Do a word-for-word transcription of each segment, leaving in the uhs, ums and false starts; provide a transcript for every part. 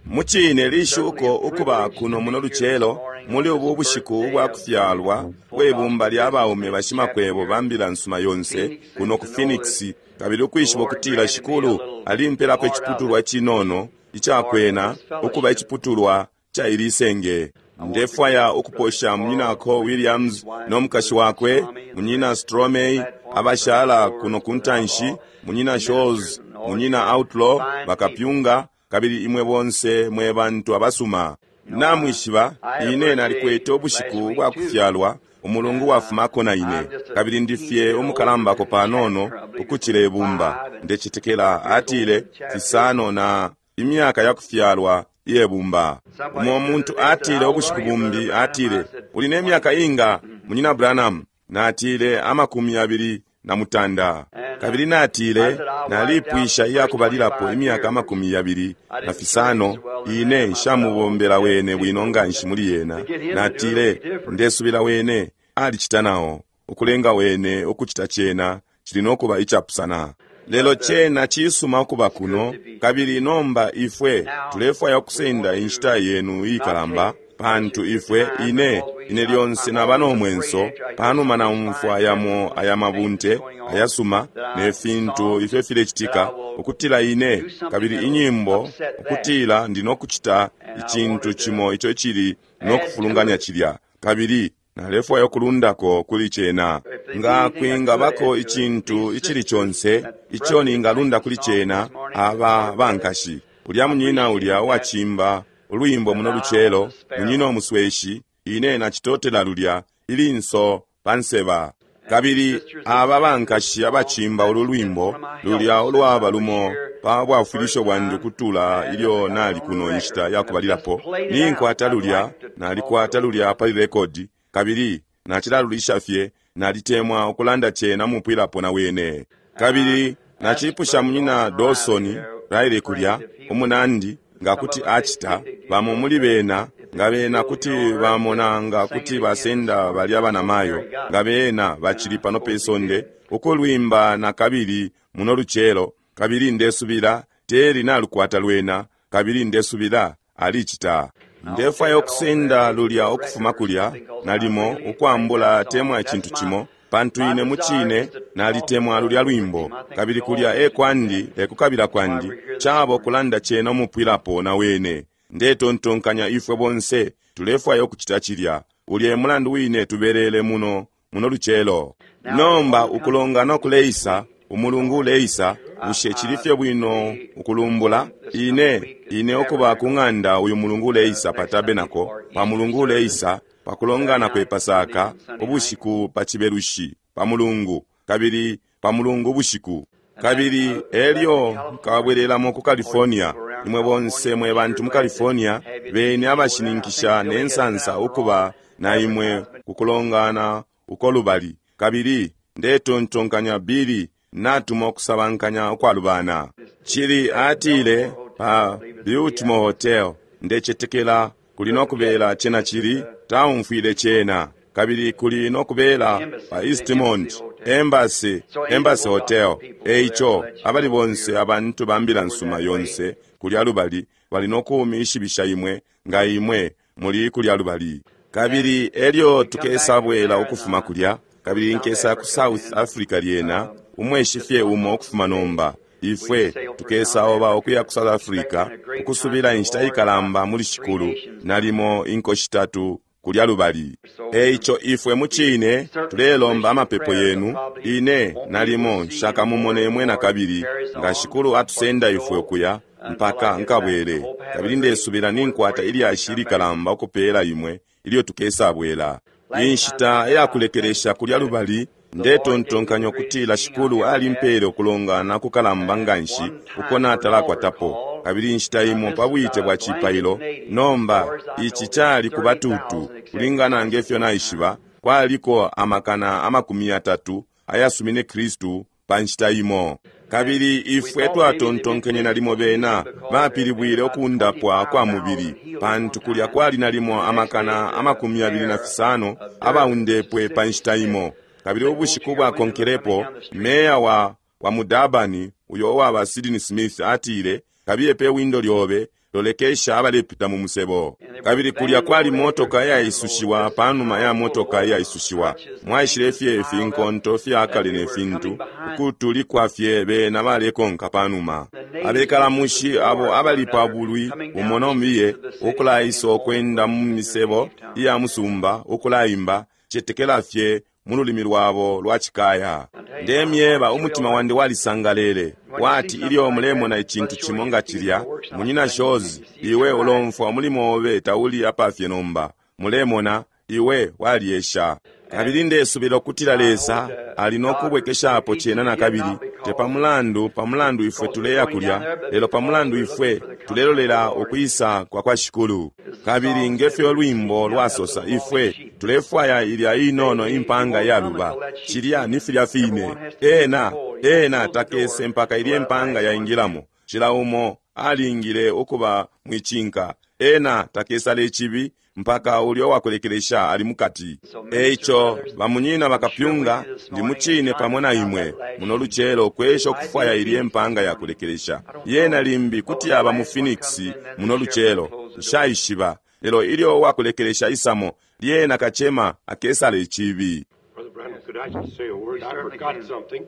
Mucine lishuko ukuba kuno muno lucelo muli ubu bushiku ubwa kufyalwa bwe bumba lya baume bashimakwebo ba mbila nsuma yonse kuno ku Phoenix, kabili ukwishiba ukutila Shikulu alimpelako iciputulwa cinono icakwena ukuba iciputulwa ca ili senge. Ndefwaya ukuposha munyinako Williams no mukashi wakwe, munyina Stromei, abashala kuno kuntanshi, munyina Shows, munyina Outlaw, bakapyunga, kabili imwe bonse mwe bantu abasuma. Namwishiba, ine nalikwete ubushiku bwa kufyalwa umulungu wafumako na ine, kabili ndifye umukalambako panono ukucila ibumba. Ndecetekela atile fisano na imyaka ya kufyalwa iye bumba. Umo muntu atile ubushiku bumbi, atile, uli ne myaka inga, munyina Branham? Natile amakumi abili na mutanda. Kabili natile nalipwisha iyakubalilapo imyaka amakumi yabili na fisano, ine nshamubombela wene bwino nganshi muli yena. Natile ndesubila wene alicita nao, ukulenga wene ukucita cena cili nokuba icapusana. Lelo cena cisuma ukuba kuno, kabili nomba ifwe tulefwaya ukusenda inshita yenu ikalamba, pantu ifwe ine ine lyonse naba no mwenso panuma naumfwa yamo aya mabunte ayasuma ne fintu ifyo filecitika, ukutila ine kabili inyimbo, ukutila ndi nokucita icintu cimo ico cili nokufulunganya cilya, kabili nalefwaya ukulundako kuli cena. Nga kwingabako icintu icili conse ico ningalunda kuli cena, aba bankashi ulya munyina ulya uwacimba ulwimbo muno lucelo, munyina umusweshi, ine nacitotela lulya ilinso panseba. Kabili aba bankashi abacimba ulu lwimbo lulya ulwaba lumo pa bwafwilisho bwandi ukutula ilyo nali kuno inshita yakubalilapo, ninkwata lulya, nalikwata lulya pali rekodi, kabili nacilalulisha fye, nalitemwa ukulanda cena mupwilapo na wene. Kabili nacipusha munyina Dawson Riley kulya umunandi nga kuti acita, bamo muli bena nga bena kuti bamona nga kuti basenda balya banamayo nga bena bacili pano pe sonde ukulwimba na kabili muno lucelo, kabili ndesubila teri nalukwata lwena, kabili ndesubila alicita. Ndefwaya ukusenda lulya ukufuma kulya nalimo ukwambula temwa icintu cimo, pantu ine mucine nalitemwa lulya lwimbo, kabili kulya e kwandi e kukabila kwandi cabo kulanda cena umupwilapo na wene. Ndetontonkanya ifwe bonse tulefwaya ukucita cilya. Ulye mulandu wine tubelele muno muno lucelo. Nomba ukulongana kuleisa, umulungu uleisa, bushe cilifye bwino ukulumbula ine ine ukuba ku ng'anda uyu mulungu uleisa pa tabernacle, pa mulungu uleisa pakulongana kwe Pasaka ubushiku pa Cibelushi pa mulungu, kabili pa mulungu ubushiku, kabili elyo nkabwelelamo ku California. Imwe bonse mwe bantu mu California beni abashininkisha ne nsansa ukuba na imwe kukulongana uko lubali, kabili ndetontonkanya Billy natuma ukusabankanya ukwalubana. Chili atile pa Biltmore Hotel, ndecetekela kuli nokubela cena chili taumfwile cena, kabili kuli nokubela pa Eastmont Embassy, Embassy Hotel. Eico abali bonse abantu ba mbila nsuma yonse kulya lubali bali nokumishibisha imwe nga imwe muli kulya lubali. Kabili elyo tukesabwela ukufuma kulya, kabili nkesa ku South Africa lyena umweshi fye umo ukufuma nomba. Ifwe tukesaoba ukuya ku South Africa ukusubila inshita ikalamba muli shikulu nalimo inko shitatu kulya lubali. Eico ifwe mucine tulelomba amapepo yenu. Ine nalimo nshakamumone imwe na kabili nga shikulu atusenda ifwe ukuya mpaka nkabwele, kabili ndesubila ninkwata ilyashi ilikalamba ukupela imwe ilyo tukesabwela. Inshita yakulekelesha kulya lubali, ndetontonkanya ukutila shikulu alimpele ukulongana kukalamba nganshi uko natalakwatapo, kabili inshita imo pa bwite bwa cipailo. Nomba ici cali ku batutu, kulingana ngefyo naishiba, kwaliko amakana amakumi yatatu ayasumine Kristu pa nshita imo. Kabili ifwe twatontonkenye nalimo bena bapilibwile ukundapwa kwa mubili, pantu kulya kwali nalimo amakana amakumi yabili na fisano abaundepwe pa nshita imo. Kabili ubushiku bwakonkelepo, meya wa, wa mu Durban, uyo uwaba Sidney Smith, atile, kabiye pe windo lyobe, Lolekesha abalepita mu musebo. Kabili kulya kwali motoka iyaisushiwa panuma ya motoka iyaisushiwa. Mwaishile fye ifinkonto fyakale ne fintu, ukutulikwa fye bena balekonka panuma. Abekalamushi abo abali pa bulwi umo nomiye, ukulaisa ukwenda mu misebo iya musumba, ukulaimba, cetekela fye mu lulimi lwabo lwa cikaya. Ndemyeba, umutima wandi walisangalele wati ilyo mulemona icintu cimo nga cilya. Munyina Shozi, iwe ulomfwa umulimo obe tauli apafye nomba. Mulemona, iwe waliesha. Kabili ndesubila ukutila Lesa ali nokubwekeshapo cena nakabili, te pamulandu pamulandu ifwe tuleya kulya, lelo pamulandu ifwe tulelolela ukwisa kwa kwa Shikulu. Kabili ngefyo lwimbo lwasosa, ifwe tulefwaya ilya inono impanga yaluba. Cilya ni filya fine. Ena ena takese mpaka ilye mpanga yaingilamo. Cila umo alingile ukuba mwicinka. Ena takesale ichibi mpaka ulyo wakulekelesha ali mukati. Eico bamunyina bakapyunga, ndi mucine pamo na imwe muno lucelo kwesha ukufwaya ilye mpanga yakulekelesha. Yena limbi kuti yaba mu Phoenix muno lucelo, nshaishiba. Lelo ilyo wakulekelesha isamo, lyena kachema akesale ichibi. Brother Branham, could I just say a word? I forgot something.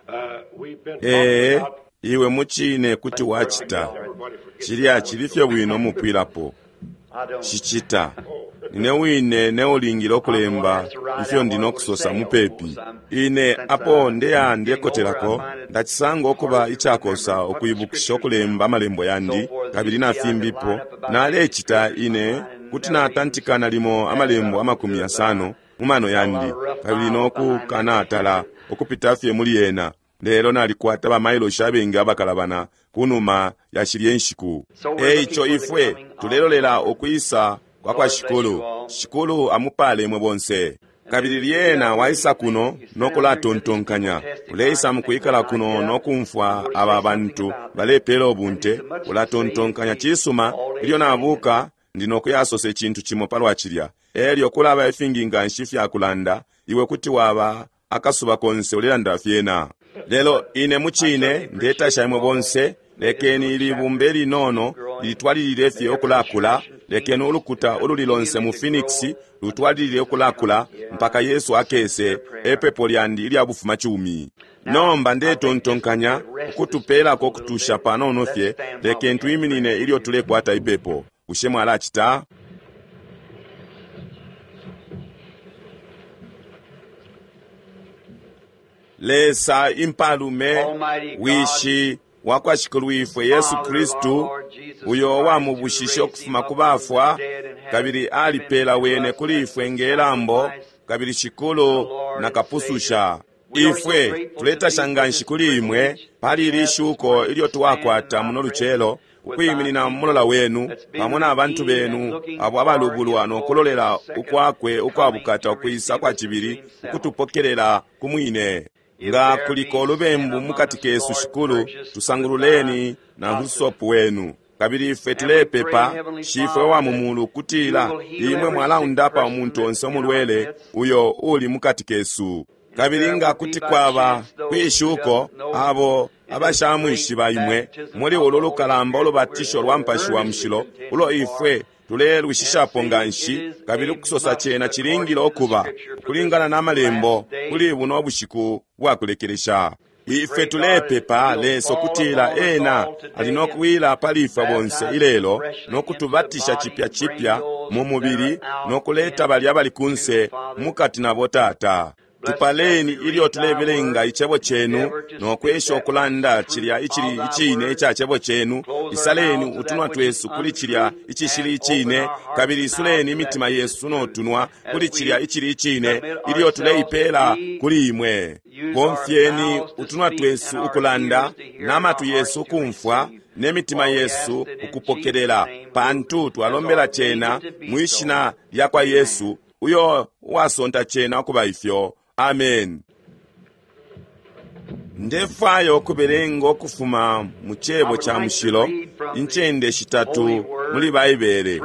Uh, we've been Ee, talking about iwe mucine kuti wachita cilya chili fye bwino mupwilapo. Cicita nine wine neulingile okulemba ifyo ndino kusosa mupepi. Ine apo ndeya ndekotelako, ndacisanga okuba icakosa ukwibukisha okulemba amalembo yandi kabili na fimbipo. Nalecita ine kuti natantika limo amalembo amakumi yasano mu mano yandi kabili nokukanatala ukupita fye muli yena. Lelo nalikwata bamailoshi abengi abakalabana kunuma ya shilye nshiku. Eico ifwe tulelolela ukwisa kwa kwa Shikulu. Shikulu amupale imwe bonse. Kabili lyena waisa kuno nokulatontonkanya, uleisa mukwikala kuno nokumfwa aba bantu balepela ubunte, ulatontonkanya cisuma, ilyo nabuka ndi nokuyasosa icintu cimo palwa cilya. Elyo kulaba ifingi nganshi fyakulanda, iwe kuti waba akasuba konse ulelanda fyena. Lelo ine mucine ndetasha imwe bonse. Lekeni ilibumba linono litwalilile fye okulakula. Lekeni ulukuta ululi lonse mu Phoenix lutwalilile okulakula mpaka Yesu akese, epepo lyandi ilya bufuma chumi. Nomba ndetontonkanya ukutupelako kutusha panono fye. Lekeni tuyiminine ilyo tulekwata ipepo. Bushe mwalacita? Lesa impalume, wishi wakwa Shikulu ifwe Yesu Kristu, uyo wamubushishe ukufuma ku bafwa, kabili alipela wene kuli ifwe ngelambo, kabili Shikulu nakapususha. Ifwe tuletasha nganshi kuli imwe pali ili shuko ilyo twakwata muno lucelo ukwiminina mulola wenu pamo na bantu benu abo abalubulwa nokulolela ukwakwe ukwabukata ukwisa kwa cibili ukutupokelela ku mwine. Nga kuliko olubembu mukati kesu, Shikulu, tusangululeni na husopu wenu. Kabili ifwe tulepepa Shifwe wa mumulu kutila imwe mwalaundapa umuntu onse umulwele uyo uli mukati kesu. Kabili nga kuti kwaba kwishuko abo abashamwishiba imwe muli ulu lukalamba ulubatisho lwa Mpashi wa Mushilo ulo ifwe tulelwishishapo nganshi, kabili ukusosa cena cilingile okuba ukulingana na malembo kuli buno bushiku bwakulekelesha. Ife tulepepa Lesa ukutila ena ali nokuwila pali ifwe bonse ilelo nokutubatisha chipya chipya mu mubili nokuleta balya bali kunse mukati nabo Tata. Tupaleni ilyo tulebelenga icebo chenu nokwesha okulanda cilya icili icine ica cebo chenu. Isaleni utunwa twesu kuli cilya icishili icine, kabili isuleni imitima yesu notunwa kuli cilya icili icine ilyo tuleipela kuli imwe. Bomfyeni utunwa twesu ukulanda, n'amatu yesu ukumfwa, n'emitima yesu ukupokelela, pantu twalombela cena mwishina lya kwa Yesu, uyo wasonta cena okuba ifyo. Amen. Ndefwaya okubelenga okufuma mu cebo ca mushilo incende shitatu muli Baibele,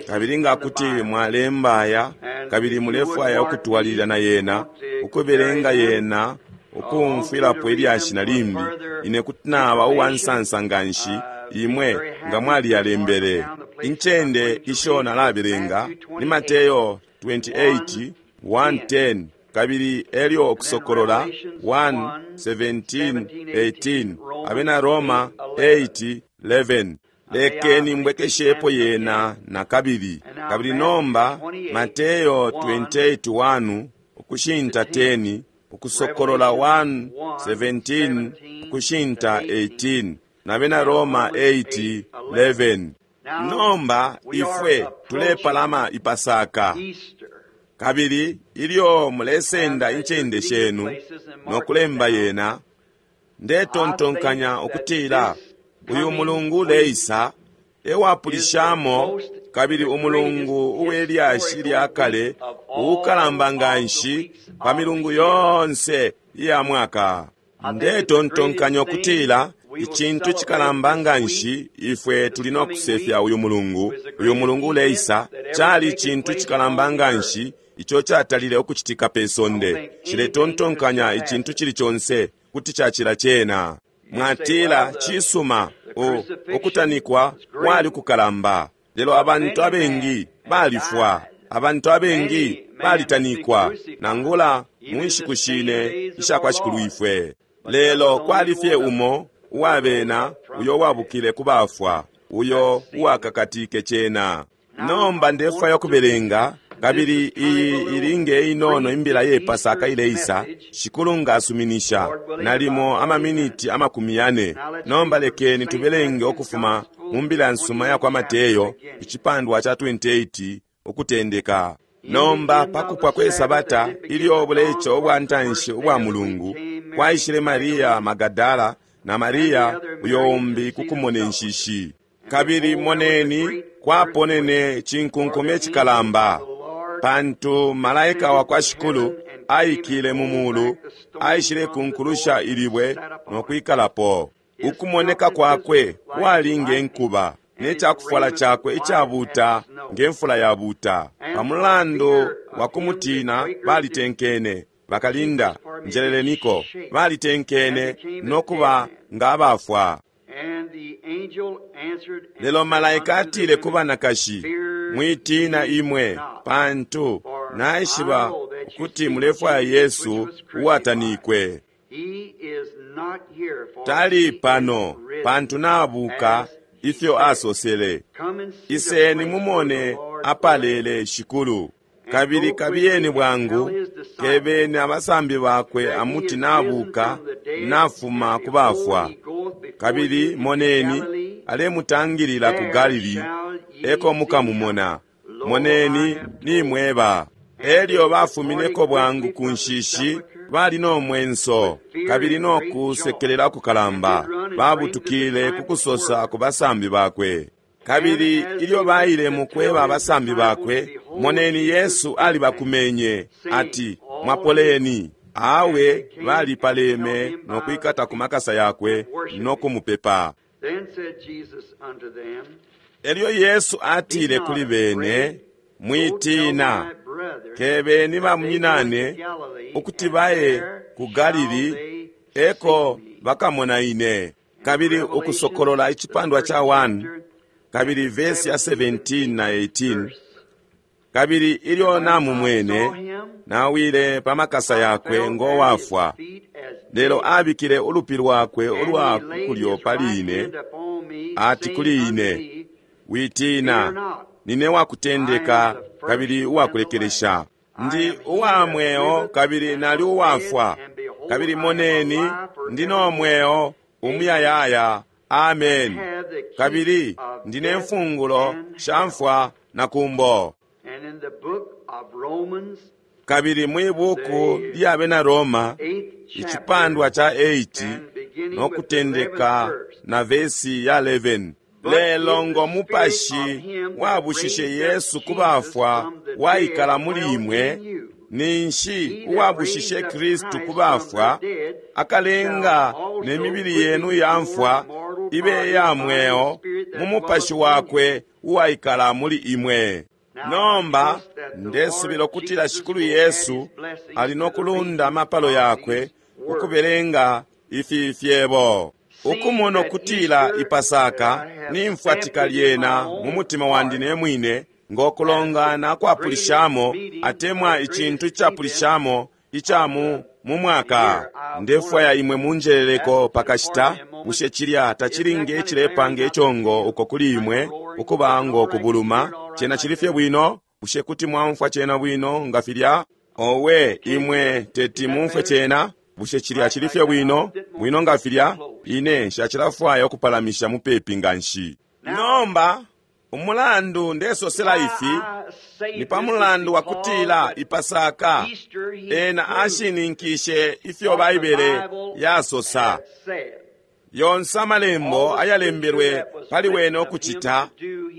kabili nga kuti mwalembaya kabili mulefwaya ukutwalilila na yena ukubelenga yena ukumfwilapo ilyashi na limbi, ine kuti naba uwansansa nganshi Imwe nga mwaliyalembele. Incende isho nalabelenga ni Mateyo twenty-eight, one ten, kabili elyo Ukusokolola one, seventeen, eighteen, Abena Roma eight, eleven. Lekeni mbwekeshepo yena na kabili. Kabili nomba Mateyo twenty-eight, one ukushinta ten, Ukusokolola one, seventeen ukushinta eighteen, na Bena Roma eight, eleven. Nomba ifwe tulepalama ipasaka. Kabili ilyo mulesenda incende shenu no kulemba yena, ndetontonkanya ukutila uyu mulungu uleisa ewapulishamo, kabili umulungu uwelyashi lya kale uukalamba nganshi pa milungu yonse iya mwaka. Ndetontonkanya ukutila icintu cikalamba nganshi ifwe tuli no kusefya uyu mulungu, uyu mulungu uleisa, cali icintu cikalamba nganshi ico catalile ukucitika pe sonde. Ciletontonkanya icintu cili conse kuti cacila cena. Mwatila cisuma, ukutanikwa kwali kukalamba, lelo abantu abengi balifwa, abantu abengi balitanikwa, nangula mu nshiku shine isha kwa Shikulu ifwe. Lelo kwali fye umo uwabena uyo wabukile kubafwa, uyo uwakakatike cena. Nomba ndefwaya kubelenga, kabili iyi ilinge inono imbila ye Pasaka ileisa, Shikulu nga asuminisha, nalimo amaminiti amakumi yane. Nomba lekeni tubelenge ukufuma mu mbila nsuma ya kwa Mateyo icipandwa cha twenty-eight ukutendeka. Nomba pakupwa kwe Sabata ilyo bulecho ubwa ntanshi ubwa mulungu, kwaishile Maria Magadala na Maria uyo umbi kukumona enshishi. Kabili moneni kwaponene cinkunkume cikalamba, pantu malaika wa kwa Shikulu aikile mu mulu, aishile kunkulusha ilibwe no kwikalapo. Ukumoneka kwakwe kwali nge nkuba, ne cakufwala cakwe icabuta nge mfula yabuta. Pamulandu wa kumutina balitenkene, bakalinda njeleleniko, balitenkene no kuba nga abafwa. Lelo malaika atile ku banakashi, mwitina imwe, pantu naishiba ukuti mulefwaya Yesu uwatanikwe. Tali pano, pantu nabuka ifyo asosele. Iseni mumone apalele Shikulu. Kabili kabiyeni bwangu, kebeni abasambi bakwe amuti nabuka nafuma kubafwa. Kabili moneni alemutangilila ku Galili, eko mukamumona. Moneni nimweba. Elyo bafumineko bwangu ku nshishi, bali no mwenso kabili no kusekelela kukalamba, babutukile kukusosa ku basambi bakwe. Kabili ilyo baile mukweba abasambi bakwe, moneni Yesu alibakumenye ati, mwapoleni. Awe balipaleme no kwikata ku makasa yakwe no kumupepa. Elyo Yesu atile kuli bene, mwitina, kebeni bamunyinane ukuti baye ku Galili, eko bakamona ine. Kabili Ukusokolola icipandwa cha one, kabili verse ya seventeen na eighteen. Kabili ilyo namumwene, nawile pa makasa yakwe ngo wafwa. Lelo abikile ulupi lwakwe ulwa kulyo pali ine, ati kuli ine, witina, nine wakutendeka kabili uwakulekelesha. Ndi uwa mweo kabili nali uwafwa, kabili moneni ndi no mweo umuyayaya. Amen. Kabili ndine mfungulo sha mfwa na kumbo. Kabili mwibuku lya Bena Roma icipandwa cha eight no kutendeka na vesi ya eleven. Lelo ngo mupashi wabushishe Yesu kubafwa waikala muli imwe, ninshi uwabushishe Kristu kubafwa akalenga ne mibili yenu ya mfwa ibe ya mweo mu mupashi wakwe uwaikala muli imwe. Nomba ndesubila ukutila Shikulu Yesu ali no kulunda amapalo yakwe ukubelenga ifi fyebo. Ukumona ukutila Ipasaka nimfwatika lyena mu mutima wandi ne mwine, ngo kulongana kwapulishamo atemwa icintu icapulishamo ica mu mu mwaka. Ndefwaya imwe munjeleleko pakashita. Bushe cilya tachilinge icilepanga ichongo uko kuli imwe ukuba ngo kubuluma? Chena chili fye bwino? Bushe kuti mwaumfwa chena bwino nga filya? Owe, imwe teti mumfwe chena. Bushe cilya chili fye bwino bwino nga filya? Ine nshacilafwaya ukupalamisha mupepi nganshi. Nomba umulandu ndesosela ifi ni pa mulandu wa kutila Ipasaka ena ashininkishe ifyo Baibele yasosa. Yonse amalembo ayalembelwe pali wene ukucita,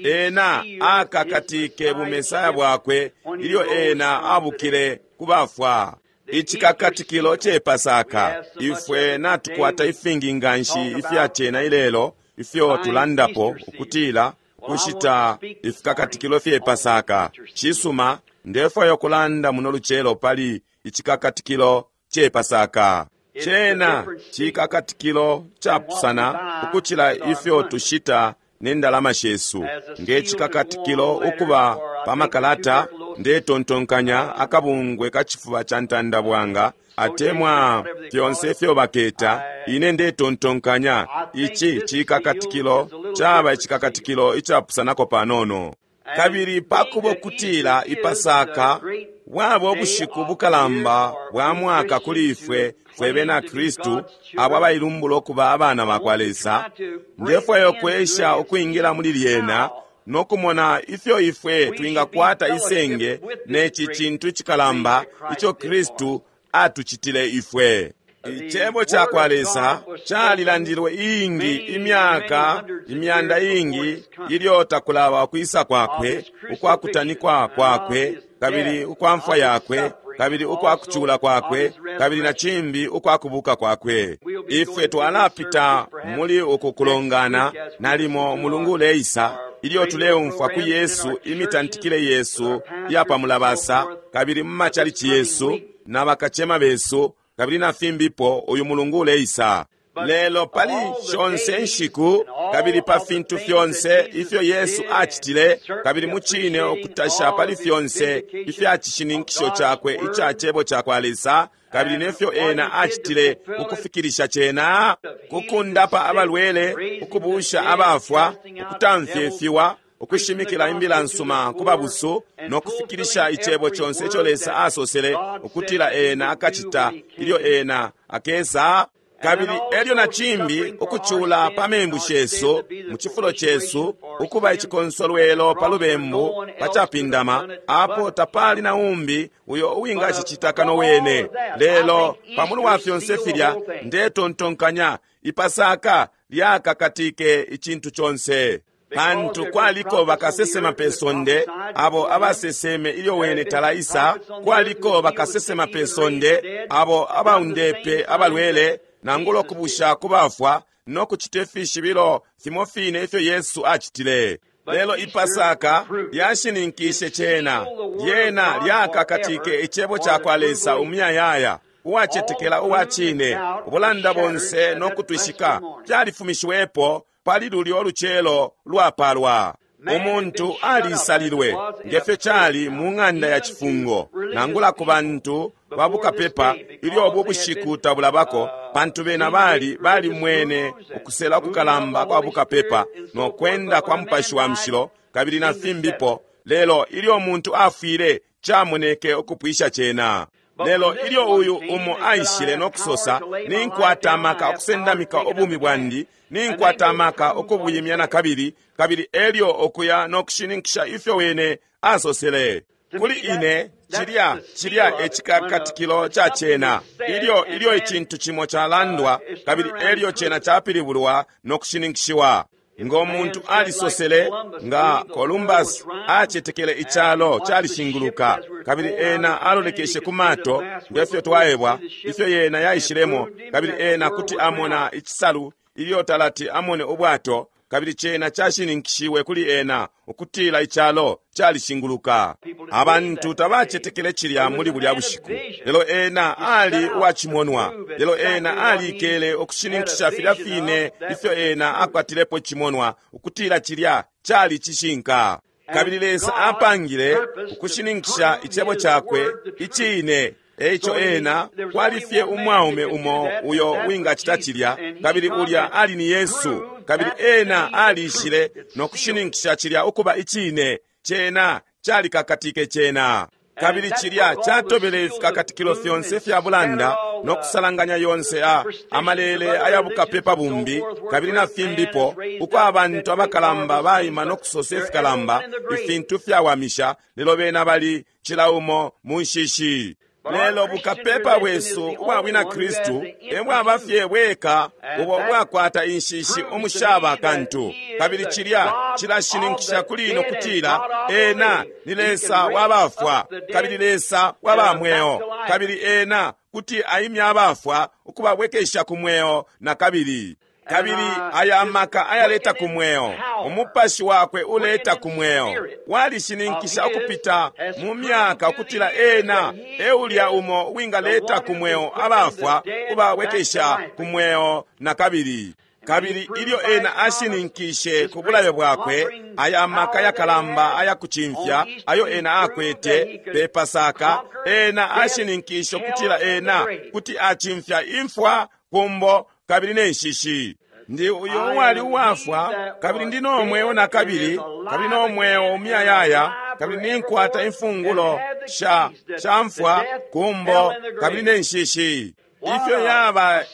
ena akakatike bumesaya bwakwe ilyo ena abukile kubafwa. Icikakatikilo ce Pasaka, ifwe natukwata ifingi nganshi ifya cena ilelo ifyo tulandapo ukutila kushita ifikakatikilo fye Pasaka. Cisuma, ndefwaya ukulanda muno lucelo pali icikakatikilo ce Pasaka. Cena cikakatikilo capusana ukucila ifyo tushita ne ndalama shesu. Nge cikakatikilo ukuba pa makalata, ndetontonkanya akabungwe ka cifuba ca ntandabwanga atemwa fyonse ifyo baketa. Ine ndetontonkanya ici cikakatikilo caba icikakatikilo icapusanako panono. Kabili pakuba ukutila Ipasaka bwaba ubushiku bukalamba bwa mwaka kuli ifwe fwe bena Kristu abo abailumbula ukuba abana bakwa Lesa, ndefwaya ukwesha ukwingila muli lyena no kumona ifyo ifwe twingakwata isenge neci cintu icikalamba ico Kristu atucitile ifwe. Icebo ca kwa Lesa calilandilwe iingi imyaka imyanda iingi ilyo takulaba ukwisa kwakwe, ukwakutanikwa kwakwe, kabili ukwamfwa yakwe, kabili ukwakucula kwakwe, kabili na cimbi ukwakubuka kwakwe. Ifwe twalapita muli uku kulongana nalimo mulungu uleisa ilyo tuleumfwa ku Yesu imitantikile yesu iyapamulabasa, kabili mu machalichi yesu na bakachema besu, kabili na fimbipo uyu mulungu uleisa. Lelo pali shonse nshiku kabili pa fintu fyonse ifyo Yesu acitile, kabili mucine ukutasha pali fyonse ifya cishininkisho cakwe ica cebo ca kwa Lesa, kabili nefyo ena acitile ukufikilisha cena, kukundapa abalwele, ukubusha abafwa, ukutamfya ifiwa, ukushimikila imbila nsuma ku babusu, no kufikilisha icebo conse ico Lesa asosele ukutila ena akacita ilyo ena akesa. Kabili elyo na cimbi ukucula pa membu shesu mu cifulo cesu, ukuba icikonsolwelo pa lubembu pa capindama, apo tapali na umbi uyo uwingacicita kano wene. Lelo pamulu wa fyonse filya, ndetontonkanya Ipasaka lyakakatike icintu conse, pantu kwaliko bakasesema pe sonde abo abaseseme ilyo wene talaisa, kwaliko bakasesema pe sonde abo abaundepe abalwele nangula ukubusha kubafwa no kucita ifishibilo fimo fine ifyo Yesu acitile. Lelo Ipasaka lyashininkishe cena, lyena lyakakatike icebo ca kwa Lesa umuyayaya. Uwacetekela uwa cine, ubulanda bonse no kutwishika fyalifumishiwepo pali lulyo lucelo lwapalwa. Umuntu alisalilwe ngefyo cali mu ng'anda ya cifungo, nangula ku bantu babukapepa ilyo ubu bushiku tabulabako, pantu bena bali balimwene ukusela kukalamba kwa bukapepa no kwenda kwa Mupashi wa Mushilo kabili na fimbipo. Lelo ilyo umuntu afwile, camoneke ukupwisha cena. Lelo ilyo uyu umo aishile no kusosa, ninkwata amaka okusendamika ubumi bwandi, ninkwata amaka okubuyimya na kabili, kabili elyo okuya no kushininkisha ifyo wene asosele. Kuli ine, cilya cilya ecikakatikilo ca cena. Ilyo ilyo icintu cimo calandwa, kabili elyo cena capilibulwa no kushininkishiwa. Ngo muntu alisosele nga Columbus acetekele icalo calishinguluka, kabili ena alolekeshe ku mato ngefyo twaebwa ifyo yena yaishilemo, kabili ena kuti amona icisalu ilyo talati amone ubwato, Kabili cena cashininkishiwe kuli ena ukutila icalo calishinguluka. Abantu tabacetekele cilya muli bulya bushiku, lelo ena ali uwacimonwa. Lelo ena aliikele ukushininkisha filya fine ifyo ena akwatilepo cimonwa ukutila cilya cali cishinka. Kabili Lesa apangile ukushininkisha icebo cakwe icine. Eico ena kwali fye umwaume umo uyo wingacita cilya, kabili ulya ali ni Yesu. Kabili ena aliishile no kushininkisha cilya ukuba icine. Cena calikakatike cena. Kabili cilya catobele ifikakatikilo fyonse fya bulanda no kusalanganya yonse a amalele ayabukapepa bumbi kabili na fimbipo, uko abantu abakalamba baima no kusosa ifikalamba ifintu fyawamisha, lelo bena bali cila umo mu nshishi. Lelo bukapepa bwesu ubwa bwina Kristu ebwaba fye bweka ubo bwakwata inshishi umushaba kantu. Kabili cilya cilashininkisha kuli ino kutila ena ni Lesa wabafwa kabili Lesa waba mweo, kabili ena kuti aimya abafwa ukubabwekesha ku mweo na kabili. Kabili aya amaka ayaleta ku mweo, umupashi wakwe uleta ku mweo, walishininkisha ukupita mu myaka ukutila ena eulya umo wingaleta ku mweo abafwa kubabwekesha ku mweo na kabili. Kabili ilyo ena ashininkishe ku bulayo bwakwe, aya maka yakalamba ayakucimfya ayo ena akwete pe Pasaka, ena ashininkishe ukutila ena kuti acimfya imfwa, kumbo kabili ne nshishi. Ndi uyo uwali uwafwa, kabili ndi no mweo na kabili, kabili no mweo umuyayaya, kabili ninkwata imfungulo sha sha mfwa, kumbo kabili ne nshishi. Ifyo yaba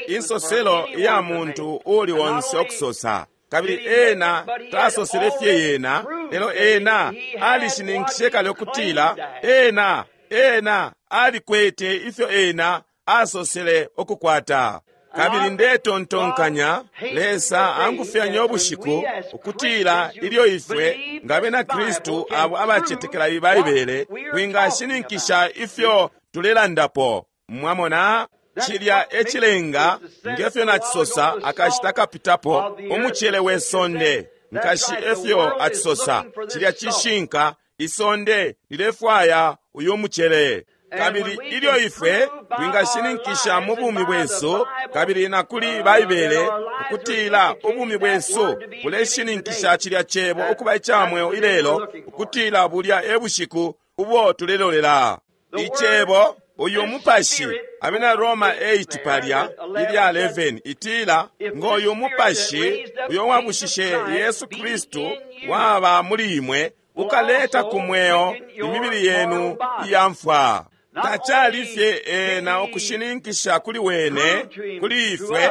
insoselo ya muntu uli wonse okusosa. Kabili ena tasosele fye yena, lelo ena alishininkishe kale ukutila ena ena alikwete ifyo ena asosele okukwata. Kabili ndetontonkanya Lesa angufyanya ubushiku ukutila ilyo ifwe nga bena Kristu abo abacetekela Baibele twingashininkisha ifyo tulelandapo. Mwamona, cilya ecilenga ngefyo nacisosa akashita kapitapo umucele we sonde nkashi efyo acisosa cilya cishinka, isonde lilefwaya uyu mucele. Kabili ilyo ifwe twingashininkisha mu bumi bwesu kabili na kuli Baibele ukutila ubumi bwesu buleshininkisha cilya cebo ukuba ica mweo ilelo, ukutila bulya e bushiku ubo tulelolela icebo. Uyu mupashi, abena Roma eight palya ilya eleven itila, ngoyu mupashi uyo wabushishe Yesu Kristu waba muli imwe ukaleta ku mweo imibili yenu iya mfwa. Tacali fye ena ukushininkisha kuli wene, kuli ifwe,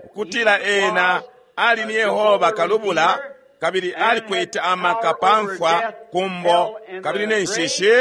ukutila ena ali ni Yehova kalubula kabili alikwete amaka pa mfwa, kumbo kabili ne nshishi,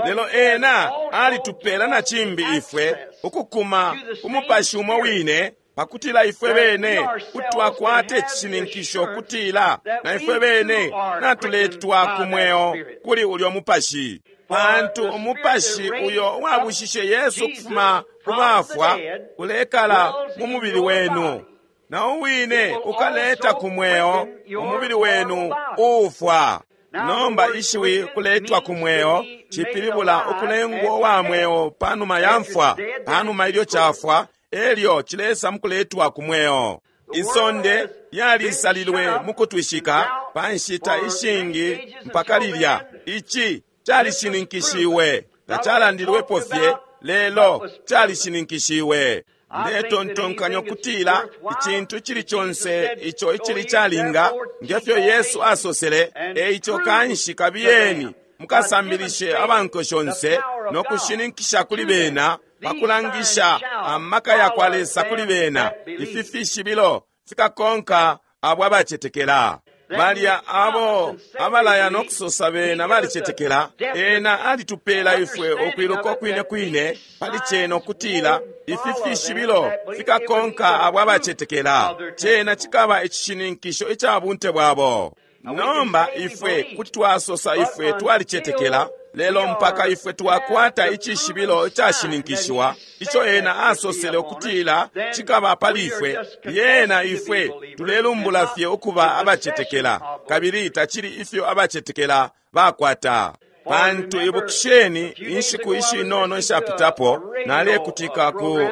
lelo ena alitupela na cimbi ifwe ukukuma umupashi umo wine, pakutila ifwe bene kutwakwate icishininkisho kutila na ifwe bene natuletwa ku mweo kuli ulyo mupashi. Pantu umupashi uyo wabushishe Yesu kufuma ku bafwa ulekala mu mubili wenu, na uwine ukaleta ku mweo umubili wenu uufwa. Nomba ishiwi kuletwa ku mweo cipilibula ukulengwa wa mweo panuma ya mfwa, panuma ilyo cafwa elyo cilesa mukuletwa ku mweo. Isonde yalisalilwe mukutwishika pa nshita ishingi mpaka lilya. Ici calishininkishiwe, tacalandilwepo fye, lelo calishininkishiwe. Ndetontonkanya ukutila icintu icili conse ico icili calinga ngefyo Yesu asosele, eico kanshi kabiyeni mukasambilishe abanko shonse no kushininkisha kuli bena, pakulangisha amaka ya kwa Lesa kuli bena. Ifi fishibilo fikakonka abo abacetekela. Balya abo abalaya no kusosa bena balicetekela. Ena alitupela ifwe ukwiluka kwine kwine pali cena ukutila ifi fishibilo fikakonka abo abacetekela. Cena cikaba icishininkisho ica bunte bwabo. Nomba ifwe kuti twasosa ifwe twalicetekela, Lelo mpaka ifwe twakwata icishibilo icashininkishiwa ico ena asosele ukutila cikaba pali ifwe, lyena ifwe tulelumbula fye ukuba abacetekela, kabili tacili ifyo abacetekela bakwata. Pantu ibukisheni, inshiku ishinono ishapitapo nalekutika ku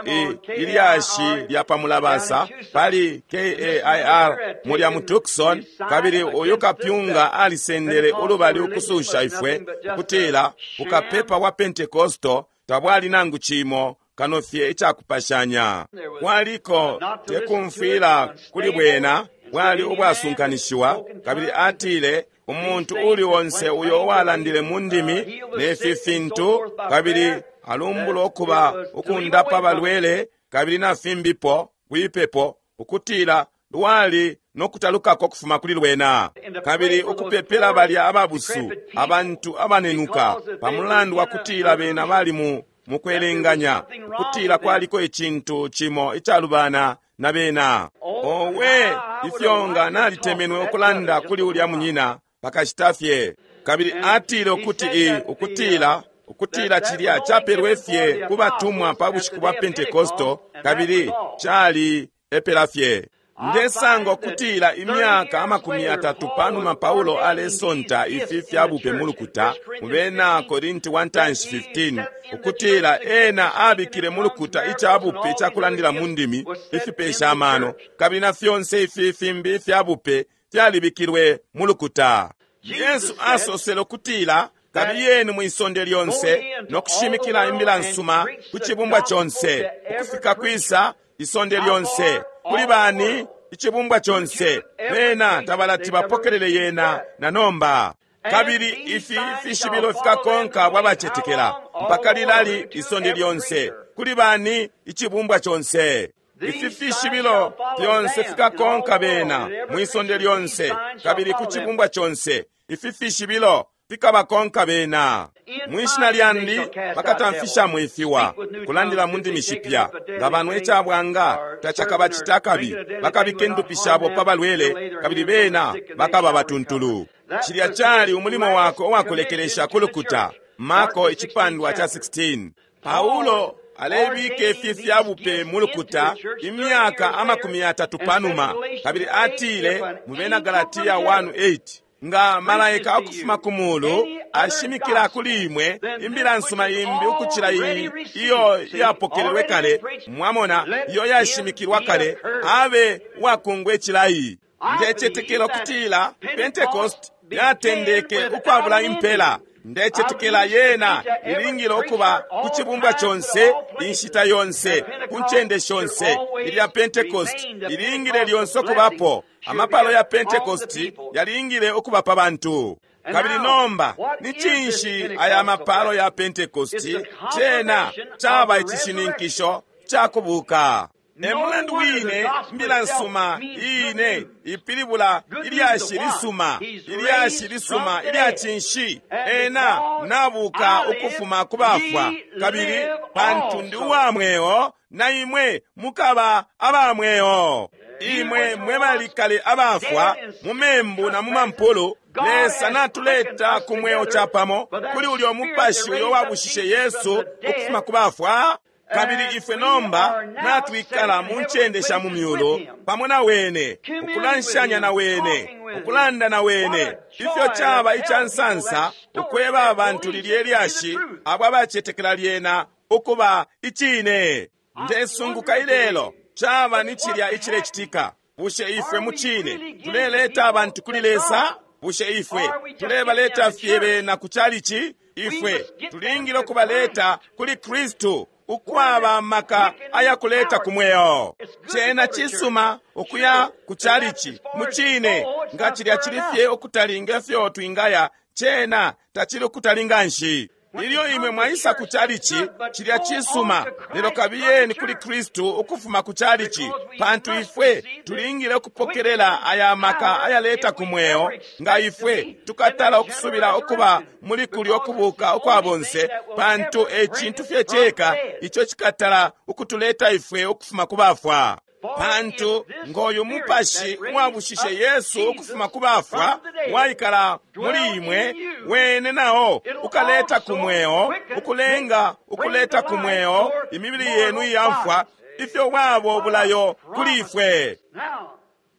ilyashi lya pamulabasa pali K A I R mulya mu Tucson, kabili uyu kapyunga alisendele ulubali ukususha ifwe ukutila ukapepa wa Pentekosto tabwali nangu cimo kano fye icakupashanya. Kwaliko tekumfwila kuli bwena, bwali ubwasunkanishiwa, kabili atile umuntu uli onse uyo uwalandile mu ndimi nefi fintu kabili alumbula ukuba ukundapa balwele kabili na fimbipo kwipepo ukutila lwali nokutalukako kufuma kuli lwena, kabili ukupepela balya ababusu abantu abanenuka pamulandu wa kutila bena bali mu mukwelenganya ukutila kwaliko icintu cimo icalubana na bena. Owe, ifyo nga nalitemenwe ukulanda kuli ulya munyina pakashita fye. Kabili atile ukuti i ukutila ukutila cilya chapelwe fye kubatumwa pa bushiku bwa Pentekosto, kabili chali epela fye. Ndesanga ukutila imyaka amakumi atatu panuma Paulo alesonta ifi fyabupe mu lukuta mu bena Korinti one fifteen, ukutila ena abikile mu lukuta icabupe cakulandila mu ndimi ifipesha amano, kabili na fyonse ifi fimbi fyabupe fyalibikilwe mu lukuta. Yesu asosele ukutila kabiyeni mwisonde lyonse nokushimikila imbila nsuma ku cibumbwa conse, ukufika kwisa isonde lyonse. Kuli bani? Icibumbwa conse. Bena tabalati bapokelele yena na nomba. Kabili ifi fishibilo fikakonka bwabacetekela mpaka lilali isonde lyonse. Kuli bani? Icibumbwa conse. Ifi fishibilo fyonse fikakonka bena mwisonde lyonse kabili ku cibumbwa conse. Ifi fishibilo fikabakonka bena. Mwishina lyandi bakatamfisha mwifiwa kulandila mu ndimi shipya, nga banwe icabwanga tacakabacita kabi, bakabika indupi shabo pa balwele kabili bena bakaba batuntulu. Cilya cali umulimo wako uwakulekelesha ku lukuta. Marko icipandwa cha sixteen. Paulo alebika ifi fyabupe mu lukuta imyaka amakumi atatu panuma, kabili atile mu bena Galatia one eight, nga malaika ukufuma ku mulu ashimikila kuli imwe imbila nsuma imbi ukucila iyi iyo yapokelelwe kale, mwamona, iyo yashimikilwa kale, abe uwakungwe cilayi. Ndecetekela ukutila Pentecost yatendeke ukwabula impela. Ndecetekela yena ilingile ukuba ku cibumbwa conse, inshita yonse, ku ncende shonse. Ilya Pentecost ilingile lyonse ukubapo. Amapalo ya Pentecost yalingile ukuba pa bantu. Kabili nomba ni cinshi aya mapalo ya Pentecost? Cena caba icishininkisho cakubuka. E mulandu wine mbila nsuma iine ipilibula ilyashi lisuma, ilyashi lisuma ilya cinshi? Ena nabuka ukufuma ku bafwa, kabili pantu ndi uwa mweo na imwe mukaba aba mweo. Imwe mwe balikale abafwa mu membu na mu mampulu, Lesa natuleta ku mweo chapamo kuli ulyo mupashi uyo wabushishe Yesu ukufuma ku bafwa. Kabili ifwe nomba natwikala mu ncende sha mu myulu pamo na wene, ukulanshanya na wene, ukulanda na wene. Ifyo caba icansansa ukweba abantu lilye lyashi abo abacetekela lyena ukuba icine. Ndesunguka ilelo caba ni cilya icilecitika. Bushe ifwe mu cine tuleleta abantu kuli Lesa? Bushe ifwe tulebaleta fye bena ku chalichi? Ifwe tulingile ukubaleta kuli Kristu ukwaba maka ayakuleta kumweo. Cena cisuma ukuya ku chalichi mu cine, nga cilya cili fye ukutalinga fyo twingaya, cena tacili ukutalinga nshi. Ilyo imwe mwaisa ku chalichi, cilya cisuma, lelo kabiyeni kuli Kristu ukufuma ku chalichi, pantu ifwe tulingile ukupokelela aya maka ayaleta kumweo. Nga ifwe tukatala ukusubila ukuba muli kulyo kubuka ukwa bonse, pantu e cintu fye ceka ico cikatala ukutuleta ifwe ukufuma ku bafwa. Pantu ngoyu mupashi uwabushishe Yesu ukufuma ku bafwa waikala muli imwe, wene nao ukaleta ku mweo, ukulenga ukuleta ku mweo imibili yenu iyamfwa, ifyo wabo bulayo kuli ifwe.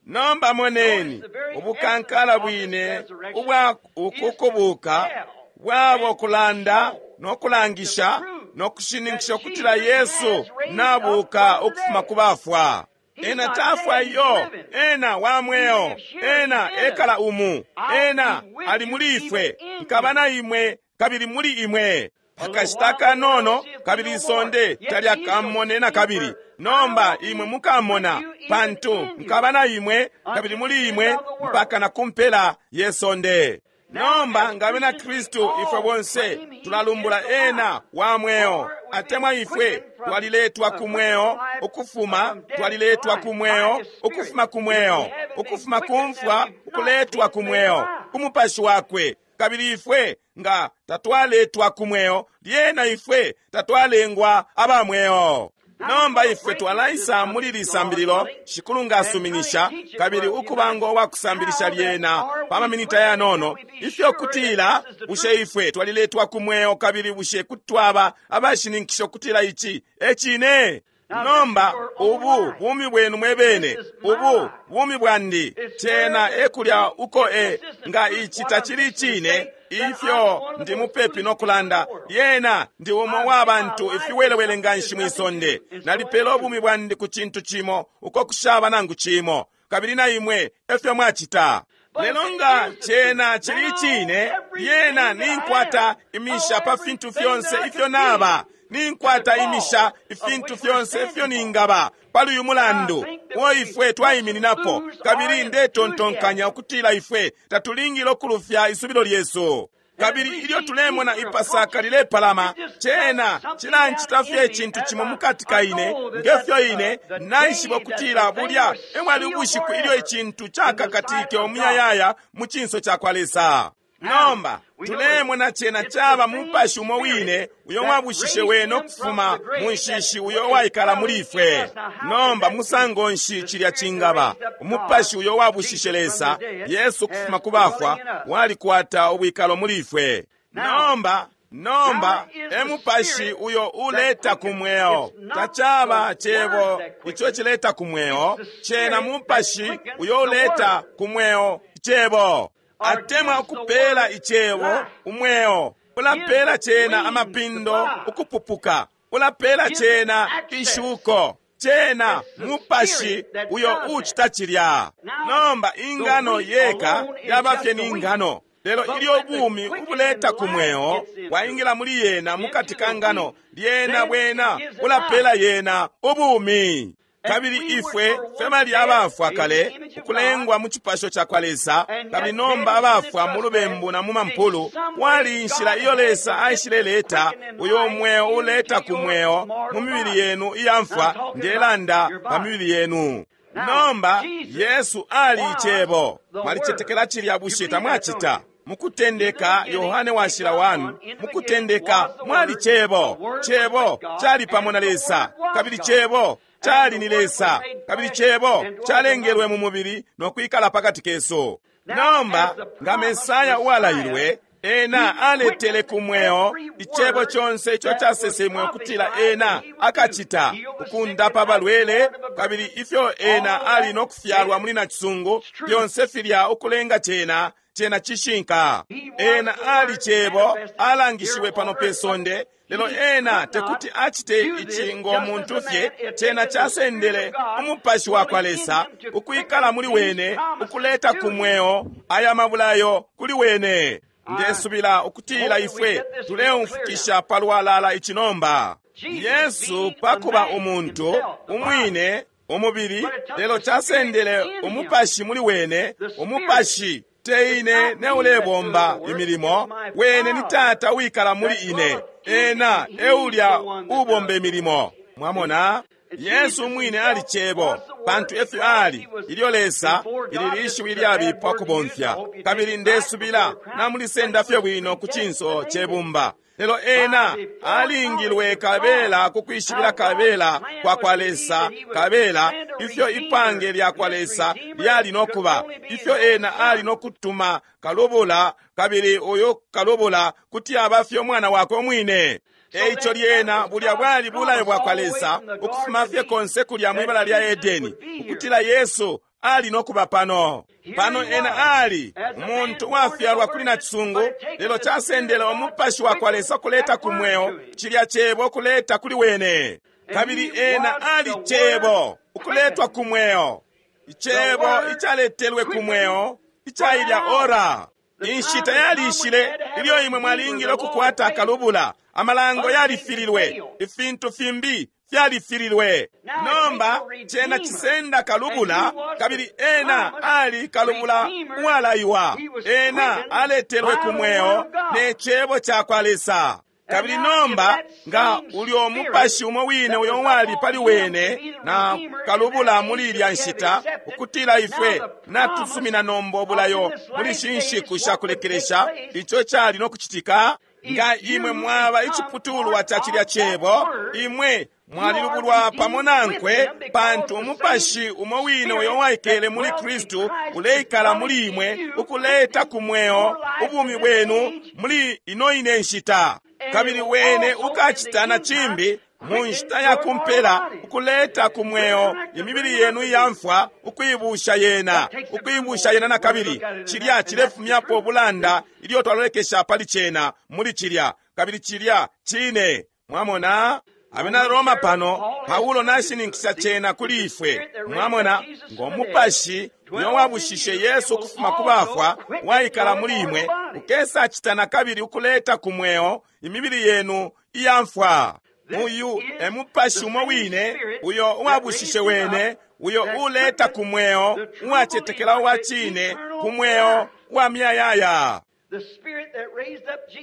Nomba moneni ubukankala bwine ubwa ukukubuka bwabo kulanda no kulangisha no kushininkisha ukutila Yesu nabuka ukufuma ku bafwa. Ena tafwa iyo, ena wa mweo, ena ekala umu, ena ali muli ifwe, nkaba na imwe kabili muli imwe. Akashita kanono kabili isonde talyakamone na kabili. Nomba imwe mukamona, pantu nkaba na imwe kabili muli imwe mpaka na kumpela yesonde. Nomba nga bena Kristu ifwe bonse tulalumbula ena wa mweo, atemwa ifwe twaliletwa ku mweo ukufuma, twaliletwa ku mweo ukufuma ku mweo, ukufuma ku mfwa ukuletwa ku mweo ku mupashi wakwe. Kabili ifwe nga tatwaletwa ku mweo, lyena ifwe tatwalengwa aba mweo. Nomba ifwe twalaisa muli lisambililo, Shikulu nga asuminisha, kabili ukubango wa kusambilisha lyena pa maminita yanono, ifyo kutila bushe ifwe twaliletwa ku mweo, kabili bushe kuti twaba abashininkisha ukutila ici e cine. Nomba ubu bumi bwenu mwebene, ubu bumi bwandi, cena ekulya uko e nga ici tacili cine, ifyo ndi mupepi no kulanda, yena ndi umo wa bantu ifiwelewele nganshi mwisonde. Nalipela ubumi bwandi ku cintu cimo uko kushaba nangu cimo, kabili na imwe efyo mwacita. Lelo nga cena chili cine, yena ninkwata imisha pa fintu fyonse ifyo naba, ninkwata imisha ifintu fyonse ifyo ningaba pali uyu mulandu uo ifwe twaimininapo, kabili ndetontonkanya ukutila ifwe tatulingile ukulufya isubilo lyesu. Kabili ilyo tulemona ipasaka lilepalama, cena cilancita fye icintu cimo mukati ka ine, ngefyo ine naishiba ukutila bulya emwali ubushiku ilyo icintu cakakatike umuyayaya mu cinso ca kwa Lesa. Nomba tulemona cena caba mupashi umo wine uyo wabushishe wene ukufuma mu nshishi uyo waikala muli ifwe. Nomba musango nshi cilya cingaba? Umupashi uyo wabushishe Lesa Yesu ukufuma ku bafwa walikwata ubwikalo muli ifwe. Nomba nomba e mupashi uyo uleta ku mweo, tacaba cebo ico cileta ku mweo, cena mupashi uyo uleta ku mweo cebo. Atemwa ukupela icebo umweo, ulapela cena amapindo ukupupuka, ulapela cena ishuko, cena mupashi uyo uchita cilya. Nomba ingano yeka yaba fye ni ngano, lelo ilyo ubumi ubuleta ku mweo waingila muli yena mukati ka ngano, lyena bwena ulapela yena ubumi. Kabili ifwe femali abafwa kale ukulengwa mu cipasho ca kwa Lesa, kabili nomba abafwa mu lubembu na mu mampulu, wali inshila iyo Lesa aishileleta uyo mweo uleta ku mweo mu mibili yenu iyamfwa, ndelanda pa mibili yenu. Nomba Yesu ali icebo. Mwalicetekela cilya bushe tamwacita? Mukutendeka Yohane washila wanu, mukutendeka mwali cebo, cebo cali pamo na Lesa, kabili cebo cali ni Lesa, kabili cebo calengelwe mu mubili no kwikala pakati kesu. Nomba nga Mesaya uwalailwe, ena aletele ku mweo icebo conse ico casesemwe ukutila ena akacita, ukundapa balwele, kabili ifyo ena ali no kufyalwa muli nacisungu, fyonse filya ukulenga cena cena cishinka. Ena ali cebo alangishiwe pano pe sonde, lelo ena tekuti acite ici ngo muntu fye. Cena casendele umupashi wa kwa Lesa ukwikala muli wene, ukuleta ku mweo aya mabulayo kuli wene. Ndesubila ukutila ifwe tuleumfukisha palwalala ici nomba. Yesu pakuba umuntu umwine umubili, lelo casendele umupashi muli wene, umupashi te ine ne ulebomba imilimo, wene ni Tata uwikala muli ine, ena eulya ubomba imilimo. Mwamona, Yesu umwine ali cebo, pantu efyo ali ilyo Lesa ili lishiwi lyabipa kubomfya. Kabili ndesubila namulisenda fye bwino ku cinso cebumba. Lelo ena alingilwe kabela kukwishibila kabela kwa kwa Lesa, kabela ifyo ipange lya kwa Lesa lyali nokuba, ifyo ena ali nokutuma kalubula, kabili uyu kalubula kuti aba fye umwana wakwe umwine. Eico lyena bulya bwali bulayo bwa kwa Lesa ukufuma fye konse kulya mwibala lya Edeni, ukutila Yesu ali nokuba pano. Pano ena ali umuntu wafyalwa kuli nacisungu, lelo casendele umupashi wa kwa Lesa kuleta ku mweo cilya cebo kuleta kuli wene. Kabili ena ali cebo ukuletwa ku mweo, icebo icaletelwe ku mweo icailya ora. Inshita yalishile ilyo imwe mwalingile ukukwata akalubula. Amalango yalifililwe, ifintu fimbi fyalifililwe. Nomba cena cisenda kalubula, kabili ena ali kalubula uwalaiwa. Ena aletelwe ku mweo ne cebo ca kwa Lesa. Kabili nomba nga ulyo mupashi umo wine uyo wali pali wene na kalubula muli ilya nshita, ukutila ifwe natusumina nomba obulayo muli shinshiku shakulekelesha, ico cali nokucitika. Nga imwe mwaba iciputulwa ca cilya cebo, imwe mwalilubulwa pamo nankwe, pantu umupashi umo wine uyo waikele muli Kristu uleikala muli imwe ukuleta ku mweo ubumi bwenu muli ino ine nshita. Kabili wene ukacita na cimbi mu nshita ya kumpela ukuleta ku mweo imibili yenu iyamfwa, ukuibusha yena, ukuibusha yena na kabili. Cilya cilefumyapo ubulanda ilyo twalolekesha pali cena muli cilya, kabili cilya cine. Mwamona Abena Roma pano, Paulo nashininkisha cena kuli ifwe. Mwamona ngo mupashi uyo wabushishe Yesu ukufuma ku bafwa waikala muli imwe, ukesa cita na kabili ukuleta ku mweo imibili yenu iyamfwa. Uyu e mupashi umo wine uyo uwabushishe wene, uyo uleta ku mweo uwacetekela uwa cine ku mweo wa miyayaya.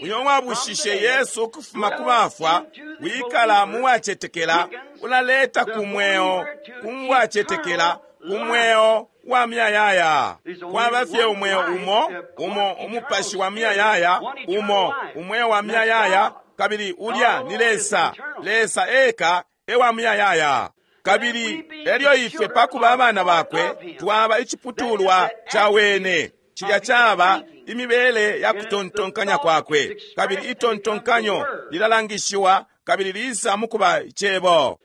Uyo wabushishe Yesu ukufuma ku bafwa wikala mu wacetekela, ulaleta ku mweo ku wacetekela ku mweo wa miyayaya. Kwaba fye umweo umo umo umupashi wa miyayaya umo umweo wa miyayaya, kabili ulya ni Lesa. Lesa eka ewa miyayaya. Kabili elyo ifwe pakuba abana bakwe twaba iciputulwa ca wene. Cilya caba imibele ya kutontonkanya kwakwe, kabili itontonkanyo lilalangishiwa kabili lisa mukuba icebo.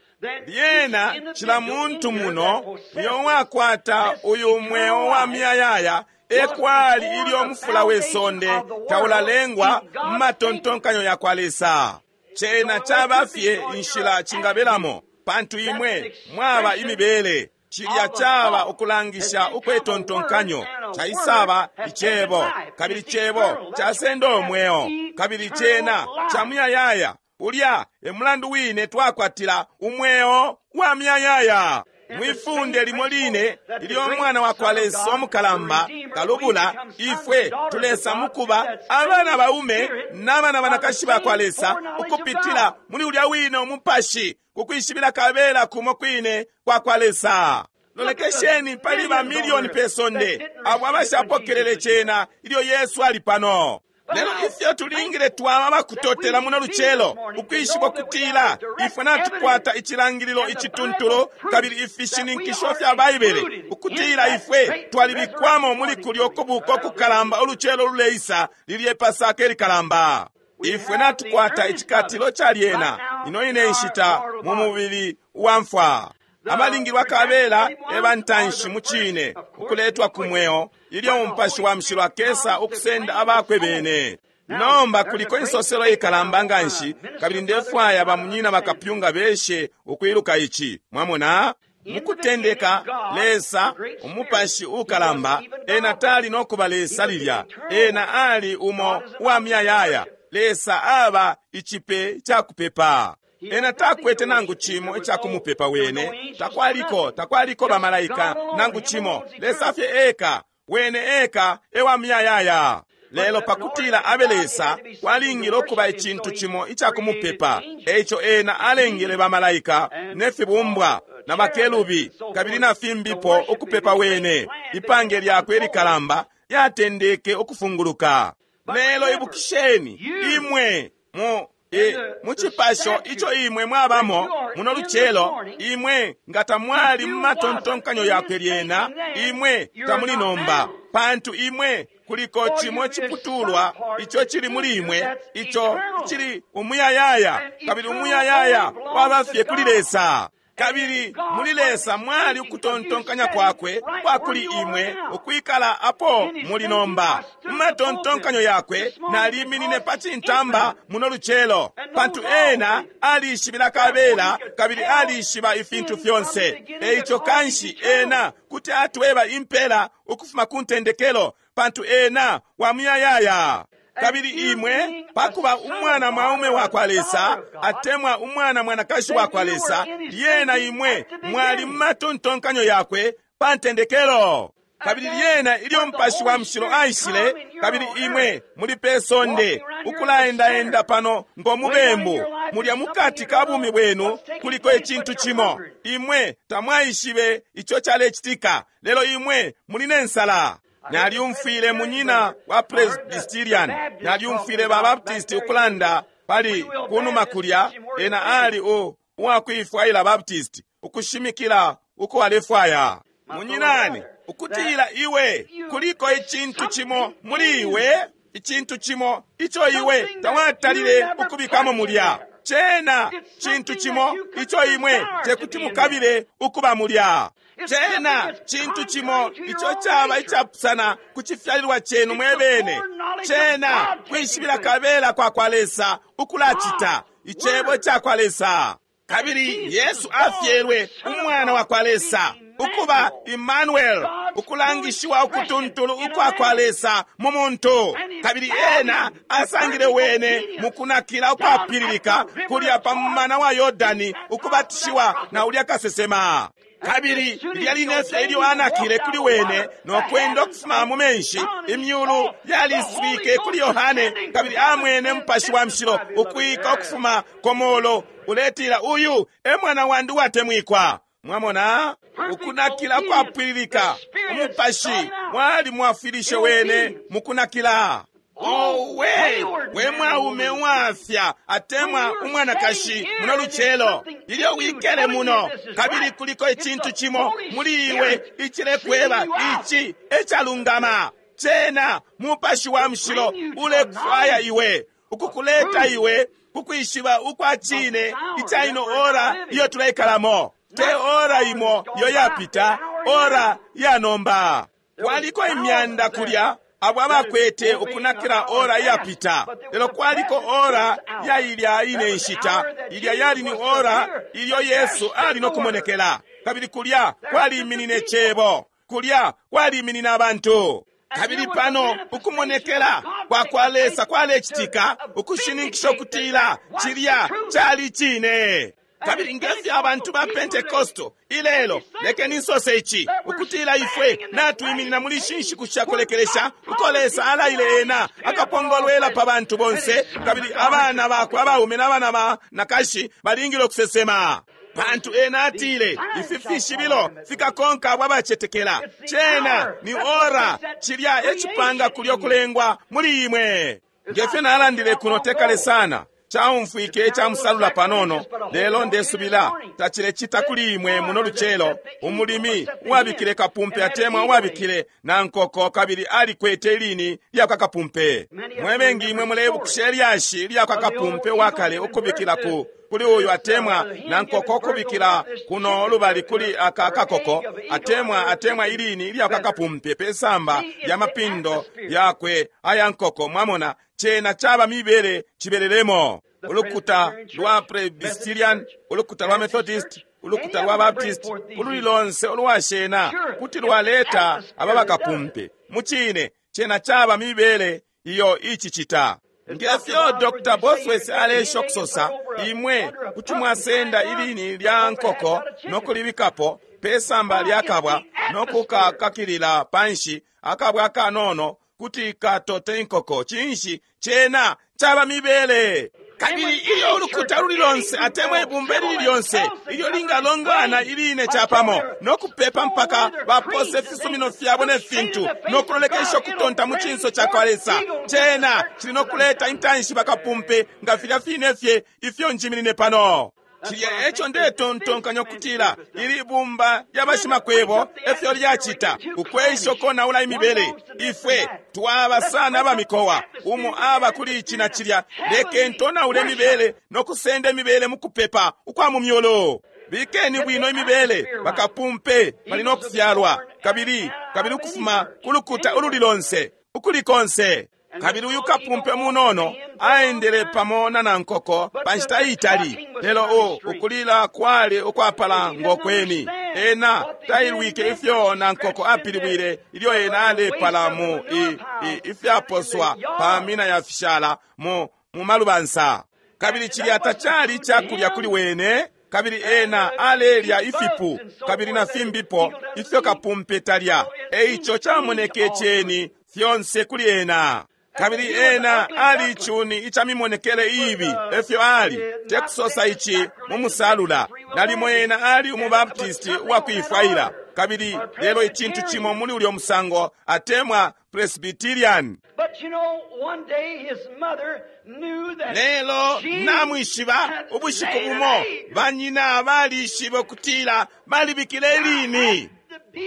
Lyena cila muntu muno uyo wakwata uyu mweo wa miyayaya ekwali ilyo mufula we sonde taulalengwa mu matontonkanyo ya kwa Lesa. Cena caba fye inshila cingabelamo, pantu imwe mwaba imibele. Cilya caba ukulangisha ukwetontonkanyo, caisaba icebo, kabili cebo casenda umweo, kabili cena ca muyayaya. Ulya e mulandu wine twakwatila umweo wa muyayaya. Mwifunde limo line ilyo umwana wa kwa Lesa omukalamba kalubula, ifwe tulesa mukuba abana baume n'abana banakashi ba kwa Lesa ukupitila muli ulya wine umupashi kukwishibila kabela kumo kwine kwa kwa Lesa. Lolekesheni pali ba milioni pe sonde abo abashapokelele cena ilyo Yesu ali pano. Lelo ifyo tulingile twaba bakutotela muno lucelo ukwishiba kutila ifwe natukwata icilangililo icituntulu kabili ifishininkisho fya Baibele ukutila ifwe twalibikwamo muli kulyo kubuko kukalamba ulucelo luleisa lilye Pasaka ilikalamba. Ifwe natukwata icikatilo ca lyena ino ine nshita mu mubili wa mfwa. Abalingilwa kabela ebantanshi mu cine ukuletwa ku mweo ilyo umupashi wa mushilo akesa ukusenda abakwe bene. Nomba kuliko insoselo ikalamba nganshi, kabili ndefwaya bamunyina bakapyunga beshe ukwiluka ici. Mwamona mukutendeka Lesa umupashi ukalamba ena tali nokuba Lesa lilya, ena ali umo uwa miyayaya. Lesa aba ichipe chakupepa. Ena takwete nangu chimo ichakumupepa wene, takwaliko takwaliko bamalaika nangu chimo. Lesa fye eka wene eka ewa miyayaya. Lelo pakutila abe Lesa kwalingile okuba icintu chimo ichakumupepa. Eico ena alengele bamalaika nefibumbwa na bakelubi kabili na fimbipo ukupepa wene. Ipange lyakwe likalamba lyatendeke ukufunguluka. Lelo ibukisheni imwe Mu e, mu cipasho ico imwe mwabamo muno lucelo, imwe nga tamwali mu matontonkanyo yakwe lyena, imwe tamuli nomba, pantu imwe kuliko cimo ciputulwa ico cili muli imwe, ico cili umuyayaya, kabili umuyayaya waba fye kuli Lesa. Kabili muli Lesa mwali ukutontonkanya kwakwe kwa kuli imwe ukwikala apo muli nomba. Mu matontonkanyo yakwe naliminine pa cintamba muno lucelo, pantu ena alishibila kabela kabili alishiba ifintu fyonse. Eico kanshi ena kuti atweba impela ukufuma ku ntendekelo, pantu ena wa muyayaya. Kabili imwe pakuba umwana mwaume wa kwa Lesa atemwa umwana mwanakashi wa kwa Lesa, lyena imwe mwali mu matontonkanyo yakwe pa ntendekelo. Kabili lyena ilyo Mupashi wa Mushilo aishile, kabili imwe muli pe sonde ukulaendaenda pano ngo mubembu, mulya mukati ka bumi bwenu kuliko icintu cimo imwe tamwaishibe ico calecitika, lelo imwe muli ne nsala. Nalyumfwile munyina wa Presbyterian, nalyumfwile ba Baptist ukulanda pali kunuma kulya, ena ali u uwakuifwaila Baptist ukushimikila uko alefwaya. Munyinani, ukutila iwe kuliko icintu cimo muli iwe, icintu cimo ico iwe tawatalile ukubikamo mulya. Cena cintu cimo ico imwe tekuti mukabile ukuba mulya. Cena cintu cimo ico caba icapusana ku cifyalilwa cenu mwebene. Cena kwishibila kabela kwa kwa Lesa ukulacita icebo ca kwa Lesa. Kabili Yesu afyelwe umwana wa kwa Lesa, ukuba Emmanuel, ukulangishiwa ukutuntulu ukwa kwa Lesa mu muntu. Kabili ena asangile wene mukunakila ukwapililika kulya pa mumana wa Yordani, ukubatishiwa na ulya kasesema. Kabili lya linefye ilyo anakile kuli wene no kwenda ukufuma mu menshi, imyulu yaliswike kuli Yohane, kabili amwene Mupashi wa Mushilo ukwika ukufuma komolo uletila, uyu e mwana wandi uwatemwikwa. Mwamona ukunakila kwapwililika, umupashi mwali mwafwilishe wene mukunakila. Owe, we mwaume wafya atemwa umwanakashi muno lucelo, ilyo wikele muno, kabili kuliko icintu cimo muli iwe icilekweba ici ecalungama. Cena Mupashi wa Mushilo ulekufwaya iwe, ukukuleta iwe kukwishiba ukwa cine ica ino ora iyo tuleikalamo. Te ora imo iyo yapita, ora ya nomba. Kwaliko imyanda kulya abo abakwete ukunakila ora yapita, lelo kwaliko ora ya ilya ine nshita, ilya yali ni ora ilyo Yesu ali no kumonekela. Kabili kulya kwaliminine cebo, kulya kwaliminine abantu. Kabili pano ukumonekela kwa kwa Lesa kwalecitika, ukushininkisha ukutila cilya cali cine. Kabili ngefyo abantu ba Pentecostal ilelo, lekeni nsose ici, ukutila ifwe natwiminina muli ishi nshiku shakulekelesha, uko Lesa alaile ena akapongolwela pa bantu bonse, kabili abana bakwe abaume n'abana ba nakashi balingile ukusesema. Pantu ena atile ifi fishibilo fikakonka abo abacetekela. Cena ni ora, cilya ecipanga kulyo kulengwa muli imwe. Ngefyo nalandile kuno tekale sana, caumfwike icamusalula panono, lelo ndesubila tacilecita kuli imwe muno lucelo. Umulimi uwabikile kapumpe atemwa uwabikile na nkoko, kabili alikwete ilini lya kwa kapumpe. Mwebengi imwe mulebukisha ilyashi lya kwa kapumpe wakale ukubikila ku kuli uyu atemwa na nkoko ukubikila kuno lubali kuli aka kakoko atemwa atemwa ilini lya kwa kapumpe pesamba lya mapindo yakwe aya nkoko. Mwamona, cena caba mibele cibelelemo. Ulukuta lwa Presbyterian, ulukuta lwa Methodist, ulukuta lwa Baptist, ululi lonse ulwashena kuti lwaleta aba bakapumpe. Mucine cena caba mibele iyo icicita. Ngefyo Doctor Bosworth alesha okusosa, imwe kuti mwasenda ilini lya nkoko nokulibikapo pesamba lya kabwa nokukakakilila panshi akabwa kanono kuti katote inkoko. Cinshi? Cena caba mibele. Kabili ilyo ulukuta luli lonse atemwa ibumba lili lyonse ilyo lingalongana iline capamo no kupepa mpaka bapose ifisumino fyabo ne fintu no kulolekesha ukutonta mu cinso ca kwa Lesa, cena cili no kuleta intanshi bakapumpe nga filya fine fye ifyo njiminine pano. Cilya eco ndetontonkanya ukutila ili bumba lya bashimakwebo efyo lyacita, ukwesha ukonaula imibele. Ifwe twaba sana abamikowa, umo aba kuli ici na cilya. Lekeni tonaule imibele no kusenda imibele mu kupepa ukwa mu myolo. Bikeni bwino imibele, bakapumpe bali no kufyalwa kabili kabili ukufuma ku lukuta ululi lonse ukuli konse. Kabili uyu kapumpe munono aendele pamo na nankoko pa nshita iitali, lelo o ukulila kwali ukwapala ngokweni. Ena tailwike ifyo nankoko apilibwile ilyo ena alepala mu i, i, ifyaposwa pa mina ya fishala mu, mu malubansa. Kabili cilya tacali icakulya kuli wene, kabili ena alelya ifipu kabili na fimbipo ifyo kapumpe talya. Eico camoneke ceni fyonse kuli ena. Kabili ena ali icuni ica mimonekele ibi, efyo ali tekusosa ici mu musalula. Nalimo ena ali umubaptisti uwakuifwaila, kabili lelo icintu cimo muli ulyo musango atemwa Presbyterian. But you know, one day his mother knew that Lelo she namwishiba had ubushiku laid bumo an egg. banyina balishibe ukutila balibikile lini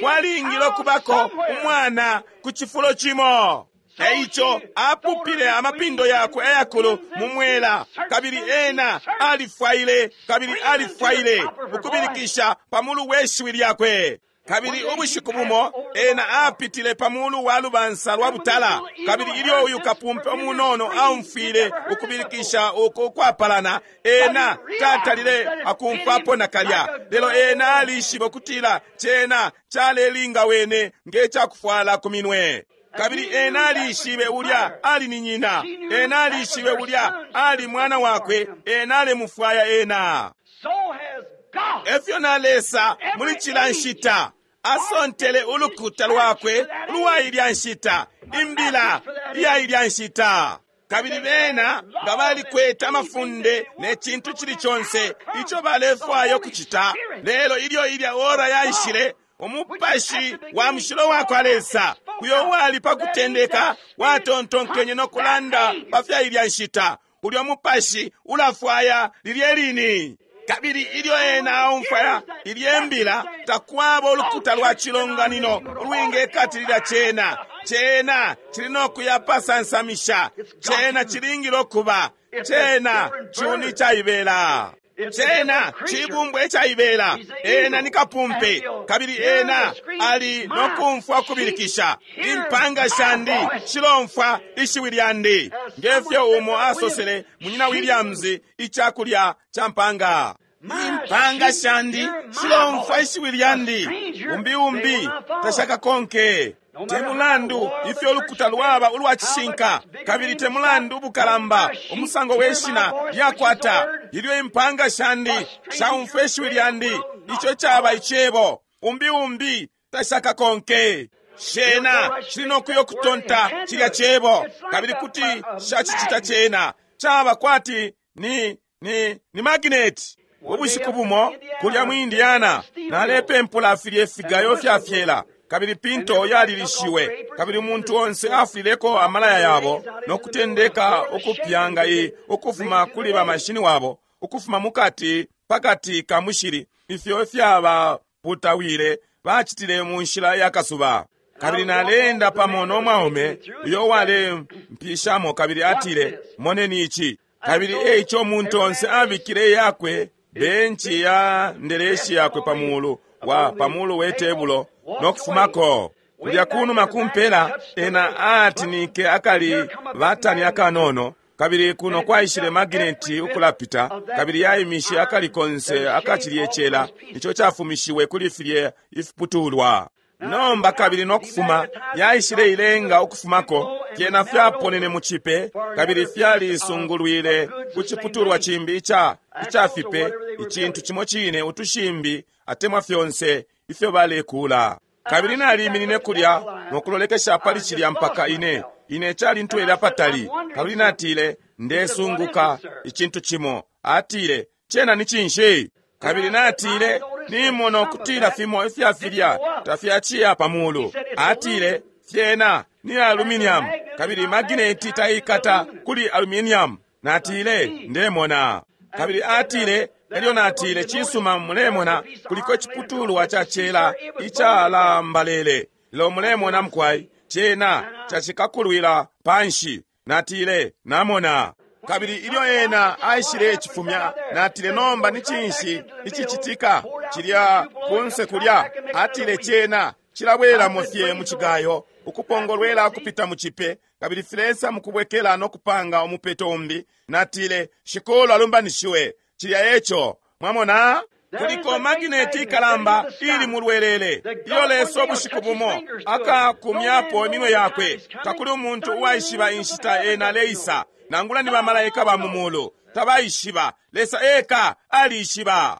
kwalingile okubako umwana ku cifulo cimo. Eico apupile amapindo yakwe ayakulu mu mwela, kabili ena alifwaile kabili alifwaile ukubilikisha pamulu we shiwi lyakwe. Kabili ubushiku bumo ena apitile pamulu wa lubansa lwa butala, kabili ilyo uyu kapumpe umunono aumfwile ukubilikisha uku ukwapalana, ena tatalile akumfwapo nakalya. Lelo ena alishibe ukutila cena calelinga wene nge cakufwala ku minwe. Kabili ena alishibe ulya ali ni nyina, ena alishibe ulya ali mwana wakwe, ena alemufwaya ena. So has God. Efyo na Lesa muli cila nshita asontele ulukuta lwakwe ulwa ilya nshita, imbila iya ilya nshita. Kabili bena nga balikwete amafunde ne cintu cili conse ico balefwaya ukucita, lelo ilyo ilya ora yaishile, umupashi wa mushilo wa kwa Lesa uyo uwali pa kutendeka watontonkenye no kulanda pa fya ilya nshita, ulyo mupashi ulafwaya lilye lini. Kabili ilyo ena aumfwaya ilye mbila, takwaba ulukuta lwa cilonganino ulwingekatilila cena. Cena cili no kuyapasansamisha, cena cilingile okuba, cena cuni caibela, cena cibumbwa icaibela. Ena ni kapumpe, kabili ena ali no kumfwa ukubilikisha. Impanga shandi shilomfwa ishiwi lyandi, ngefyo umo asosele munyina Williams icakulya ca mpanga. Impanga shandi shilomfwa ishiwi lyandi, umbi umbi tashakakonke. Te mulandu ifyo ulukuta lwaba ulwa cishinka, kabili te mulandu ubukalamba umusango we shina lyakwata, ilyo impanga shandi shaumfwa ishiwi lyandi, ico caba icebo, umbi umbi tashakakonke. Shena shili no kuyo kutonta cilya cebo, kabili kuti shacicita cena. Caba kwati ni ni ni magneti. Ubushiku bumo kulya mu Indiana nalepempula filye figayo fya fyela, kabili pinto yalilishiwe, kabili umuntu onse afulileko amalaya yabo no kutendeka ukupyanga i ukufuma kuli bamashini wabo, ukufuma mukati pakati ka mushili, ifyo fyabaputawile bacitile mu nshila ya kasuba. Kabili naleenda pamo no mwaume uyo walempishamo, kabili atile, moneni ici. Kabili eico umuntu onse abikile yakwe benchi ya ndeleshi yakwe pamulu wa pamulu we tebulo no kufumako kulya kunuma kumpela. Ena atinike akali batani akanono, kabili kuno kwaishile magineti ukulapita, kabili yaimishe akali konse akacilye cela ico cafumishiwe kuli filye ifiputulwa. Nomba kabili no kufuma yaishile ilenga ukufumako, fyena fyaponene mu cipe, kabili fyalisungulwile ku ciputulwa cimbi ica ica fipe, icintu cimo cine, utushimbi atemwa fyonse ifyo balekula. Kabili naliminine kulya no kulolekesha pali cilya mpaka ine ine calintwele apatali. Kabili natile, Ndesunguka icintu cimo. Atile, cena ni cinshi? Kabili natile, nimona ukutila fimo ifya filya tafyaciya pa mulu. Atile, fyena ni aluminium, kabili magineti taikata kuli aluminium. Natile, ndemona. Kabili atile, elyo natile, cisuma, mulemona kuliko iciputulwa ca cela icalambalele. Lelo mulemona mukwai, cena cacikakulwila panshi. Natile, namona. Kabili ilyo ena aishile cifumya, natile, nomba ni cinshi icicitika cilya kunse kulya? Atile, cena cilabweramo fye mu cigayo, ukupongolwela kupita mu cipe, kabili filesa mukubwekela no kupanga umupeto umbi. Natile, Shikulu alumbanishiwe. Cilya eco. Mwamona? Kuliko magineti ikalamba ili mulwelele iyo Lesa ubushiku bumo akakumyapo iminwe yakwe. Takuli umuntu uwaishiba inshita ena aleisa, nangula ni bamalaika ba mu mulu tabaishiba. Lesa eka alishiba.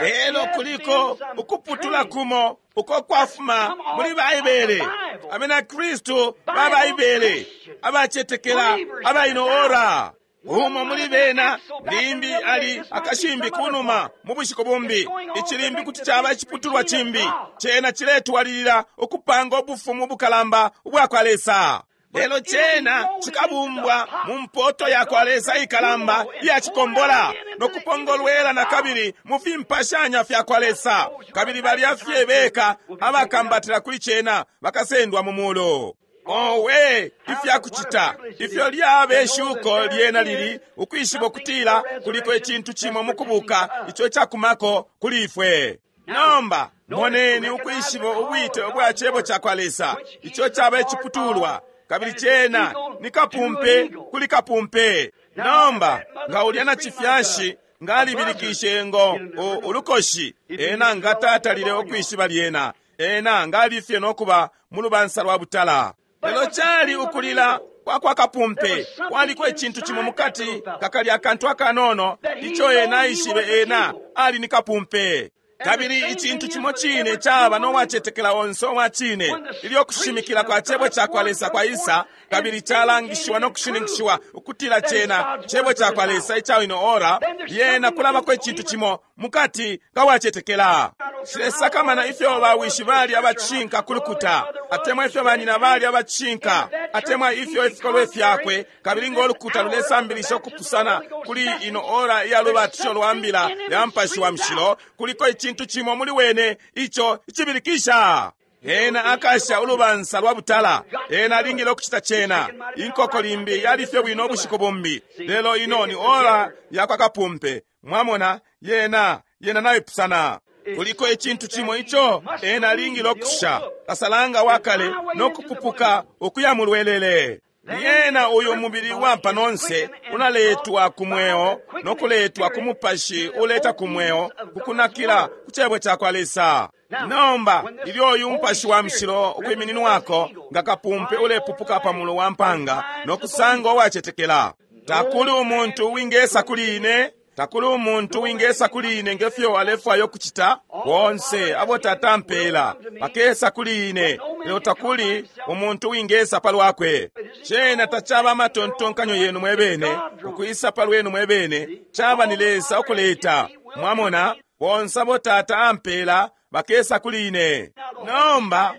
Lelo kuliko ukuputula kumo uko kwafuma muli Baibele, abena Kristu ba Baibele abacetekela abaino ora. Umo muli bena limbi ali akashimbi kunuma mu bushiku bumbi. Ichilimbi kuti chaba iciputulwa chimbi. Cena chiletwalilila ukupanga ubufumu bukalamba ubwa kwa Lesa. Lelo cena chikabumbwa mu mpoto ya kwa Lesa ikalamba iya chikombola no kupongolwela na kabili mu fimpashanya fya kwa Lesa. Kabili balya fye beka abakambatira kuli cena bakasendwa mu mulu. Owe, ifyakucita ifyo lyabe shuko lyena lili ukwishiba ukutila kuliko icintu cimo mukubuka ico cakumako kuli ifwe. Nomba moneni ukwishiba ubwite ubwa cebo ca kwa Lesa ico caba iciputulwa, kabili cena ni kapumpe kuli kapumpe. Nomba nga ulya na cifyashi nga alibilikishe ngo ulukoshi, ena nga tatalile ukwishiba lyena, ena nga alifye nokuba mu lubansa lwa butala. Lelo cali ukulila kwa kwa kapumpe, kwaliko icintu cimo mukati kakali akantu akanono ico ena aishibe ena ali ni kapumpe. Kabili icintu cimo cine caba no wacetekela onse owa cine ilyo kushimikila kwa cebo ca kwa Lesa kwa isa, kabili calangishiwa no kushininkishiwa ukutila cena cebo ca kwa Lesa ica ino ora, lyena kulabako icintu cimo mukati ka wacetekela. Silesakamana ifyo bawishi bali abacinka kulukuta, atemwa ifyo banyina bali abacinka, atemwa ifyo ifikolwe fyakwe, kabili ngo lukuta lulesambilisha ukupusana kuli ino ora iya lubatisho lwa mbila ya Mupashi wa Mushilo, kuliko icintu cimo muli wene ico icibilikisha. Ena akasha ulubansa lwa butala, ena alingile ukucita cena. Inkoko limbi yali fye bwino ubushiku bumbi, lelo ino ni ora ya kwa kapumpe. Mwamona, yena yena naipusana. Kuliko icintu cimo ico ena alingile ukusha kasalanga wakale no kupupuka ukuya mulwelele. Yena uyu mubili wa panonse unaletwa ku mweo no kuletwa ku mupashi uleta ku mweo kukunakila ku cebo ca kwa Lesa. Nomba ilyo uyu mupashi wa mushilo ukwimininwako nga kapumpe ulepupuka pa mulu wa mpanga no kusanga uwacetekela. Takuli umuntu wingesa kuli ine, takuli umuntu wingesa kuli ine ngefyo alefwayo kucita. Bonse abo Tata ampela bakesa kuli ine, lelo takuli umuntu wingesa palwakwe. Cena tacaba amatontonkanyo yenu mwebene ukwisa palwenu mwebene, caba ni Lesa ukuleta. Mwamona, bonse abo Tata ampela bakesa kuli ine. Nomba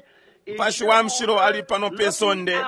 Mupashi wa Mushilo ali pano pe sonde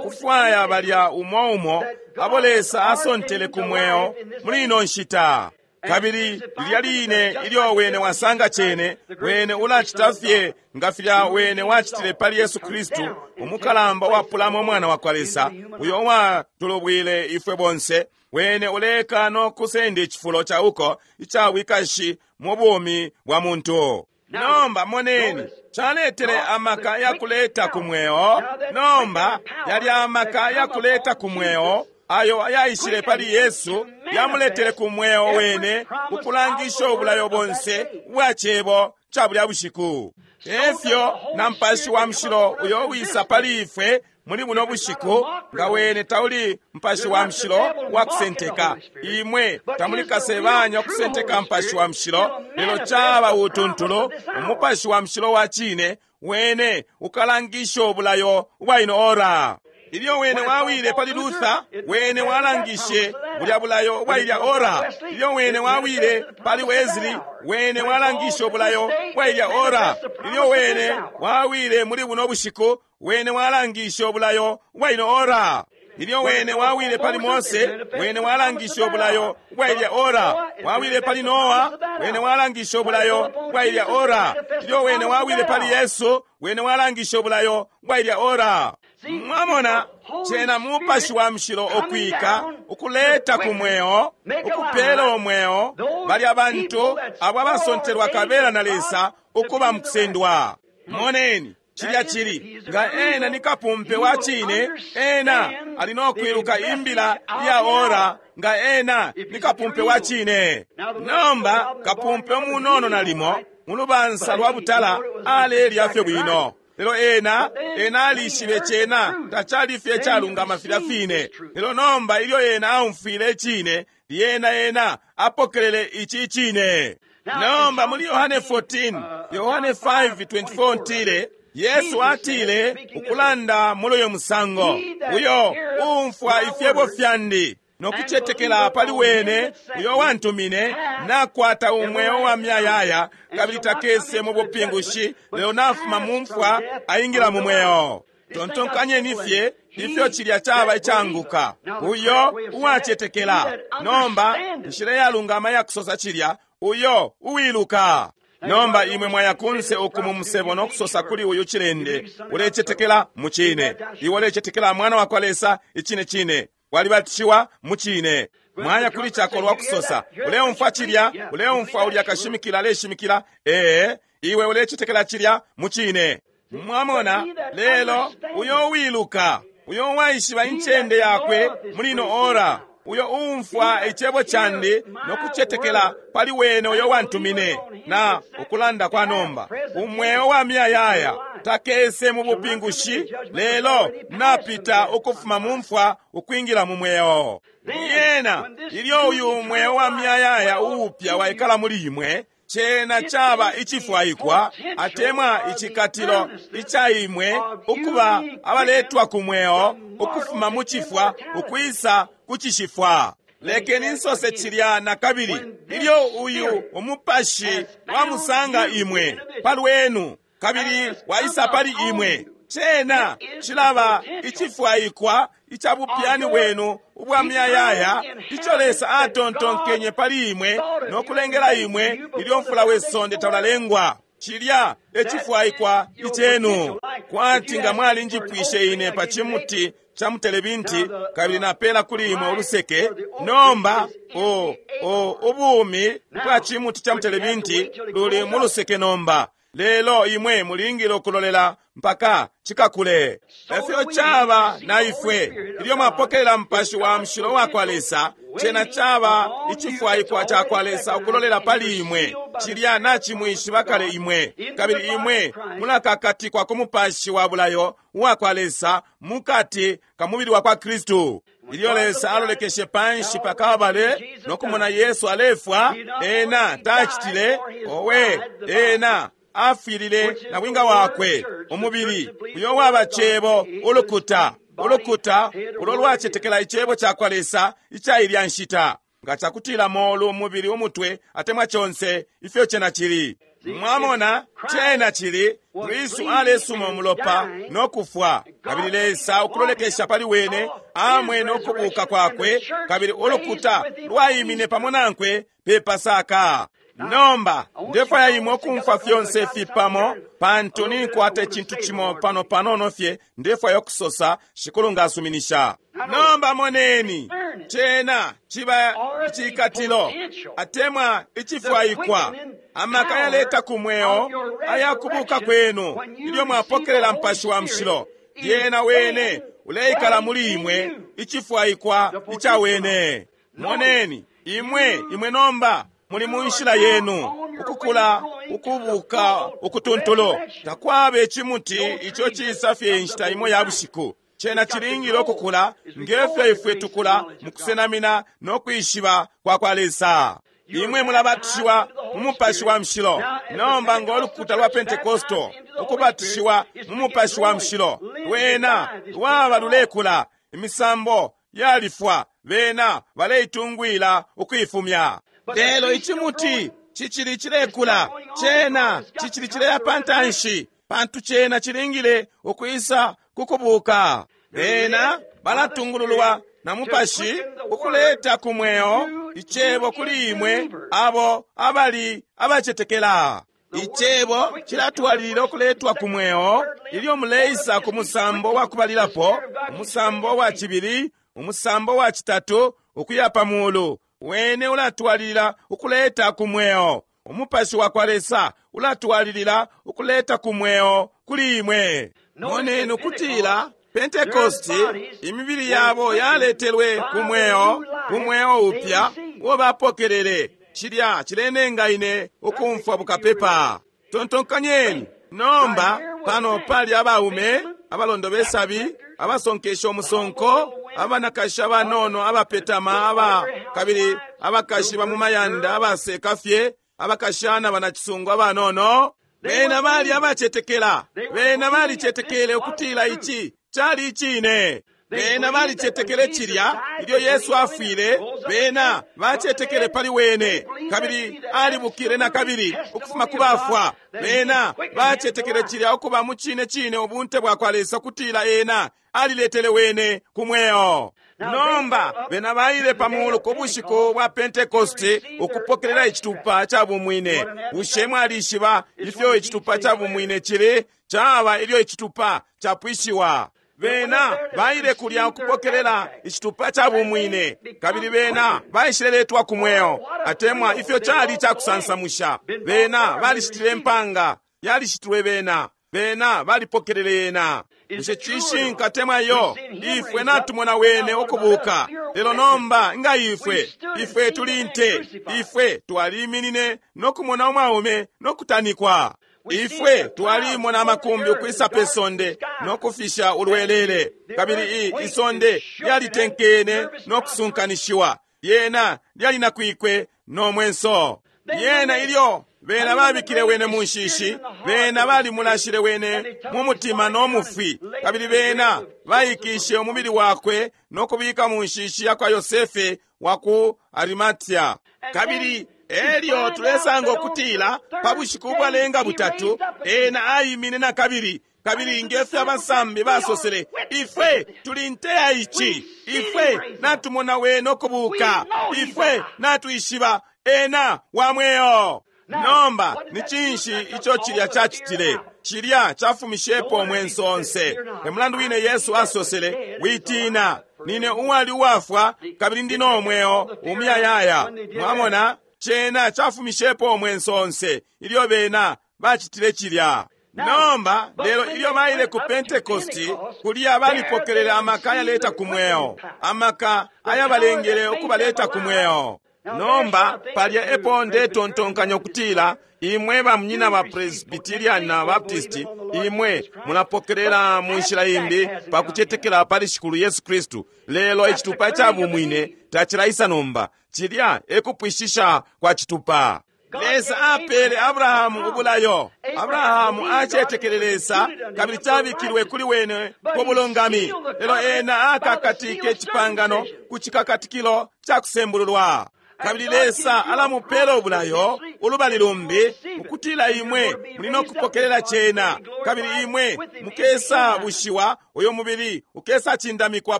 kufwaya balya umo umo abo Lesa asontele ku mweo muli ino nshita. Kabili lilya line ilyo wene wasanga cene, wene ulacita fye nga filya wene wacitile pali Yesu Kristu, umukalamba wapulamo umwana wa kwa Lesa, uyo watulubwile ifwe bonse. Wene uleka no kusenda icifulo ca uko ica wikashi mu bumi bwa muntu. Nomba moneni, caletele amaka ya kuleta ku mweo. Nomba yali amaka ya kuleta ku mweo ayo ayaishile pali Yesu, yamuletele ku mweo wene ukulangisha ubulayo bonse ubwa cebo ca bulya bushiku. Efyo na Mupashi wa Mushilo uyo wisa pali ifwe muli buno bushiku, nga wene tauli Mupashi wa Mushilo wa kusenteka. Imwe tamuli kasebanya okusenteka Mupashi wa Mushilo, lelo caba utuntulu Umupashi wa Mushilo wa cine wene ukalangisha ubulayo ubwa ino ora. Ilyo wene wawile pali Luther, wene walangishe bulya bulayo bwa ilya ora. Ilyo wene wawile pali Wesley, wene walangishe ubulayo bwa ilya ora. Ilyo wene wawile muli buno bushiku, wene walangishe ubulayo bwa ino ora. Ilyo wene wawile pali Mose, wene walangishe ubulayo bwa ilya ora. Wawile pali Noa, wene walangishe ubulayo bwa ilya ora. Ilyo wene wawile pali Yesu, wene walangishe ubulayo bwa ilya ora. Mwamona, cena Mupashi wa Mushilo okwika, ukuleta ku mweo, ukupela omweo, balya bantu abo abasontelwa kabela na Lesa ukuba mukusendwa. Moneni, cilya chili nga ena ni kapumpe wa chine, ena ali nokwiluka imbila ya ora, nga ena ni kapumpe wa chine. Nomba kapumpe umunono nalimo mulubansa lwa butala alelya fye bwino, lelo ena ena alishibe cena tacali fye calungama filya fine. Lelo nomba ilyo ena aumfwile icine, lyena ena apokelele ici cine. Nomba muli Yohane fourteen, Yohane five twenty-four ntile, Yesu atile ukulanda muli uyo musango, uyo umfwa ifyebo fyandi nokucetekela pali wene uyo wantumine, nakwata umweo wa myayaya, kabili takese mu bupingushi, lelo nafuma mu mfwa aingila mu mweo. Tontonkanyeni fye ifyo cilya caba icanguka, uyo uwacetekela. Nomba nshila yalungama yakusosa cilya, uyo uwiluka. Nomba imwe mwaya kunse uku mu musebo nokusosa kuli uyu chilende, ulecetekela mu cine, iwe ulecetekela mwana wa kwa Lesa icine cine, walibatishiwa mu cine. Mwaya kuli chakolwa kusosa, uleumfwa cilya, uleumfwa ulya kashimikila aleshimikila, ee, iwe ulecetekela cilya mu cine. Mwamona, lelo uyo uwiluka, uyo waishiba incende yakwe muli ino ora, uyo umfwa icebo candi nokucetekela pali wene uyo wantumine, na ukulanda kwa nomba umweo wa myayaya takese mu bupingushi, lelo napita ukufuma mu mfwa ukwingila mu mweo. Yena ilyo uyu mweo wa myayaya uupya waikala muli imwe, cena caba icifwaikwa atemwa icikatilo ica imwe ukuba abaletwa ku mweo ukufuma mu cifwa ukwisa ku cishifwa. Lekeni nsose cilya na kabili, ilyo uyu umupashi wamusanga imwe palwenu kabili waisa pali imwe, cena cilaba icifwaikwa ica bupyani bwenu ubwa myayaya ico Lesa atontonkenye pali imwe nokulengela imwe ilyo mfula we sonde taulalengwa. Cilya ecifwaikwa icenu. Kwati nga mwalinjipwishe ine pa cimuti ca mutelebinti kabili napela kuli imwe uluseke, nomba o o ubumi bwa cimuti ca mutelebinti luli mu luseke nomba, lelo imwe mulingile ukulolela mpaka cikakule. Efyo caba na ifwe ilyo mwapokelela Mupashi wa Mushilo wa kwa Lesa, cena caba icifwaikwa ca kwa Lesa ukulolela pali imwe. Cilya nacimwishiba kale imwe, kabili imwe mulakakatikwa ku Mupashi wa bulayo wa kwa Lesa mukati ka mubili wa kwa Kristu. Ilyo Lesa alolekeshe panshi pa Kalbale nokumona Yesu alefwa, ena tacitile owe, ena afwilile na bwinga wakwe umubili uyo waba cebo ulukuta ulukuta ulo lwacetekela icebo ca kwa Lesa ica ilya nshita, nga cakutila molu umubili umutwe atemwa conse ifyo cena cili. Mwamona, cena cili Kristu alesuma umulopa no kufwa, kabili Lesa ukulolekesha pali wene amwene ukubuka kwakwe, kabili ulukuta lwaimine pamo nankwe pe Pasaka. Nomba ndefwaya imwe ukumfwa fyonse ifi pamo, pantu ninkwata icintu cimo pano panono fye ndefwaya ukusosa, Shikulu ngasuminisha. Nomba moneni, cena ciba icikatilo atemwa icifwaikwa, amaka yaleta ku mweo ayakubuka kwenu ilyo mwapokelela Mupashi wa Mushilo. Lyena wene uleikala muli imwe, icifwaikwa ica wene. Moneni, imwe imwe nomba muli mu nshila yenu ukukula ukubuka ukutuntulu. Takwaba icimuti ico cisa fye inshita imo ya bushiku. Cena cilingile ukukula ngefyo ifwe tukula mu kusenamina no kwishiba kwa kwa Lesa. Imwe mulabatishiwa mu Mupashi wa Mushilo. Nomba ngo lukuta lwa Pentecostal ukubatishiwa mu Mupashi wa Mushilo, lwena lwaba lulekula, imisambo yalifwa, bena baleitungwila ukuifumya. Lelo icimuti cicili cilekula, cena cicili cileya pantanshi, pantu cena cilingile ukwisa kukubuka. Bena balatungululwa na Mupashi ukuleta ku mweo icebo kuli imwe abo abali abacetekela. Icebo cilatwalilila ukuletwa ku mweo ilyo muleisa ku musambo wa kubalilapo, umusambo wa cibili, umusambo wa citatu, ukuya pa mulu. Wene ulatwalilila ukuleta ku mweo. Umupashi wa kwa Lesa ulatwalilila ukuleta ku mweo kuli imwe. Moneni ukutila Pentecosti imibili yabo yaletelwe ku mweo, ku mweo upya uo bapokelele. Cilya cilenenga ine ukumfwa bukapepa. Tontonkanyeni nomba, pano pali abaume abalondo besabi, abasonkesha umusonko, abanakashi abanono abapetama aba kabili abakashi ba mu mayanda abaseka fye, abakashana banacisungu abanono. Bena bali abacetekela, bena balicetekele ukutila ici cali icine. Bena balicetekele cilya ilyo Yesu afwile, bena bacetekele pali wene, kabili alibukile na kabili ukufuma ku bafwa. Bena bacetekele cilya ukuba mu cine cine ubunte bwa kwa Lesa kutila ena aliletele wene ku mweo. Nomba bena baile pa mulu ku bushiku bwa Pentecosti ukupokelela icitupa ca bumwine. Bushe mwalishiba ifyo icitupa ca bumwine cili? Caba ilyo icitupa capwishiwa. Bena baile kulya ukupokelela icitupa ca bumwine, kabili bena baishileletwa ku mweo, atemwa ifyo cali cakusansamusha. Bena balishitile impanga, yalishitilwe bena, bena balipokelele yena. Bushe cishinka atemwa iyo? Ifwe natumona wene ukubuka. Lelo nomba nga ifwe, ifwe tuli nte, ifwe twaliminine no kumona umwaume no kutanikwa. Ifwe twalimona amakumbi ukwisa pe sonde no kufisha ulwelele, kabili i isonde lyalitenkene no kusunkanishiwa, lyena lyalinakwikwe no mwenso. Lyena ilyo bena babikile wene mu nshishi, bena balimulashile wene mu mutima no mufwi, kabili bena baikishe umubili wakwe no kubika mu nshishi ya kwa Yosefe wa ku Arimatia. Kabili elyo tulesanga ukutila pa bushiku ubwalenga butatu ena aimine na kabili, kabili ngefyo abasambi basosele, ifwe tuli nte ya ici, ifwe natumona wene ukubuka, ifwe natwishiba ena wa mweo. Nomba ni cinshi ico cilya cacitile? Cilya cafumishepo umwenso onse. E mulandu wine Yesu asosele, witina, nine uwali uwafwa kabili ndi no mweo umuyayaya. Mwamona, cena cafumishepo umwenso onse ilyo bena bacitile cilya. Nomba lelo ilyo baile ku Pentecosti, kulya balipokelele amaka ayaleta ku mweo, amaka ayabalengele ukubaleta ku mweo. Nomba palya epo ndetontonkanya ukutila imwe bamunyina ba Presbyterian na Baptist, imwe mulapokelela mu nshila imbi pa kucetekela pali Shikulu Yesu Kristu. Lelo icitupa ca bumwine tacilaisa nomba. Cilya ekupwishisha kwa citupa. Lesa apele Abrahamu ubulayo. Abrahamu acetekele Lesa kabili cabikilwe kuli wene ku bulungami. Lelo ena akakatike icipangano ku cikakatikilo ca kusembululwa. Kabili Lesa alamupela ubulayo ulubali lumbi ukutila imwe muli no kupokelela cena, kabili imwe mukesa bushiwa, uyo mubili ukesa cindamikwa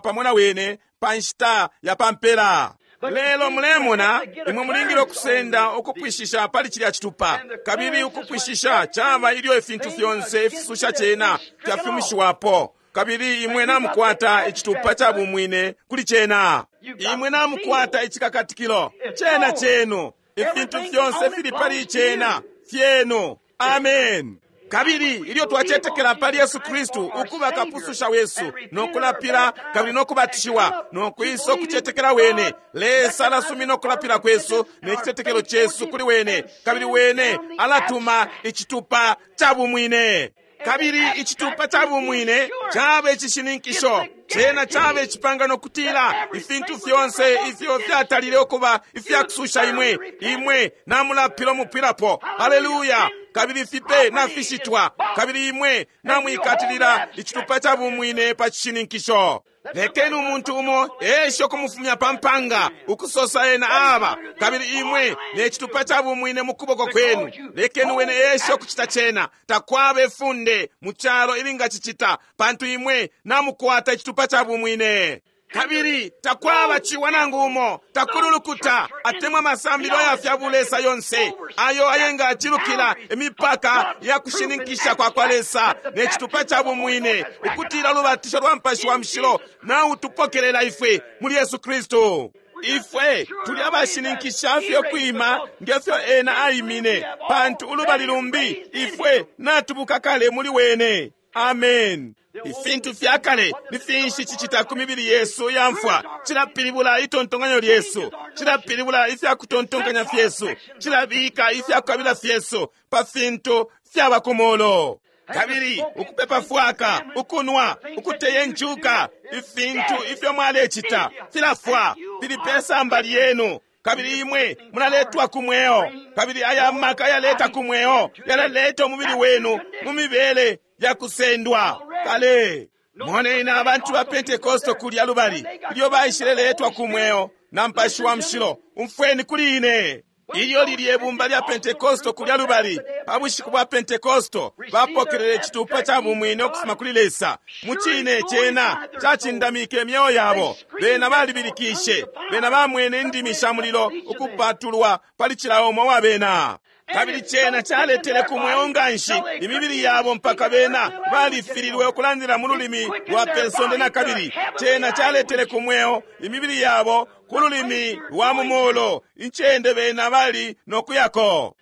pamo na wene pa nshita ya pampela. Lelo mulemona, imwe mulingile ukusenda ukupwishisha pali cilya citupa, kabili ukupwishisha caba ilyo ifintu fyonse ifisusha cena fyafumishiwapo, kabili imwe namukwata icitupa ca bumwine kuli cena. Imwe namukwata icikakatikilo cena chenu, ifintu fyonse fili pali cena fyenu. Amen. Kabili ilyo twacetekela pali Yesu Kristu ukuba kapususha wesu, no kulapila kabili no kubatishiwa, no kwisa ukucetekela wene, Lesa alasumina ukulapila kwesu ne citetekelo chesu kuli wene, kabili wene alatuma icitupa ca bumwine. Kabili icitupa ca bumwine caba icishininkisho, Cena caba icipangano kutila ifintu fyonse ifyo fyatalile ukuba ifyakususha imwe, imwe namulapila umupwilapo. Haleluya! Kabili fipe nafishitwa, kabili imwe namwikatilila icitupa ca bumwine pa cishininkisho. Lekeni umuntu umo eshe ukumufumya pa mpanga, ukusosa ena aba, kabili imwe ne citupa ca bumwine mu kuboko kwenu. Lekeni wene eshe ukucita cena. Takwaba ifunde mu calo ilingacicita, pantu imwe namukwata icitupa ca bumwine. Kabili takwaba ciwa nangu umo, takuli ulukuta atemwa amasambilo ya fya bulesa yonse ayo ayengacilukila imipaka ya kushininkisha kwa kwa Lesa ne citupa ca bumwine, ukutila ulubatisho lwa Mupashi wa Mushilo nautupokelela ifwe muli Yesu Kristu. Ifwe tuli abashininkisha fye kwima ngefyo ena aimine, pantu ulubali lumbi ifwe natubuka kale muli wene. Amen. Ifintu fya kale ni finshi cicita ku mibili yesu ya mfwa? Cilapilibula itontonkanyo lyesu, cilapilibula ifya kutontonkanya fyesu, cilabika ifya kukabila fyesu pa fintu fyaba ku molo. Kabili ukupepa fwaka, ukunwa, ukuteya injuka, ifintu ifyo mwalecita filafwa, fili pe samba lyenu. Kabili imwe munaletwa ku mweo, kabili aya maka yaleta ku mweo yalaleta umubili wenu mu mibele ya kusendwa kale. Moneni abantu ba Pentekoste kulya lubali ilyo baishileletwa ku mweo na Mupashi wa Mushilo. Umfweni kuli ine. Ilyo lilye ibumba lya Pentekoste kulya lubali pa bushiku bwa Pentekoste bapokelele icitupa ca bumwine ukufuma kuli Lesa. Mu cine cena cacindamike imyeo yabo. Bena balibilikishe, bena bamwene indimi sha mulilo ukupatulwa pali cila umo wa bena. Kabili cena caletele ku mweo nganshi imibili yabo mpaka bena balifililwe ukulandila mu lulimi lwa pesonde na kabili. Cena caletele ku mweo imibili yabo ku lulimi lwa mu mulu, incende bena bali nokuyako.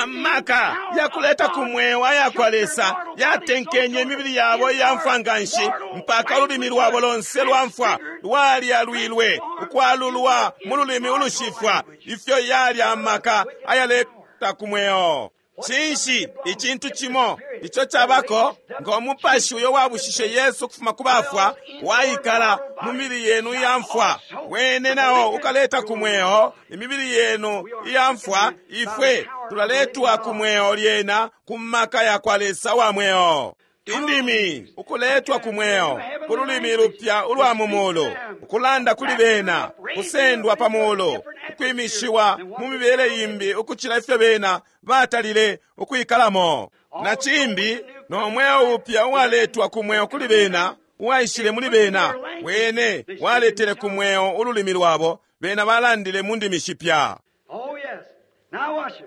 Amaka yakuleta ku mweo aya kwa Lesa yatenkenye imibili yabo iya mfwa nganshi mpaka ululimi lwabo lonse lwa mfwa lwalyalwilwe ukwalulwa mu lulimi ulushifwa. Ifyo yali amaka ayaleta ku mweo. Cinshi icintu cimo ico cabako ngo mupashi uyo wabushishe Yesu ukufuma ku bafwa waikala mu mibili yenu iya mfwa, wene nao ukaleta ku mweo imibili yenu iya mfwa. Ifwe tulaletwa ku mweo lyena ku maka ya kwa Lesa wa mweo. Indimi ukuletwa ku mweo ku lulimi lupya ulwa mu mulu, ukulanda kuli bena, kusendwa pa mulu, ukwimishiwa mu mibele imbi ukucila ifyo bena batalile ukwikalamo. Na cimbi no mweo upya uwaletwa ku mweo kuli bena, uwaishile muli bena, wene waletele ku mweo ululimi lwabo, bena balandile mu ndimi shipya. Oh, yes. Now watch it.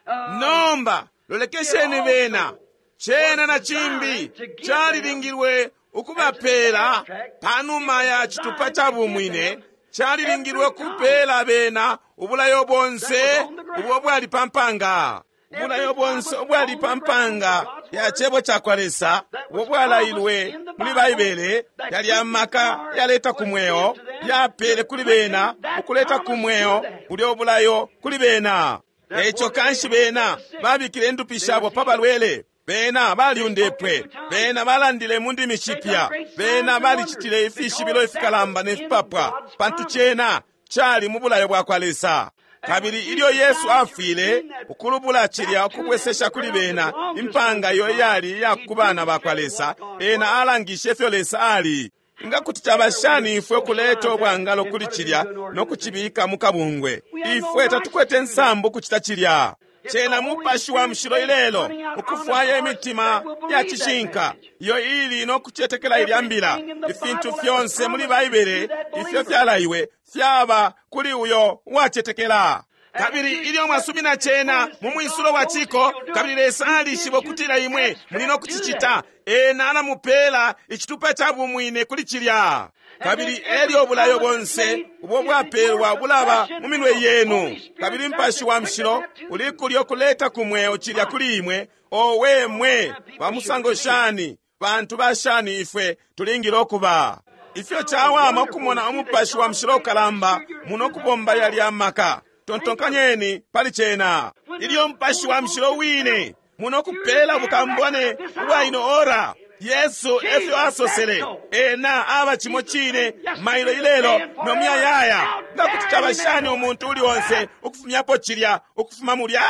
Uh, Nomba lolekesheni bena. Cena na cimbi calilingilwe ukubapela panuma ya citupa ca bumwine, calilingilwe kupela bena ubulayo bonse ubwo bwali pa mpanga. Ubulayo bonse ubwali pa mpanga ya cebo ca kwa Lesa ubwo bwalailwe muli Baibele, yali amaka yaleta ku mweo, yapele kuli bena ukuleta ku mweo bulyo bulayo kuli bena. Eco kanshi bena babikile indupi shabo pa balwele, bena balyundepwe, bena balandile mu ndimi shipya, bena balicitile ifishibilo ifikalamba ne fipapwa, pantu cena cali mu bulayo bwa kwa Lesa. Kabili ilyo Yesu afwile ukulubula cilya ukubwesesha kuli bena impanga iyo iyali iya ku bana ba kwa Lesa, ena alangishe ifyo Lesa ali. Nga kuti caba shani ifwe kuleta ubwangalo kuli cilya no kucibika mu kabungwe? Ifwe tatukwete nsambu kucita cilya. Cena Mupashi wa Mushilo ilelo ukufwaya imitima ya cishinka iyo ili no kucetekela ilya mbila. Ifintu fyonse muli Baibele ifyo fyalaiwe fyaba kuli uyo uwacetekela. Kabili ilyo mwasumina cena mu mwisulo wa ciko, kabili Lesa alishiba ukutila imwe muli no kucicita, ena alamupela icitupa ca bumwine kuli cilya. Kabili elyo ubulayo bonse ubwo bwapelwa bulaba mu minwe yenu, kabili Mupashi wa Mushilo uli kulyo kuleta ku mweo cilya kuli imwe. Owe mwe bamusango shani, bantu bashani ifwe tulingile ukuba. Ifyo cawama ukumona Umupashi wa Mushilo ukalamba muno kubomba yalya maka. Tontonkanyeni pali cena. Ilyo Mupashi wa Mushilo wine muno kupela bukambone ubwa ino ora, Yesu efyo asosele. Ena aba cimo cine mailo ilelo no muyayaya. Nga kuti caba shani umuntu uli onse ukufumyapo cilya ukufuma mulya?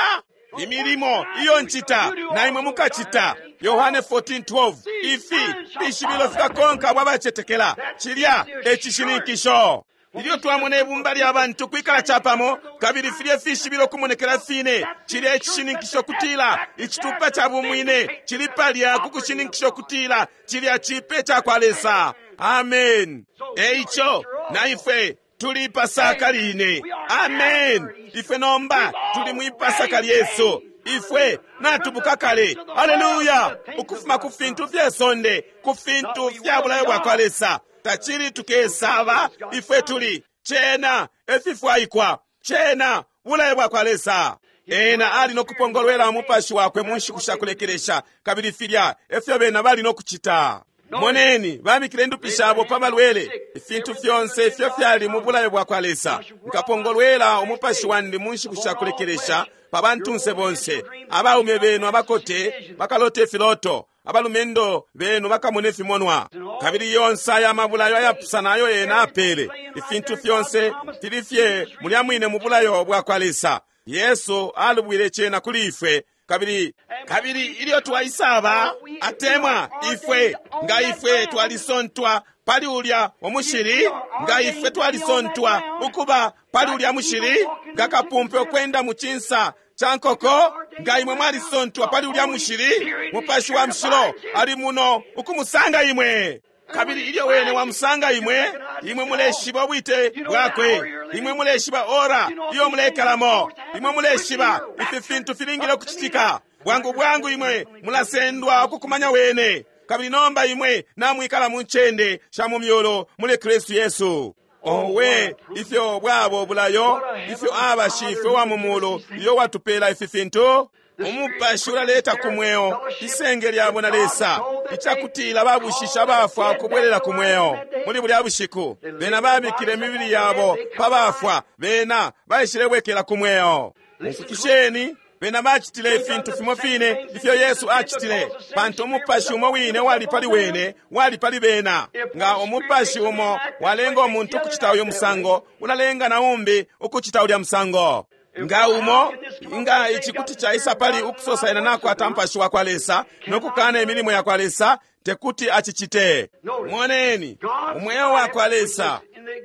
Imilimo iyo ncita na imwe mukacita. Yohane fourteen twelve. Ifi fishibilo fikakonka abo abacetekela. Cilya e cishininkisho. Ilyo twamona ibumba lya bantu kwikala capamo, kabili filye fishibilo kumonekela fine, cilya icishininkisho kutila icitupa ca bumwine cili palya ku kushininkisho kutila cilya cipe ca kwa Lesa. Amen. Eico na ifwe tuli Pasaka line. Amen. Ifwe nomba tuli mwi Pasaka lyesu. Ifwe natubuka kale. Haleluya! Ukufuma ku fintu fye sonde, ku fintu fya bulayo bwa kwa Lesa. Tacili tukesaba, ifwe tuli cena efifwaikwa, cena bulayo bwa kwa Lesa. Ena ali nokupongolwela umupashi wakwe mu nshiku sha kulekelesha, kabili filya efyo bena bali nokucita. Moneni, babikile indupi shabo pa balwele. Ifintu fyonse ifyo fyali mu bulayo bwa kwa Lesa. Nkapongolwela umupashi wandi mu nshiku sha kulekelesha pa bantunse bonse. Abaume benu abakote bakalota ifiloto, abalumendo benu bakamona ifimonwa. Kabili yonse aya mabulayo ayapusana ayo ena apele, ifintu fyonse fili fye mulya mwine mu bulayo bwa kwa Lesa. Yesu alubwile cena kuli ifwe. Kabili, kabili ilyo twaisaba atemwa ifwe, nga ifwe twalisontwa pali ulya umushili, nga ifwe twalisontwa ukuba pali ulya mushili, nga kapumpe ukwenda mu cinsa ca nkoko, nga imwe mwalisontwa pali ulya mushili, Mupashi wa Mushilo ali muno ukumusanga imwe. Kabili ilyo wene wamusanga imwe, imwe muleshiba ubwite bwakwe, imwe muleshiba ora iyo mulekalamo, imwe muleshiba ifi fintu filingile ukucitika. Bwangu bwangu imwe mulasendwa ukukumanya wene. Kabili nomba imwe namwikala mu ncende sha mu myulu muli Kristu Yesu. Owe, ifyo bwabo bulayo, ifyo aba shifwe wa mu mulu iyo watupela ifi fintu. Umupashi ulaleta ku mweo isenge lyabo na Lesa, icakutila babushisha abafwa kubwelela ku mweo. Muli bulya bushiku bena babikile imibili yabo pa bafwa, bena baishilebwekela ku mweo. Mufukisheni, bena bacitile ifintu fimo fine ifyo Yesu acitile, pantu umupashi umo wine wali pali wene wali pali bena. Nga umupashi umo walenga umuntu ukucita uyu musango, ulalenga na umbi ukucita ulya musango. Nga umo, nga ici kuti caisa pali ukusosa ena nakwata mupashi wa kwa Lesa nokukana imilimo ya kwa Lesa, tekuti acicite. Moneni, umweo wa kwa Lesa,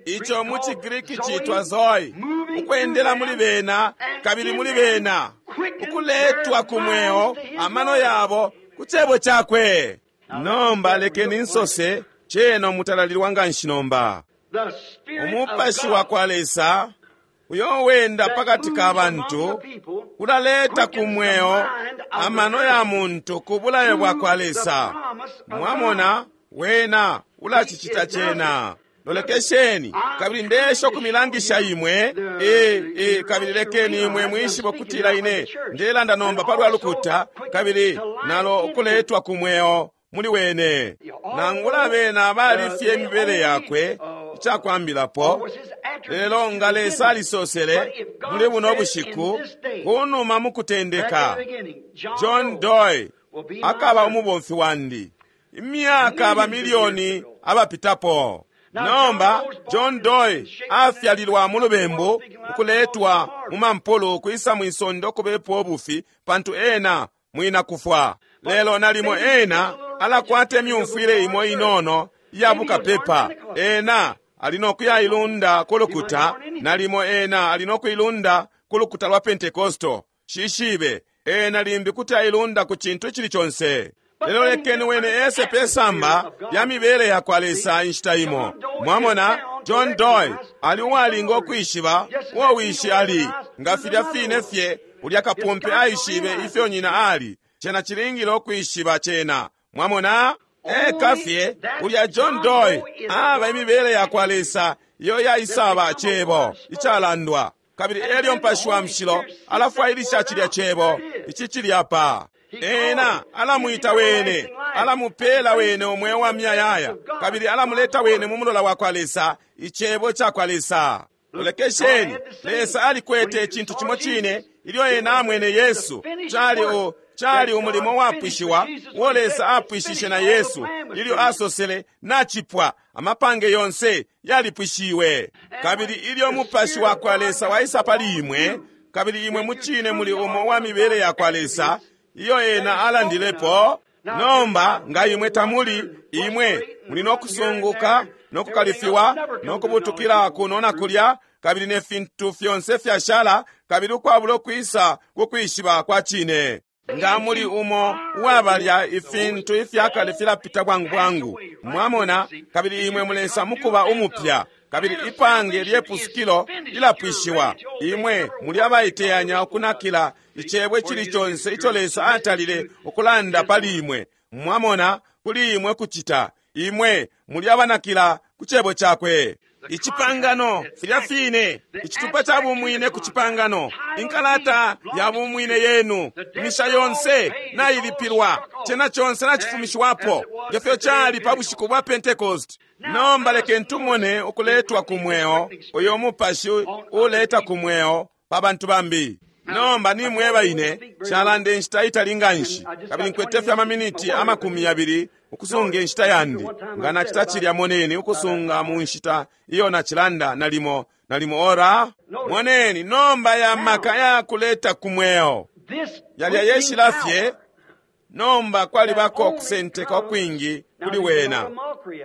ico mu ciGriki citwa Zoe, ukwendela muli bena kabili muli bena, ukuletwa ku mweo amano yabo ku cebo cakwe. Nomba lekeni nsose cena umutalalilwa nga nshi nomba. Umupashi wa kwa Lesa uyo wenda pakati ka bantu ulaleta ku mweo amano ya muntu ku bulayo bwa kwa Lesa. Mwamona, wena ulacicita cena. Lolekesheni, kabili ndesha ukumilangisha imwe, e, e, kabili lekeni imwe mwishibe ukutila ine ndelanda nomba palwa lukuta, kabili nalo ukuletwa ku mweo muli wene. Nangula bena bali fye imibele yakwe icakwambilapo, lelo nga Lesa alisosele muli buno bushiku kunuma mukutendeka, John Doe akaba umubomfi wandi imyaka bamilioni abapitapo. Nomba John Doe afyalilwa mu lubembu, ukuletwa mu mampulu kwisa mwisondo ukubepo obufi, pantu ena mwina kufwa. Lelo nalimo ena alakwata imyumfwile imo inono iya bukapepa. Ena ali nokuyailunda ku lukuta, nalimo ena ali nokuilunda ku lukuta lwa Pentekosto. Shishibe, ena limbi kuti ailunda ku cintu icili conse. Lelo lekeni wene ese pesamba lya mibele ya kwa Lesa inshita imo. Mwamona, John Doe ali uwalinga ukwishiba uo wishi ali, nga filya fine fye ulya kapumpe aishibe ifyo nyina ali. Cena cilingile ukwishiba cena. Mwamona, eka fye ulya John Doe aba imibele ya kwa Lesa iyo yaisaba cebo icalandwa, kabili elyo Mupashi wa Mushilo alafwailisha cilya cebo ici cili apa. Ena alamwita wene, alamupela wene umweo wa miyayaya, kabili alamuleta wene mu mulola wa kwa Lesa, icebo ca kwa Lesa. Lolekesheni, Lesa alikwete icintu cimo cine ilyo ena amwene Yesu. Cali o cali umulimo wapwishiwa uo Lesa apwishishe na Yesu ilyo asosele nachipwa, amapange yonse yalipwishiwe. Kabili ilyo Mupashi wa kwa Lesa waisa pali imwe, kabili imwe mucine muli umo wa mibele ya kwa Lesa iyo ena alandilepo. Nomba nga imwe tamuli, imwe muli nokusunguka nokukalifiwa nokubutukila kuno na kulya, kabili ne fintu fyonse fyashala, kabili ukwabula ukwisa kukwishiba kwa cine. Nga muli umo uwabalya ifintu ifyakale filapita bwangu bwangu, mwamona, kabili imwe mulesa mukuba umupya, kabili ipange lyepusukilo lilapwishiwa. Imwe muli abaiteyanya ukunakila icebo icili conse ico Lesa atalile ukulanda pali imwe, mwamona, kuli imwe kucita. Imwe muli abanakila ku cebo cakwe. Icipangano filya fine, icitupa ca bumwine ku cipangano, inkalata ya bumwine yenu, imisha yonse nailipilwa, cena conse nacifumishiwapo, ngefyo cali pa bushiku bwa Pentecost. Nomba lekeni tumone ukuletwa ku mweo, uyo Mupashi uleta ku mweo pa bantu bambi. Nomba nimweba ine calanda inshita itali nganshi, kabili nkwete fye amaminiti amakumi yabili ukusunga inshita yandi. Nga nacita cilya, moneni, ukusunga mu nshita iyo nacilanda nalimo nalimo ora. Moneni nomba ya maka ya kuleta ku mweo yalya yeshila fye. Nomba kwalibako okusenteka ukwingi kuli wena,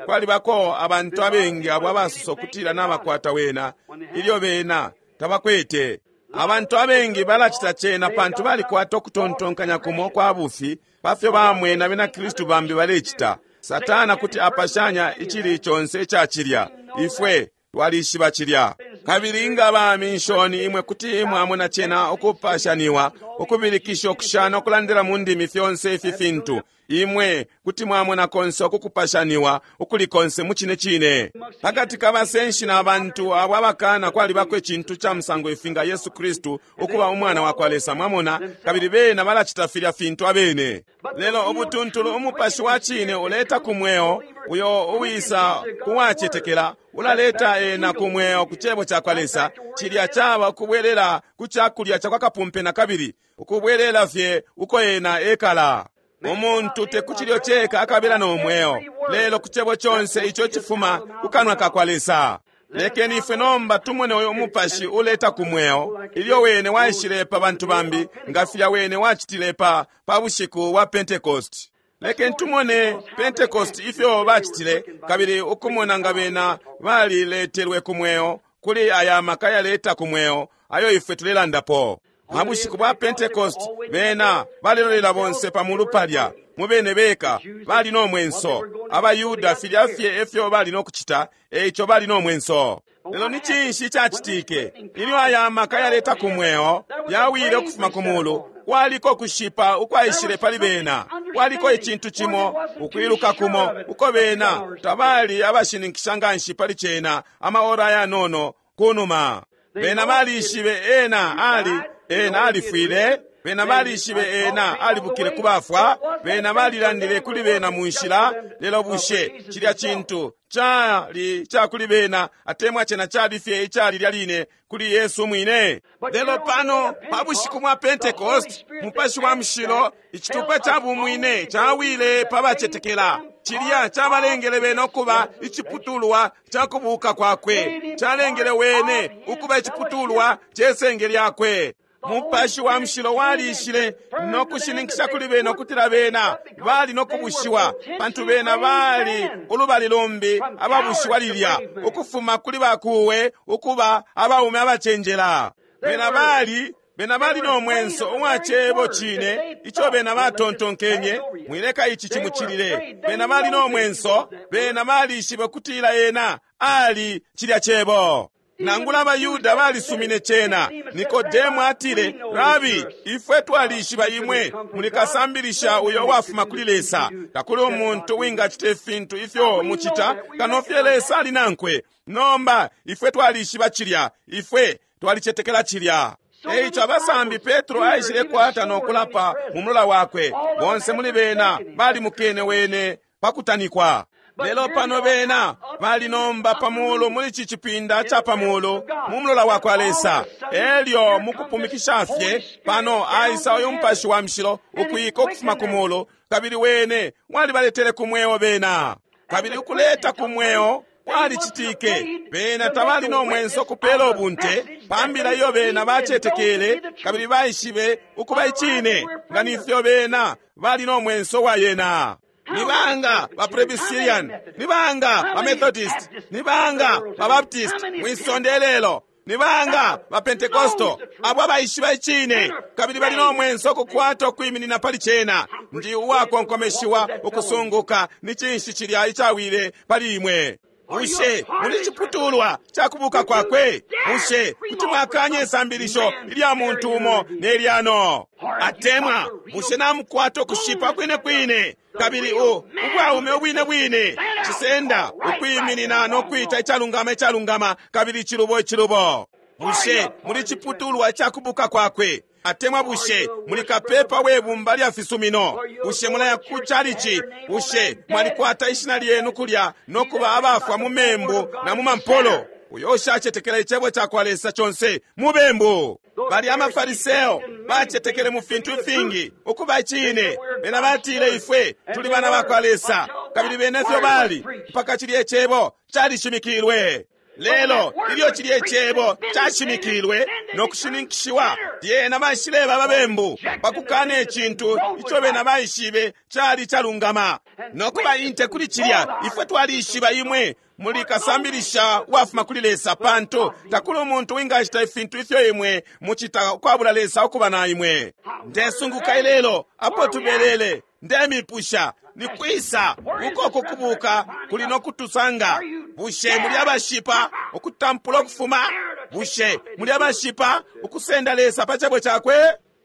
kwalibako abantu abengi abo abasosa ukutila nabakwata wena ilyo bena tabakwete. Abantu abengi balacita cena pantu balikwata ukutontonkanya kumo kwa bufi pafyo bamwena bena Kristu bambi balecita. Satana kuti apashanya icili conse ica cilya. Ifwe twalishiba cilya. Kabili nga ba minshoni imwe kuti mwamona cena ukupashaniwa, ukubilikisha, ukushana, ukulandila mu ndimi, fyonse ifi fintu. Imwe kuti mwamona konse ukukupashaniwa ukuli konse mu cine cine. Pakati ka basenshi na bantu abo abakana kwalibako icintu ca musango ifi nga Yesu Kristu ukuba umwana wa kwa Lesa, mwamona, kabili bena balacita filya fintu abene. Lelo ubutuntulu umupashi wa cine uleta ku mweo, uyo uwisa kuwacetekela ulaleta ena ku mweo ku cebo ca kwa Lesa. Cilya caba ukubwelela ku cakulya ca kwa kapumpe na kabili, ukubwelela fye uko ena ekala. Umuntu te ku cilyo ceka akabela no mweo, lelo ku cebo conse ico cifuma ku kanwa ka kwa Lesa. Lekeni ifwe nomba tumone uyo umupashi uleta ku mweo ilyo wene waishile pa bantu bambi, nga filya wene wacitile pa pa bushiku bwa Pentecost. Lekeni tumone Pentecost ifyo bacitile, kabili ukumona nga bena baliletelwe ku mweo kuli aya maka yaleta ku mweo ayo ifwe tulelandapo. Pa bushiku bwa Pentecost bena balelolela bonse pa mulu palya mubene beka bali no mwenso. Abayuda filya fye efyo bali no kucita, eico bali no mwenso. Lelo ni cinshi cacitike ilyo aya maka yaleta ku mweo yawile ukufuma ku mulu? Kwaliko kushipa ukwaishile pali bena, kwaliko icintu cimo ukwiluka kumo uko bena tabali abashininkisha nganshi pali cena amaora ayanono kunuma. Bena balishibe ena ali ena alifwile, bena balishibe ena alibukile kubafwa, bena balilandile kuli bena mu nshila. Lelo bushe cilya cintu cali ca kuli bena atemwa cena cali fye icali lya line kuli Yesu mwine? Lelo pano pa bushiku bwa Pentecost, Mupashi wa Mushilo, icitupa ca bumwine cawile pa bacetekela. Cilya cabalengele bena ukuba iciputulwa ca kubuka kwakwe, calengele wene ukuba iciputulwa cesenge lyakwe. Mupashi wa Mushilo walishile no kushininkisha kuli bena ukutila bena bali no kubushiwa, pantu bena bali ulubali lumbi ababushiwa lilya, ukufuma kuli bakuwe ukuba abaume abacenjela. Bena bali bena bali no mwenso uwa cebo cine ico bena batontonkenye, mwileka ici cimucilile. Bena bali no mwenso, bena balishibe ukutila ena ali cilya cebo. Nangula abayuda balisumine cena. Nikodemu atile, Rabi, ifwe twalishiba imwe muli kasambilisha uyo wafuma kuli Lesa. Takuli umuntu wingacita ifintu ifyo mucita kano fye Lesa ali nankwe. Nomba ifwe twalishiba cilya, ifwe twalicetekela cilya. Eico abasambi Petro aishile kwata no kulapa mu mulola wakwe. Bonse muli bena balimukene wene pakutanikwa. Lelo pano bena bali nomba pamuulu muli ci cipinda ca pamuulu mu mulola wa kwa Lesa. Elyo mukupumikisha fye pano aisa uyu Mupashi wa Mushilo ukwika ukufuma ku mulu, kabili wene walibaletele ku mweo bena. Kabili ukuleta ku mweo kwalicitike. Bena tabali no mwenso kupela ubunte pambila iyo bena bacetekele kabili baishibe ukuba icine, nga nifyo bena bali no mwenso wa yena. Nibanga ba Presbyterian, nibanga ba Methodist, nibanga ba Baptist mwisonde lelo, nibanga ba Pentecostal abo abaishiba icine kabili bali no mwenso kukwata ukwiminina pali cena. Ndi uwakonkomeshiwa ukusunguka ni cinshi cilya icawile pali imwe. Bushe muli ciputulwa ca kubuka kwakwe? Bushe kuti mwakanya isambilisho ilya muntu umo nelyano? Atemwa bushe namukwata ukushipa kwine kwine kabili u ubwaume ubwine bwine cisenda ukwiminina no kwita icalungama icalungama kabili icilubo icilubo? Bushe muli ciputulwa ca kubuka kwakwe? Atemwa bushe muli kapepa we bumba lya fisumino? Bushe mulaya ku chalichi? Bushe mwalikwata ishina lyenu kulya no kuba abafwa mu membu na mu mampolo? Uyo ushacetekela icebo ca kwa Lesa conse mubembu. Bali amafariseo bacetekele mu fintu ifingi ukuba icine. Bena batile ifwe tuli bana ba kwa Lesa, kabili bene fyo bali mpaka cilye cebo calishimikilwe. Lelo ilyo cilye cebo cashimikilwe no kushininkishiwa, lyena baishileba babembu pakukana icintu ico bena baishibe cali calungama no kuba inte kuli cilya. Ifwe twalishiba imwe muli kasambilisha wafuma kuli Lesa, pantu takuli umuntu wingacita ifintu ifyo imwe mucita ukwabula Lesa ukuba na imwe. Ndesunguka ilelo apo tubelele, ndemipusha ni kwisa uko kukubuka kuli no kutusanga? Bushe muli abashipa ukutampula ukufuma? Bushe muli abashipa ukusenda Lesa pa cebo cakwe?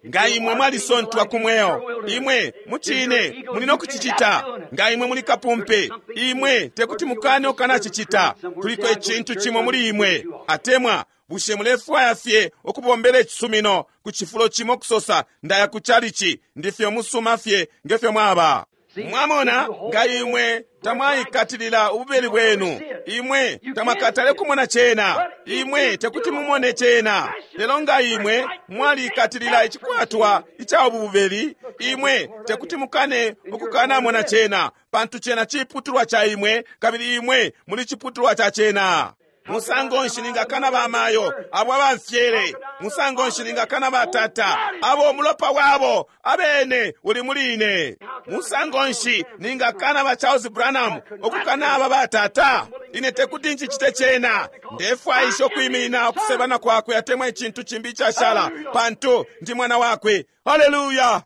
Nga imwe mwalisontwa ku mweo, imwe mucine muli no kucicita. Nga imwe muli kapumpe, imwe tekuti mukane ukanacicita. Kuliko icintu cimo muli imwe. Atemwa bushe mulefwaya fye ukubombela icisumino ku cifulo cimo kusosa ndaya ku chalichi, ndifye musuma fye ngefyo mwaba? Mwamona, nga imwe tamwaikatilila ububeli bwenu, imwe tamwakatale kumona cena, imwe tekuti mumone cena. Lelo nga imwe mwalikatilila icikwatwa ica ububeli, imwe tekuti mukane ukukanamona cena, pantu cena ciputulwa ca imwe, kabili imwe muli ciputulwa ca cena. Musango nshi ningakana bamayo abo abamfyele? Musango nshi ningakana batata abo umulopa wabo abene uli muli ine? Musango nshi ningakana ba Charles Branham ukukana aba batata? Ine tekuti nchicite cena. Ndefwaisha ukwiminina ukusebana kwakwe atemwa icintu cimbi icashala, pantu ndi mwana wakwe. Haleluya!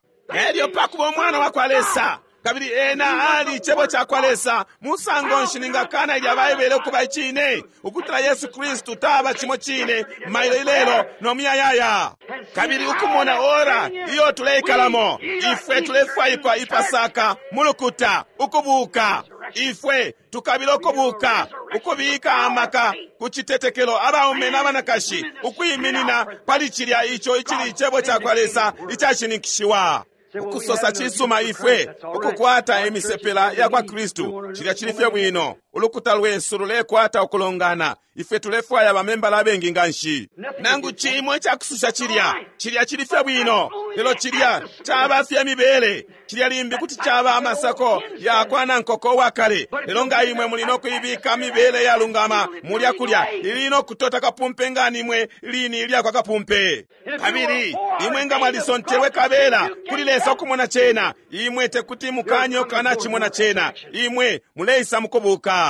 Elyo pakuba umwana wa kwa Lesa, kabili ena ali icebo ca kwa Lesa, musango nshi ningakana ilya Baibele ukuba icine, ukutila Yesu Kristu taba cimo cine mailo ilelo no muyayaya? Kabili ukumona ora iyo tuleikalamo, ifwe tulefwaikwa ipasaka mulukuta ukubuka. Ifwe tukabila ukubuka, ukubika amaka ku citetekelo abaume n'abanakashi ukwiminina pali cilya ico icili icebo ca kwa Lesa icashininkishiwa. Ukusosa cisuma ifwe ukukwata imisepela ya kwa Kristu, cilya cili fye bwino. Ulukuta lwesu lulekwata ukulongana, ifwe tulefwaya bamembala abengi nga nshi. Nangu cimo icakususha cilya, cilya cili fye bwino, lelo cilya caba fye mibele. Cilya limbi kuti caba amasako ya kwa nankoko wa kale, lelo nga imwe muli no kuibika mibele yalungama mulya kulya, ili no kutota kapumpe nga nimwe lini ilya kwa kapumpe. Kabili imwe nga mwalisontelwe kabela kuli Lesa ukumona cena, imwe tekuti mukanye ukanachimona cena, imwe muleisa mukubuka.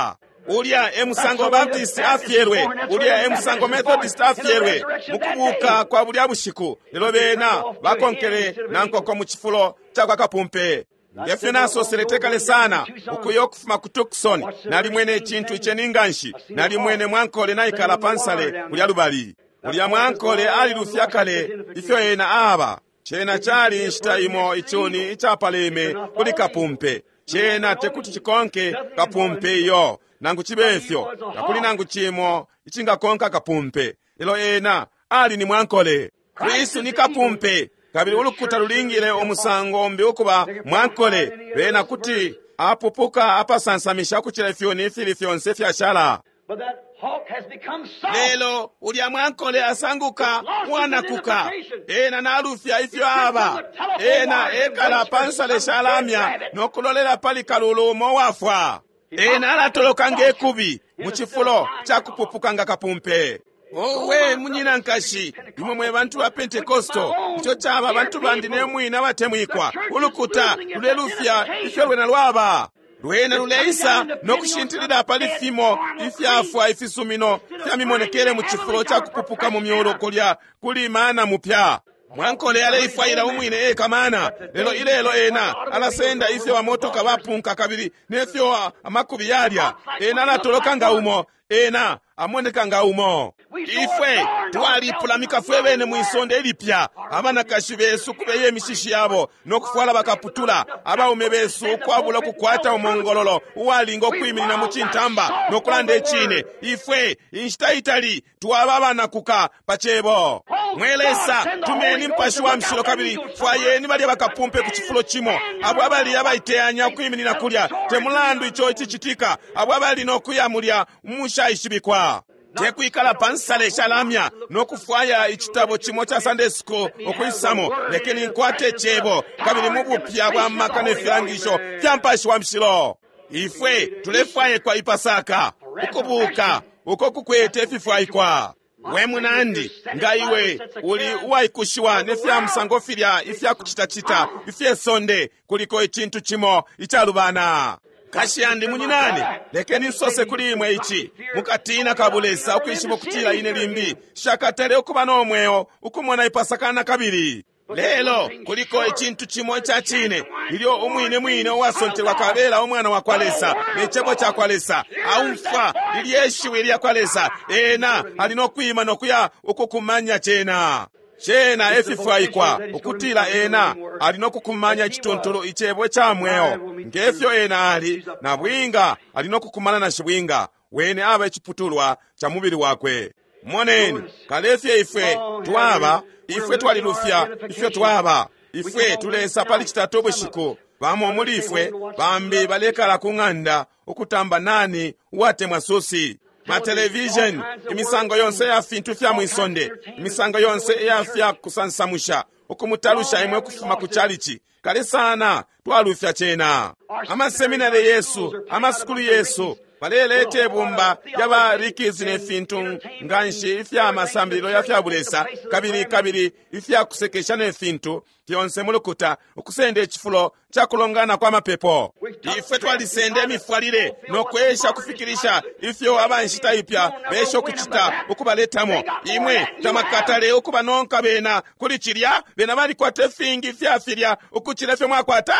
Ulya e musango Baptist afyelwe, ulya e musango Methodist afyelwe mukubuka kwa bulya bushiku. Lelo bena bakonkele nankoko mu cifulo ca kwa kapumpe. Ngefyo nasosele tekale sana ukuya ukufuma ku Tucson, nalimwene icintu iceni nganshi. Nalimwene mwankole naikala pansale kulya lubali. Ulya mwankole alilufya kale ifyo ena aba. Cena cali inshita imo icuni icapaleme kuli kapumpe. Cena tekuti cikonke kapumpe iyo, nangu cibe ifyo takuli nangu cimo icingakonka kapumpe. Lelo ena ali ni mwankole. Kristu ni kapumpe, kabili ulukuta lulingile umusango umbi ukuba mwankole. Bena kuti Apupuka apasansamisha ukucila ifyuni ifili fyonse fyashala. But that hawk has become soft. Lelo ulya mwankole asanguka uwanakuka. Ena nalufya ifyo aba. Ena ekala pa nsale shalamya no kulolela pali kalulu umo wafwa. Ena alatoloka ngekubi mu cifulo ca kupupuka nga kapumpe. Owe munyina nkashi, imwe mwe bantu ba Pentekosto, ico caba bantu bandi ne mwine abatemwikwa. Ulukuta lulelufya ifyo lwena lwaba. Lwena luleisa no kushintilila pali fimo ifyafwa ifisumino fya mimonekele mu cifulo ca kupupuka mu myulu kulya kuli mana mupya. Mwankole aleifwaila umwine eka mana, lelo ilelo ena alasenda ifyo bamotoka bapunka kabili nefyo amakubi yalya. Ena alatoloka nga umo, ena amoneka nga umo. Ifwe twalipulamika fwe bene mwisonde ilipya. Abanakashi besu kubeye imishishi yabo no kufwala bakaputula, abaume besu ukwabula kukwata umongololo uwalinga ukwiminina mu cintamba no kulanda icine. Ifwe inshita itali twaba abanakuka pa cebo. Mwe Lesa, tumeni Mupashi wa Mushilo kabili fwayeni balya bakapumpe ku cifulo cimo, abo abali abaiteyanya ukwiminina kulya, te mulandu ico icicitika, abo abali no kuya mulya umushaishibikwa. Tekwikala pa nsale shalamya no kufwaya icitabo cimo ca Sunday school ukwisamo. Lekeni nkwate cebo kabili mu bupya bwa maka ne filangisho fya Mupashi wa Mushilo. Ifwe tulefwayekwa ipasaka ukubuka uko kukwete ififwaikwa. We munandi, nga iwe uli uwaikushiwa ne fya musango filya ifya kucitacita ifye sonde, kuliko icintu cimo icalubana. Kashi yandi munyinani, lekeni nsose kuli imwe ici mukatina kabulesa ukwishiba ukutila ine limbi shakatale ukuba no mweo ukumona ipasaka kabili. Lelo kuliko icintu cimo ica cine, ilyo umwine mwine uwasontelwa kabela umwana wa kwa Lesa ne cebo ca kwa Lesa aumfwa lilye shiwi lya kwa Lesa, ena ali no kwima no kuya ukukumanya cena. Cena efifwaikwa ukutila ena ali no kukumanya icituntulu icebo ca mweo ngefyo ena ali na bwinga ali no kukumana na shibwinga wene aba iciputulwa ca mubili wakwe. Moneni kalefye ifwe twaba, ifwe twalilufya ifyo twaba. Ifwe tulesa pali citatu ubushiku, bamo muli ifwe bambi balekala ku ng'anda ukutamba nani uwatemwa susi. Matelevision, imisango yonse ya fintu fya mwisonde, imisango yonse ya fya kusansamusha, ukumutalusha imwe kufuma ku chalichi. Kale sana twalufya cena. Amaseminari yesu, amasukulu yesu baleleta ibumba lyabarikizi ne fintu nganshi ifya masambililo ya fya bulesa kabili kabili ifya kusekesha ne fintu fyonse mulukuta ukusenda icifulo ca kulongana kwa mapepo. Ifwe twalisenda imifwalile no kwesha kufikirisha ifyo abanshita ipya besha ukucita ukubaletamo. Imwe tamakatale ukubanonka bena kuli cilya, bena balikwata ifingi fya filya ukucila ifyo mwakwata.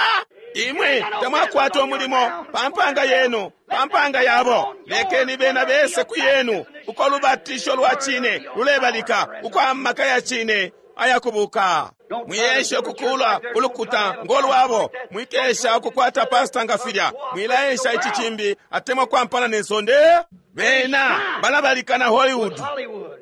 Imwe tamwakwata umulimo pa mpanga yenu, pa mpanga yabo. Lekeni bena bese ku yenu uko lubatisho lwa cine lulebalika, uko amaka ya cine ayakubuka. Mwiyesha ukukula ulukuta ngolwabo, mwikesha ukukwata pasta nga filya, mwilaesha ici cimbi atemwa kwampana ne sonde. Bena balabalika na Hollywood.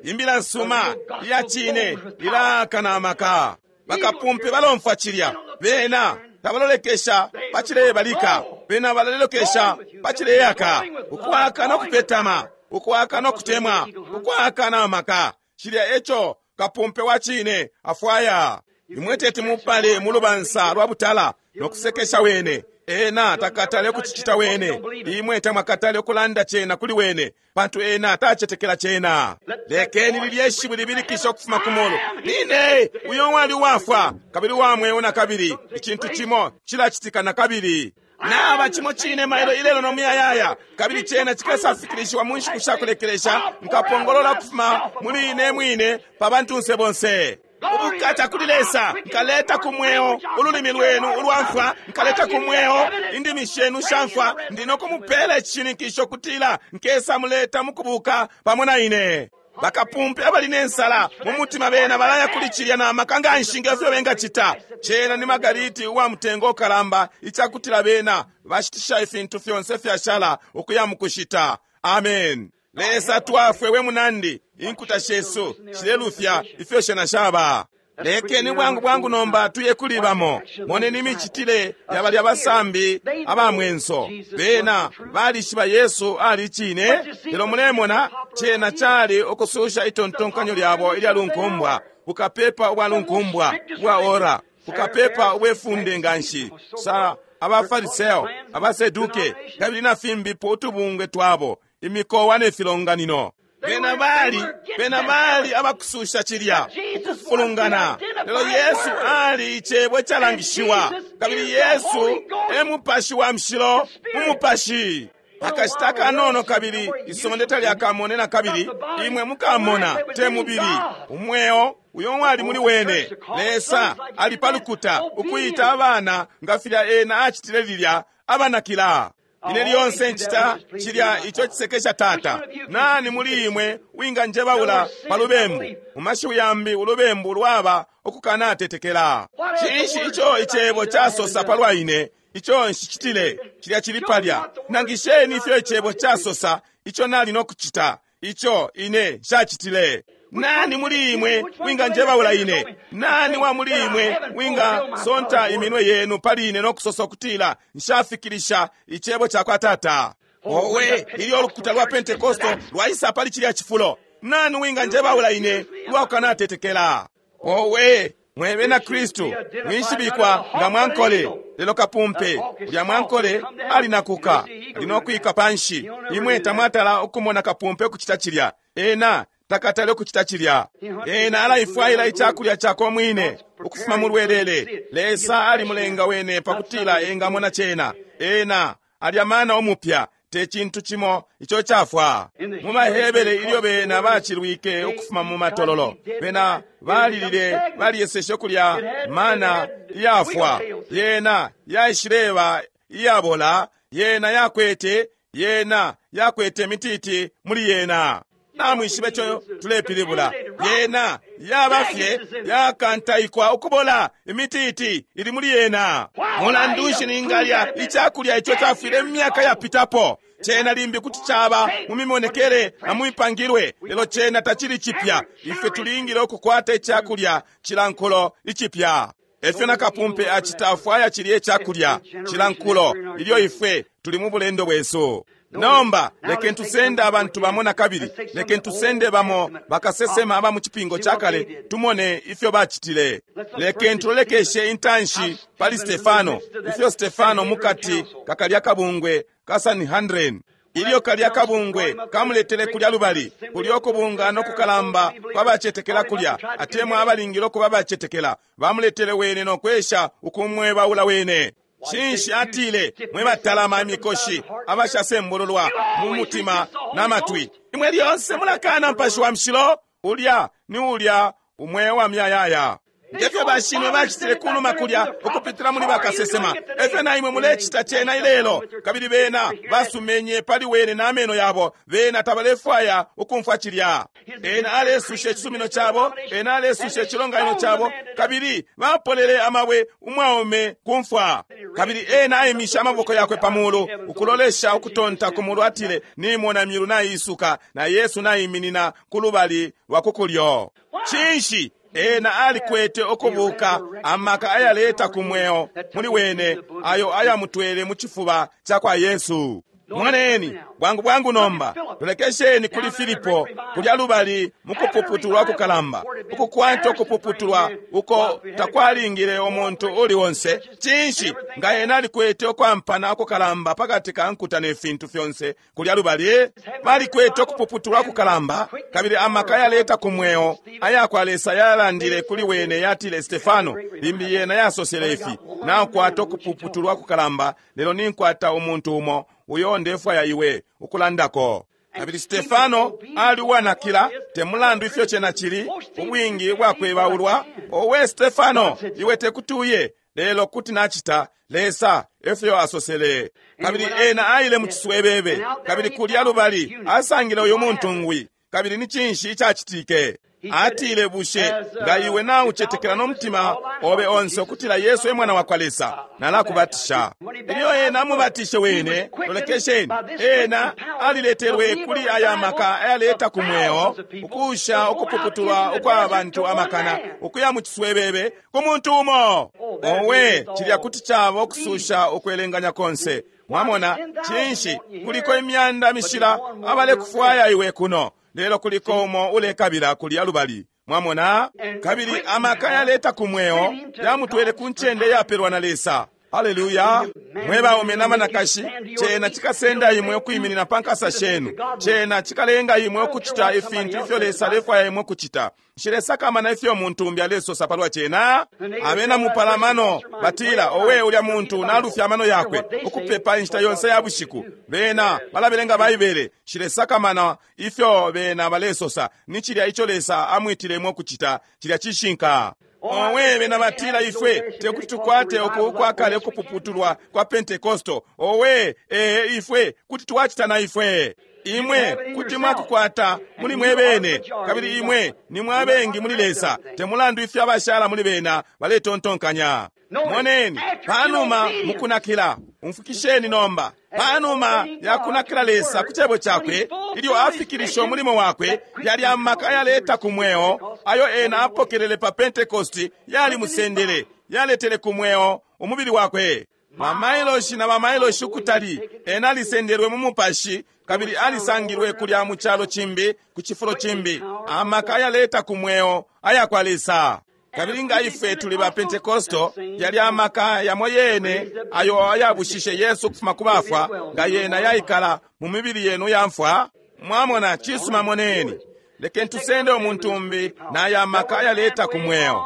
Imbila nsuma iya cine ilaka na maka. Bakapumpe balomfwa cilya, bena tabalolekesha pacilebalika, bena balalolekesha pacileyaka. Ukwaka no kupetama, ukwaka no kutemwa, ukwaka na maka. Cilya eco kapumpe wa cine afwaya. Imwe teti mupale mu lubansa lwa butala no kusekesha wene. Ena takatale kucicita wene. Imwe tamwakatale ukulanda cena kuli wene, pantu ena tacetekela cena. Lekeni lilye shiwi libilikisha ukufuma ku mulu, nine uyo wali uwafwa kabili wa mweo na kabili. Icintu cimo cilacitika na kabili. Naba cimo cine mailo ilelo no muyayaya, kabili cena cikasafikirishiwa mu nshiku sha kulekelesha. Nkapongolola ukufuma muli ine mwine pa bantunse bonse. Ubukata kuli Lesa, nkaleta ku mweo ululimi lwenu ulwamfwa, nkaleta ku mweo indimi shenu shamfwa. Ndi no kumupela icishininkisho kutila nkesa muleta mukubuka pamo na ine. Bakapumpe abali ne nsala mu mutima bena balaya kuli cilya na maka nganshi ngefyo bengacita. Cena ni magariti uwa mutengo ukalamba, icakutila bena bashitisha ifintu fyonse fyashala ukuya mukushita. Amen. Lesa twafwe we munandi, inkuta shesu shilelufya ifyo shena shaba. Lekeni bwangu bwangu nomba tuye kuli bamo. Moneni imicitile ya balya basambi aba mwenso. Bena balishiba Yesu ali cine, lelo mulemona cena cali ukususha itontonkanyo lyabo ilya lunkumbwa, bukapepa ubwa lunkumbwa ubwa ora, bukapepa ubwefunde nganshi sa abafariseo, abaseduke, kabili na fimbipo utubungwe twabo, imikowa ne filonganino. Bena bali, bena bali abakususha cilya, ukufulungana. Lelo Yesu ali icebo icalangishiwa, kabili Yesu e Mupashi wa Mushilo mu Mupashi. Akashita kanono kabili isonde talyakamone na kabili, imwe mukamona te mubili. Umweo uyo wali muli wene, Lesa ali pa lukuta ukuita abana nga filya ena acitile lilya abanakila. Ine lyonse ncita cilya ico cisekesha Tata. Nani muli imwe winganjebaula pa lubembu? Mu mashiwi yambi, ulubembu lwaba ukukanatetekela. Cinshi ico icebo casosa palwa ine? Ico nshicitile, cilya cili palya. Nangisheni ifyo icebo casosa ico nali no kucita, ico ine nshacitile. Nani muli imwe winganjebaula ine? Nani wa muli imwe wingasonta iminwe yenu pali ine no kusosa ukutila nshafikilisha icebo ca kwa Tata? Owe, ilyo ulukuta lwa Pentekosto lwaisa pali cilya cifulo, nani winganjebaula ine lwakukanatetekela? Owe, mwe bena Kristu, mwishibikwa nga mwankole, lelo kapumpe ulya mwankole alinakuka, ali no kwika panshi. Imwe tamwatala ukumona kapumpe ukucita cilya. Ena takatale ukucita cilya. Ena alaifwaila icakulya cakwe mwine ukufuma mu lwelele. Lesa alimulenga wene pakutila engamona cena. Ena alya mana umupya, te cintu cimo ico cafwa. Mu Bahebere ilyo bena bacilwike ukufuma mu matololo, bena balilile, baliyeseshe ukulya mana iyafwa. Yena yaishileba iyabola, yena yakwete, yena yakwete imititi muli yena. Namwishibe ico tulepilibula. Yena yaba fye yakantaikwa ukubola, imititi ili muli yena. Mulandu nshi ningalya icakulya ico cafwile mu myaka yapitapo? Cena limbi kuti caba mu mimonekele na mu mipangilwe, lelo cena tacili cipya. Ife tulingile ukukwata icakulya cilankulo icipya. Efyo na kapumpe acita, afwaya cilye icakulya cilankulo ilyo ifwe tuli mu bulendo bwesu. Nomba lekeni tusende abantu bamo na kabili, lekeni tusende bamo bakasesema aba mu cipingo ca kale, tumone ifyo bacitile. Lekeni tulolekeshe intanshi pali Stefano, ifyo Stefano mukati kakalya kabungwe ka Sanhedrin. Ilyo kalya kabungwe kamuletele kulya lubali, kulya ukubunga no kukalamba kwabacetekela kulya, atemwa abalingile ukuba bacetekela, bamuletele wene no kwesha ukumwebaula wene. Cinshi atile, mwe batalama imikoshi abashasembululwa mu mutima na matwi, imwe lyonse mulakana Mupashi wa Mushilo? Ulya ni ulya umweo wa myayaya. Ngefyo bashinwe bacitile kunuma kulya ukupitila muli bakasesema, efyo na imwe mulecita cena ilelo. Kabili bena basumenye pali wene na meno yabo, bena tabalefwaya ukumfwa cilya. Ena alesusha icisumino cabo, ena alesusha icilonganino cabo, kabili bapolele amabwe umwaume kumfwa. Kabili ena aimisha amaboko yakwe pa mulu ukulolesha ukutonta ku mulu, atile, nimona myulu naisuka na Yesu naiminina ku lubali lwa kukulyo. Cinshi? Ena alikwete ukubuka amaka ayaleta ku mweo muli wene, ayo ayamutwele mu cifuba ca kwa Yesu. Moneni bwangu bwangu nomba, tulekesheni kuli Filipo kulya lubali mu kupuputulwa kukalamba, ukukwata ukupuputulwa uko takwalingile umuntu uli onse. Cinshi? Nga ena alikwete ukwampana ukukalamba pakati ka nkuta ne fintu fyonse kulya lubali, balikwete ukupuputulwa kukalamba, kabili amaka yaleta ku mweo aya kwa Lesa yalandile kuli wene, yatile, Stefano, limbi yena yasosele ifi, nakwata ukupuputulwa kukalamba, lelo ninkwata umuntu umo uyo ndefwaya iwe ukulandako. Kabili Stefano ali uwanakila, te mulandu ifyo cena cili, ubwingi bwakwebaulwa. Owe Stefano, iwe tekuti uye, lelo kuti nachita, Lesa efyo asosele. Kabili ena aile mu ciswebebe, kabili kulya lubali asangile uyu muntu ngwi, Kabili ni cinshi icacitike? Atile, bushe nga iwe naucetekela no mutima obe onse ukutila Yesu e mwana wakwa Lesa, nalakubatisha. Ilyo ena amubatishe wene, lolekesheni, ena aliletelwe kuli aya maka ayaleta ku mweo, ukusha ukupuputulwa ukwa bantu amakana, ukuya mu ciswebebe ku muntu umo. Owe, cilya kuti caba ukususha ukwelenganya konse. Mwamona, cinshi, kuliko imyanda mishila abalekufwaya iwe kuno, lelo kuliko umo ulekabila kulya lubali. Mwamona? Kabili amaka yaleta ku mweo yamutwele ku ncende yapelwa na Lesa. Haleluya! Mwe baume na banakashi, cena cikasenda imwe ukwiminina pa nkasa shenu. Cena cikalenga imwe ukucita ifintu ifyo Lesa alefwaya imwe ukucita. Nshilesakamana ifyo muntu umbi alesosa palwa cena. Abena mupalamano batila, owe, ulya muntu nalufya amano yakwe ukupepa inshita yonse ya bushiku. Bena balabelenga Baibele. Nshilesakamana ifyo bena balesosa. Ni cilya ico Lesa amwitile imwe ukucita. Cilya cishinka. Owe, bena batila ifwe tekuti tukwate uku ukwakale ukupuputulwa kwa Pentekosto. Owe, ee, ifwe kuti twacita na ifwe. Imwe kuti mwakukwata muli mwe bene, kabili imwe ni mwabengi muli Lesa, temulandu ifyo abashala muli bena baletontonkanya. Moneni, panuma mukunakila, umfukisheni nomba, panuma yakunakila Lesa ku cebo cakwe, ilyo afikilisha umulimo wakwe, yali amaka ayaleta ku mweo ayo ena apokelele pa Pentekosti yalimusendele, yaletele ku mweo umubili wakwe. Bamailoshi na bamailoshi ukutali, ena alisendelwe mu mupashi, kabili alisangilwe kulya mu calo cimbi, ku cifulo cimbi, amaka ayaleta ku mweo aya kwa Lesa. Kabili nga ifwe tuli ba Pentekosto, yali amaka yamo yene ayo ayabushishe Yesu ukufuma ku bafwa, nga yena yaikala mu mibili yenu ya mfwa. Mwamona, cisuma, moneni. Lekeni tusende umuntu umbi na aya maka ayaleta ku mweo.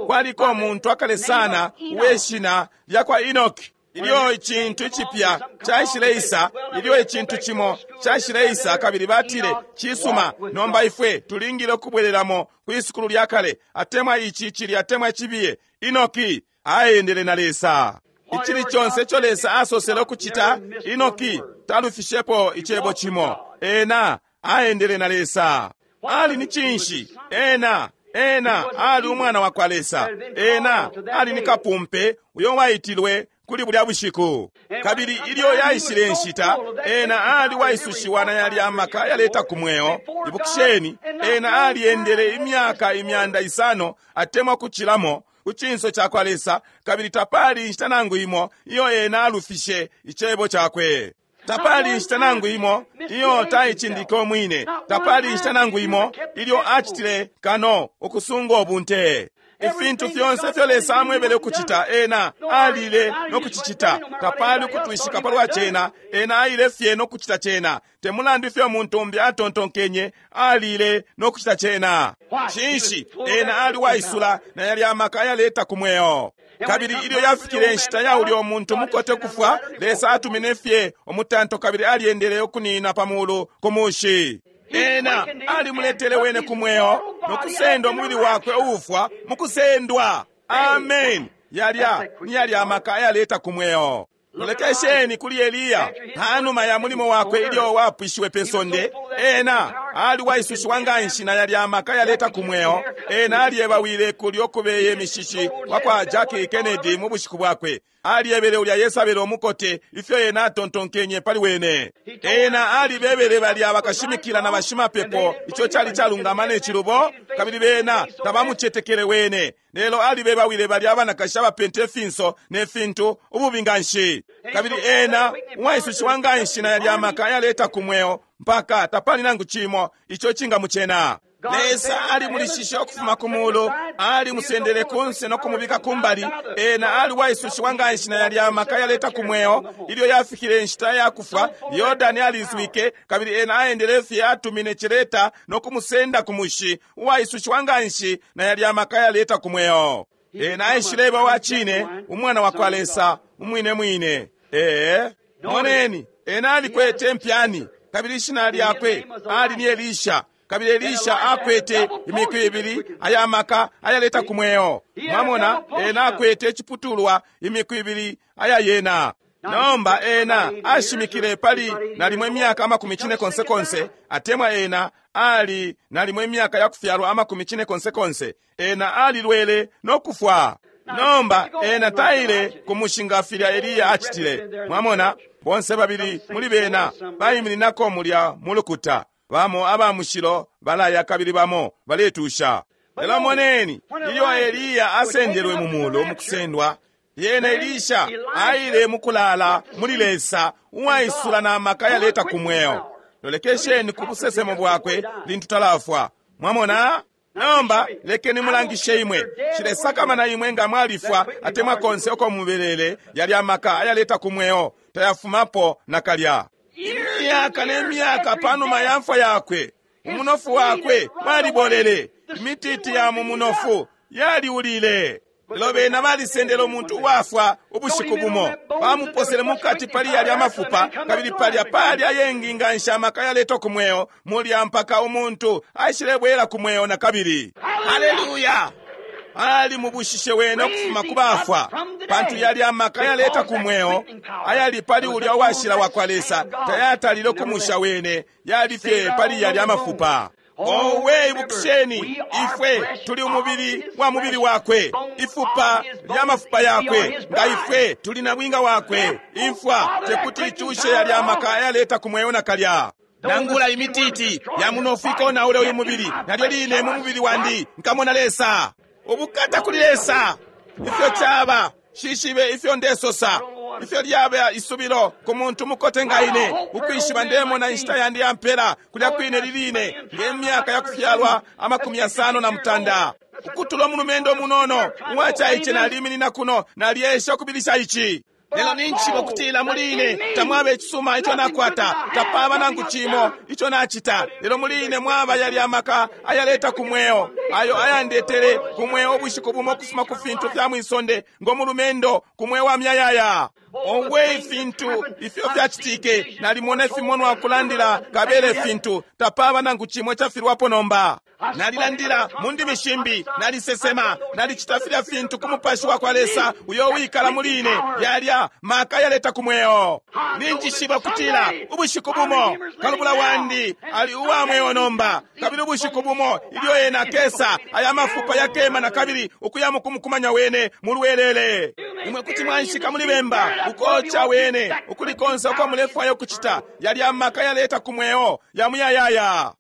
Kwaliko umuntu akale sana uweshina lya kwa Enoki. Ilyo icintu icipya caishileisa, ilyo icintu cimo caishileisa, kabili batile, cisuma, nomba ifwe tulingile ukubwelelamo kwi sukulu lya kale, atemwa ici cili atemwa cibiye. Enoki aendele na Lesa. Icili conse ico Lesa asosele ukucita, Enoki talufishepo icebo cimo. Ena aendele na Lesa. Ali ni cinshi? Ena Ena ali umwana wa kwa Lesa. Ena ali ni kapumpe uyo waitilwe kuli bulya bushiku. Kabili ilyo yaishile nshita, ena ali waisushiwa na yali amaka yaleta ku mweo. Ibukisheni, ena aliendele imyaka imyanda isano atemwa kucilamo ku cinso ca kwa Lesa, kabili tapali inshita nangu imo iyo ena alufishe icebo cakwe. Tapali inshita nangu imo iyo taicindike umwine. Tapali inshita nangu imo ilyo acitile kano ukusunga ubunte. Ifintu fyonse ifyo Lesa amwebele ukucita, ena alile no kucicita. Tapali ukutwishika palwa cena, ena aile fye no kucita cena. Temulandu ifyo muntu umbi atontonkenye, alile no kucita cena. Cinshi? Ena ali waisula na yali amaka ayaleta ku mweo. Kabili ilyo yafikile inshita ya ulyo muntu mukote kufwa, Lesa atumine fye umutanto kabili aliendele ukunina pa mulu ku mushi. Ena alimuletele wene ku mweo no kusendwa umubili wakwe uufwa mukusendwa. Amen. Yalya ni yalya amaka ayaleta ku mweo. Lolekesheni kuli Eliya panuma ya mulimo wakwe ilyo wapwishiwe pe sonde. Ena ali waisushiwa nganshi na yalya amaka yaleta ku mweo. Ena alyebawile kulyo kubeye imishishi wa kwa Jackie Kennedy mu bushiku bwakwe. Alyebele ulya Yesabele umukote ifyo ena atontonkenye pali wene. Ena alibebele balya bakashimikila na bashimapepo ico cali calungama ne cilubo, kabili bena tabamucetekele wene. Lelo alibebawile balya abanakashi abapente ifinso ne fintu ububi nganshi. Kabili ena uwaisushiwa nganshi na yalya amaka ayaleta ku mweo mpaka tapali nangu cimo ico cingamucena. Lesa alimulishishe ukufuma ku mulu, alimusendele kunse no kumubika kumbali. Ena aliwaisushiwa nganshi na yalya amaka yaleta ku mweo. Ilyo yafikile inshita ya kufwa, Yordani alizwike, kabili ena aendele fye atumine celeta no kumusenda ku mushi, uwaisushiwa nganshi na yalya amaka yaleta ku mweo. Ena aishileba wa cine, umwana wa kwa Lesa umwine mwine. Ee, moneni, ena alikwete mpyani, kabili ishina lyakwe ali ni Elisha. Kabili Elisha akwete imiku ibili aya maka ayaleta ku mweo. Mwamona, ena akwete iciputulwa imiku ibili aya yena. Nomba ena ashimikile pali nalimo imyaka amakumi cine konse konse, atemwa ena ali nalimo imyaka yakufyalwa amakumi cine konse konse. Ena alilwele no kufwa. Nomba ena taile kumushinga filya Eliya acitile. Mwamona, bonse babili muli bena baimininako mulya mulukuta. Bamo aba mushilo balaya kabili bamo baletusha. Lelo moneni, ilyo Eliya asendelwe mu mulu mukusendwa, lyena Elisha aile mukulala muli Lesa uwaisula na maka yaleta ku mweo. Lolekesheni ku busesemo bwakwe lintu talafwa. Mwamona? Nomba lekeni mulangishe imwe. Shilesakamana imwe nga mwalifwa atemwa konse uko mubelele, yali amaka ayaleta ku mweo tayafumapo nakalya. Imyaka ne myaka panuma ya mfwa yakwe, umunofu wakwe walibolele, imititi ya mu munofu yaliulile. Lelo bena balisendele umuntu uwafwa ubushiku bumo, bamuposele mukati pali yalya amafupa, kabili palya pali ayengi nganshi amaka yaleta ku mweo mulya mpaka umuntu aishilebwela ku mweo na kabili. Haleluya! Ali mubushishe wene ukufuma ku bafwa, pantu yali amaka yaleta ku mweo ayali pali ulya uwashila wa kwa Lesa tayatalile kumusha wene, yali fye pali yalya amafupa. Owe, ibukisheni, ifwe tuli umubili wa mubili wakwe, ifupa lya mafupa yakwe, nga ifwe tuli na bwinga wakwe. Imfwa tekuti icushe yalya amaka ayaleta ku mweo nakalya. Nangula imititi ya munofu ikonaule uyu mubili, nalyo line mu mubili wandi nkamona Lesa. Ubukata kuli Lesa! Ifyo caba, shishibe ifyo ndesosa, ifyo lyaba isubilo ku muntu mukote nga ine, ukwishiba ndemona inshita yandi yampela kulya kwine liline nge myaka yakufyalwa amakumi yasano na mutanda. Ukutula umulumendo munono uwacaice naliminina kuno, naliesha ukubilisha ici. Lelo ninjishiba ukutila muli ine tamwaba icisuma ico nakwata, tapaba nangu cimo ico nacita. Lelo muli ine mwaba yali amaka ayaleta ku mweo, ayo ayandetele ku mweo ubushiku bumo kufuma ku fintu fya mwisonde ngo mulumendo ku mweo wa myayaya. Owe, ifintu ifyo fyacitike, nalimona ifimonwa kulandila kabele fintu, tapaba nangu cimo cafilwapo nomba. Nalilandila mu ndimi shimbi, nalisesema, nalicita filya fintu ku mupashi wa kwa Lesa uyo wikala muli ine, yalya maka yaleta ku mweo. Ninjishiba kutila ubushiku bumo kalubula wandi ali uwa mweo nomba, kabili ubushiku bumo ilyo ena akesa, aya mafupa yakema na kabili ukuya mukumukumanya wene mulwelele. Imwe kuti mwanshika muli bemba ukocha wene ukuli konse uko mulefwaya ukucita, yalya maka yaleta ku mweo ya muyayaya.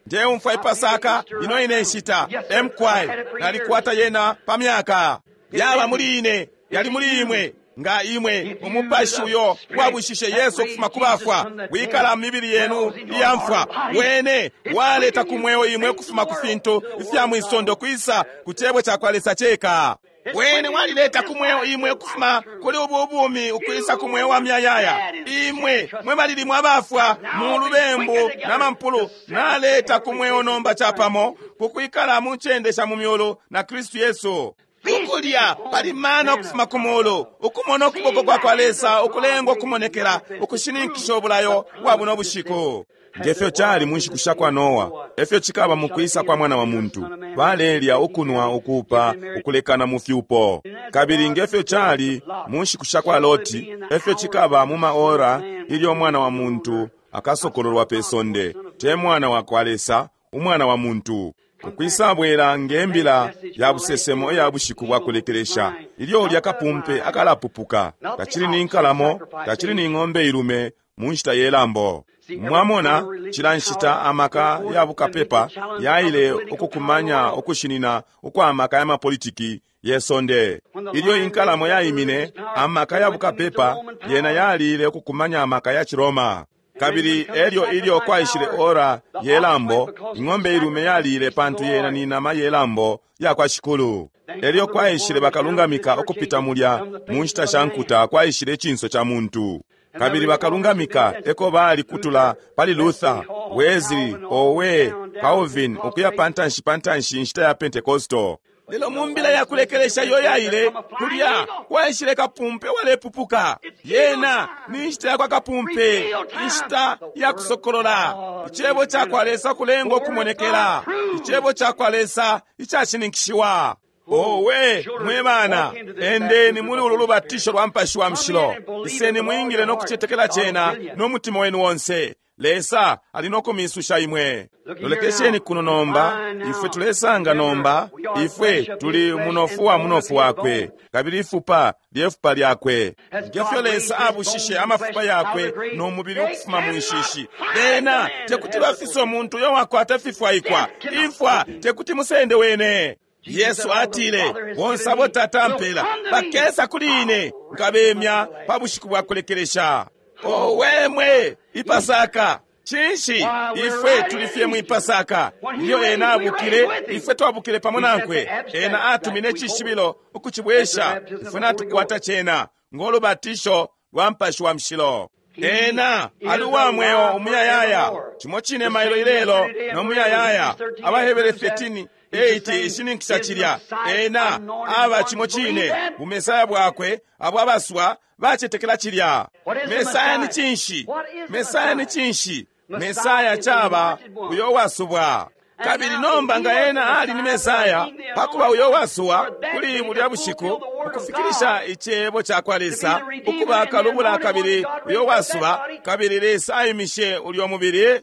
Ndeumfwa ipasaka ino ine nshita emkwai nalikwata yena pa myaka yaba muli ine, yali muli imwe. Nga imwe umupashi uyo wabushishe Yesu ukufuma ku bafwa wikala mu mibili yenu iyamfwa, wene waleta ku mweo imwe ukufuma ku fintu ifya mwisondo kwisa ku cebo ca kwa Lesa ceka. Wene walileta ku mweo imwe ukufuma kuli ubu ubumi ukwisa ku mweo wa myayaya. Imwe mwe balili mwabafwa mu lubembu na mampulu, naleta ku mweo nomba capamo kukwikala mu ncende sha mu myulu na Kristu Yesu. Ukulya pali mana ukufuma ku mulu, ukumona ukuboko kwa kwa Lesa ukulengwa ukumonekela, ukushininkisha ubulayo bwa buno bushiku. Ngefyo cali mu nshiku sha kwa Noa, efyo cikaba mu kwisa kwa mwana wa muntu. Balelya, ukunwa, ukupa, ukulekana mu fyupo. Kabili ngefyo cali mu nshiku sha kwa Loti, efyo cikaba mu maora ilyo mwana wa muntu akasokololwa pe sonde. Te mwana wa kwa Lesa, umwana wa muntu. Ukwisabwela nge mbila ya busesemo iya bushiku bwa kulekelesha, ilyo ulya kapumpe akalapupuka, tacili ni nkalamo, tacili ni ng'ombe ilume mu nshita ye lambo. Mwamona, cila nshita amaka ya bukapepa yaile ukukumanya ukushinina ukwa amaka ya mapolitiki ye sonde. Ilyo inkalamo yaimine, amaka ya bukapepa yena yalile ukukumanya amaka ya Chiroma. Kabili elyo ilyo kwaishile ora ye lambo, ing'ombe ilume yalile pantu yena ni nama ye lambo ya kwa Shikulu. Elyo kwaishile bakalungamika ukupita mulya mu nshita sha nkuta, kwaishile icinso ca muntu. Kabili bakalungamika eko bali kutula pali Luther, Wesley, Owe, Calvin, ukuya pantanshi pantanshi inshita ya Pentecostal. Lelo mu mbila ya kulekelesha yo yaile kulya kwaishile kapumpe walepupuka. Yena ni nshita ya kwa kapumpe, inshita ya kusokolola icebo ca kwa Lesa kulengwa ukumonekela, icebo ca kwa Lesa icashininkishiwa. Owe mwe bana, endeni muli ulu lubatisho lwa Mupashi wa Mushilo, iseni mwingile no kucetekela cena no mutima wenu wonse. Lesa ali no kumisusha imwe. Lolekesheni kuno nomba, ifwe tulesanga nomba, ifwe tuli munofu wa munofu wakwe, kabili ifupa lyefupa lyakwe. Ngefyo Lesa abushishe amafupa yakwe no mubili ukufuma mu nshishi, bena tekuti bafise umuntu uyo wakwata fifwaikwa. Imfwa tekuti musende wene. Yesu atile, bonse abo Tata ampela bakesa kuli ine, nkabemya pa bushiku bwa kulekelesha. Owe mwe ipasaka! Cinshi ifwe tulifye mu ipasaka? Ilyo ena abukile, ifwe twabukile pamo nankwe. Ena atumine icishibilo ukucibwesha, ifwe natukwata cena ng'olubatisho lwa Mupashi wa Mushilo. Ena ali uwa mweo umuyayaya, cimo cine mailo ilelo no muyayaya. Abahebere thirteen eight ishininkisha cilya. Ena aba cimo cine bumesaya bwakwe abo abaswa bacetekela cilya. Mesaya ni cinshi? Mesaya ni cinshi? Mesaya caba uyo wasubwa. Kabili nomba nga ena ali ni Mesaya, pakuba uyo wasubwa kuli bulya bushiku ukufikilisha icebo ca kwa Lesa, ukuba kalubula kabili uyo wasuba, kabili Lesa aimishe ulyo mubili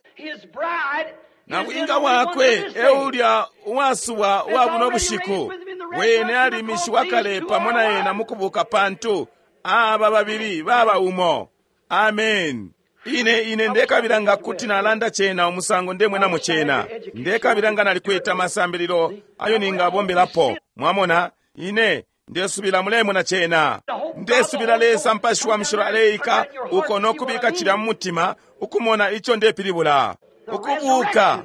nabwinga bwakwe eulya uwasubwa uwa buno bushiku. Wene alimishiwa kale pamo na ena mukubuka, pantu aba babili baba umo. Amen. Ine ine ndekabila nga kuti nalanda cena umusango ndemwenamo cena. Ndekabila nga nalikweta amasambililo ayo ningabombelapo. Mwamona, ine ndesubila mulemona cena. Ndesubila Lesa Mupashi wa Mushilo aleika uko nokubika cilya mu mutima ukumona ico ndepilibula. Ukubuka.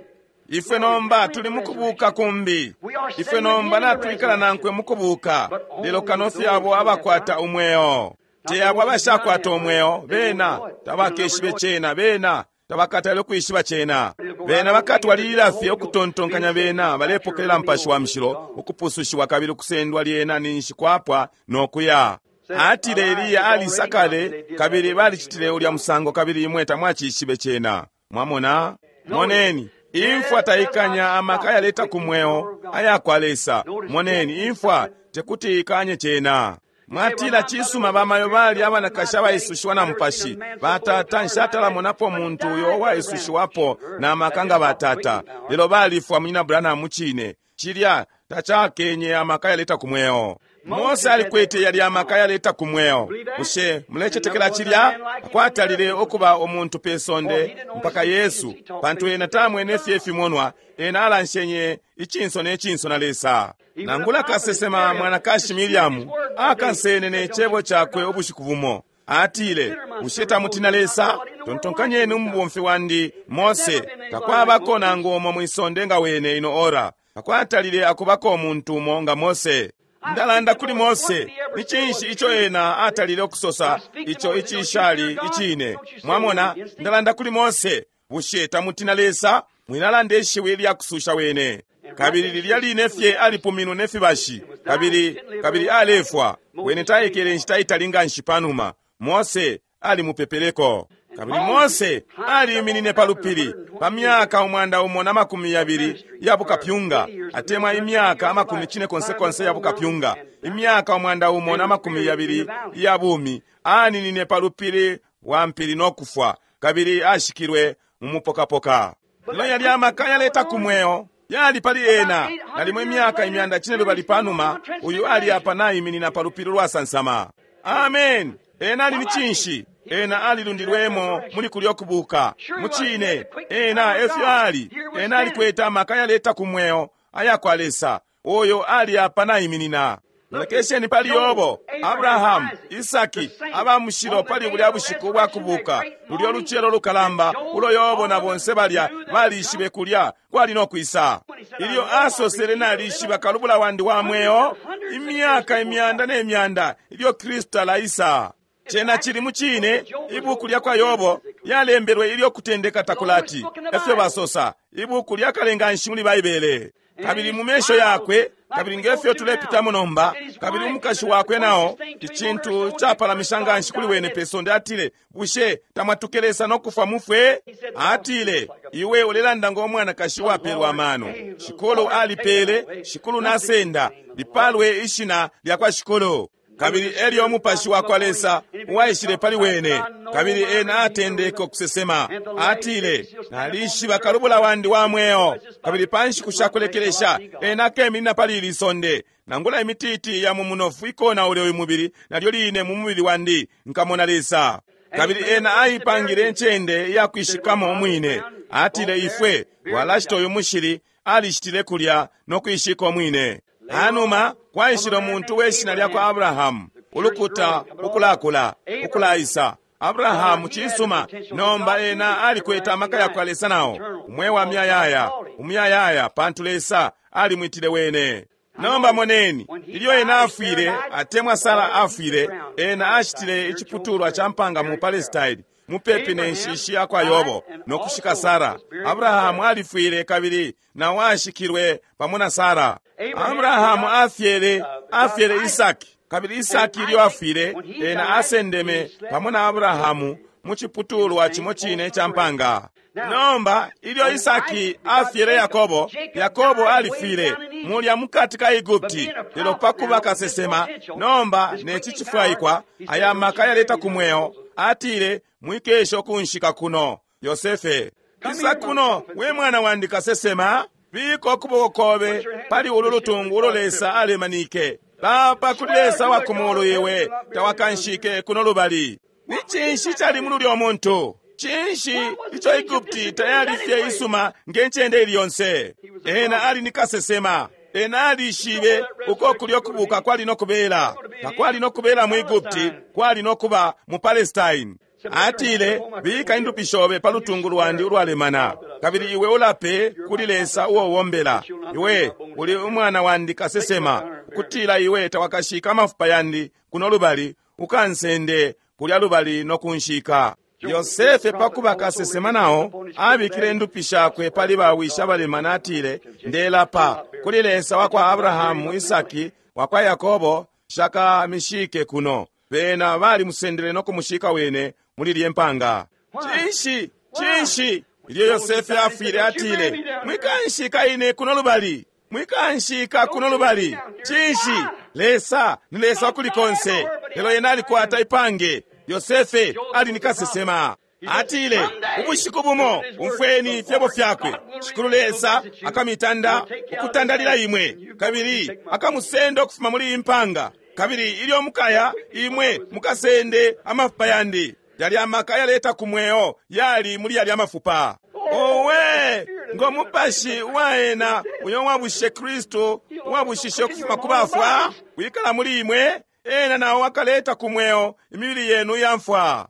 Ifwe nomba tuli mukubuka kumbi. Ifwe nomba natwikala nankwe mukubuka. Lelo kano fye abo abakwata umweo. Te abo abashakwata umweo, bena tabakeshibe cena, bena tabakatale ukwishiba cena. Bena bakatwalilila fye ukutontonkanya bena balepokelela Mupashi wa Mushilo, ukupusushiwa kabili ukusendwa lyena ninshi kwapwa nokuya. Atile Eliya alisa kale, kabili balicitile ulya musango, kabili imwe tamwacishibe cena. Mwamona? Moneni, imfwa taikanya amaka yaleta ku mweo aya kwa Lesa. Moneni, imfwa tekuti ikanye cena. Mwatila cisuma bamayo bali abanakashi abaisushiwa na Mupashi. Batata nshatalamonapo muntu uyo uwaisushiwapo na maka nga batata. Lelo balifwa munyina Branham mucine. Cilya tacakenye amaka yaleta ku mweo. Mose alikwete yali amaka yaleta ku mweo. Bushe mulecetekela cilya? Akwatalile ukuba umuntu pe sonde mpaka Yesu, pantu ena tamwene fye ifimonwa, ena alanshenye icinso ne cinso na Lesa. Nangula kasesema mwanakashi Miriamu akansene ne cebo cakwe ubushiku bumo. Atile, bushe tamutina Lesa? Tontonkanyeni umubomfi wandi Mose, takwabako nangu umo mwisonde nga wene ino ora. Takwatalile akubako umuntu umo nga Mose. Ndalanda kuli Mose, ni cinshi ico ena atalile ukusosa ico icishali icine? Mwamona, ndalanda kuli Mose, bushe tamutina Lesa? Mwinalanda ishiwi lya kususha wene. Kabili lilya line fye alipuminwe ne fibashi, kabili kabili alefwa. Wene taikele inshita itali nganshi panuma. Mose alimupepeleko. Kabili Mose aliiminine pa lupili pa myaka umwanda umo na makumi yabili ya bukapyunga, atemwa imyaka amakumi cine konse konse ya bukapyunga, imyaka umwanda umo na makumi yabili ya bumi, aninine pa lupili wa mpili no kufwa, kabili ashikilwe mu mupokapoka. Lelo yali amaka yaleta ku mweo yali pali ena. Nalimo imyaka imyanda cine lubali panuma, uyu ali apa naiminina pa lupili lwasansama. Amen. Ena ali ni cinshi? Ena alilundilwemo muli kulyo kubuka. Mucine, ena efyo ali. Ena alikwete amaka yaleta ku mweo aya kwa Lesa. Oyo ali apa naiminina. Lolekesheni pali Yobo, Abrahamu, Isaki, aba mushilo pali bulya bushiku bwa kubuka. Lulyo lucelo lukalamba ulo Yobo na bonse balya balishibe kulya kwali no kwisa. Ilyo asosele nalishiba kalubula wandi wa mweo, imyaka imyanda ne myanda ilyo Kristo alaisa. Cena cili mucine ibuku lya kwa Yobo Yalembelwe ilyo kutendeka takulati, efyo basosa, ibuku lyakalenga nshi muli Baibele. Kabili mu mesho yakwe, kabili ngefyo tulepitamo nomba, kabili umukashi wakwe nao, icintu capalamisha nganshi kuli wene pe sonde, atile, bushe tamwatuke Lesa no kufwa mufwe? Atile, iwe ulelanda ngo mwanakashi wapelwa amano. Shikulu alipele, Shikulu nasenda, lipalwe ishina lya kwa Shikulu. Kabili elyo umupashi wa kwa Lesa uwaishile pali wene, kabili ena atendeke ukusesema. Atile, nalishiba kalubula wandi wa mweo, kabili pa nshiku shakulekelesha ena akeminina pali ili sonde. Nangula imititi ya mu munofu ikonaule uyu mubili, nalyo line mu mubili wandi nkamona Lesa. Kabili ena aipangile incende iyakwishikamo umwine. Atile, ifwe walashita uyu mushili, alishitile kulya no kwishika umwine. Hanuma kwaishile umuntu we shina lya kwa Abrahamu, ulukuta ukulakula ukulaisa. Abrahamu cisuma, nomba ena alikwete amaka ya kwa Lesa nao, umwe wa myayaya, umyayaya, pantu Lesa alimwitile wene. Nomba moneni, ilyo ena afwile, atemwa Sara afwile, ena ashitile iciputulwa ca mpanga mu Palestine, mupepi ne nshishi ya kwa Yobo, no kushika Sara. Abrahamu alifwile kabili na ashikilwe pamo na Sara. Abrahamu afyele, afyele Isaki, kabili Isaki ilyo afwile, ena asendeme pamo na Abrahamu mu ciputulwa cimo cine ca mpanga. Nomba ilyo Isaki afyele Yakobo, Yakobo alifwile mulya mukati ka Egupti, lelo pakuba kasesema, nomba neci cifwaikwa, aya maka yaleta ku mweo, atile, mwikesho kunshika kuno. Yosefe, isa kuno, we mwana wandi kasesema, bika ukuboko kobe pali ulu lutungu ulo Lesa alemanike. Lapa kuli Lesa wa kumulu iwe tawakanshike kuno lubali. Ni cinshi cali muli ulya muntu? Cinshi ico Egupti tayali fye isuma nge ncende ili yonse? Ena ali ni kasesema. Ena alishibe uko kulyo kubuka kwali no kubela. Takwali no kubela mu Egupti, kwali no kuba mu Palestine. Atile, bika indupi shobe pa lutungu lwandi ulwalemana, kabili iwe ulape kuli Lesa uo wombela. Iwe uli umwana wandi kasesema, ukutila iwe tawakashika amafupa yandi kuno lubali, ukansende kulya lubali no kunshika. Yosefe pakuba kasesema nao abikile indupi shakwe pali bawisha balemana, atile, ndelapa kuli Lesa wa kwa Abrahamu, Isaki, wa kwa Yakobo, shakamishike kuno. Bena balimusendele no kumushika wene muli lye mpanga. Cinshi, cinshi ilyo Yosefe afwile, atile, mwikanshika ine kuno lubali, mwikanshika kuno lubali. Cinshi, Lesa ni Lesa kuli konse, lelo yena alikwata ipange. Yosefe ali ni kasesema. Atile, ubushiku bumo umfweni fyebo fyakwe, Shikulu Lesa akamitanda ukutandalila imwe, kabili akamusenda ukufuma muli impanga, kabili ilyo mukaya imwe mukasende amafupa yandi. Yali amaka yaleta ku mweo yali muli yali amafupa. Owe, ngo mupashi waena uyo wabushe Kristu wabushishe ukufuma ku bafwa wikala muli imwe, ena nawo akaleta ku mweo imibili yenu yamfwa.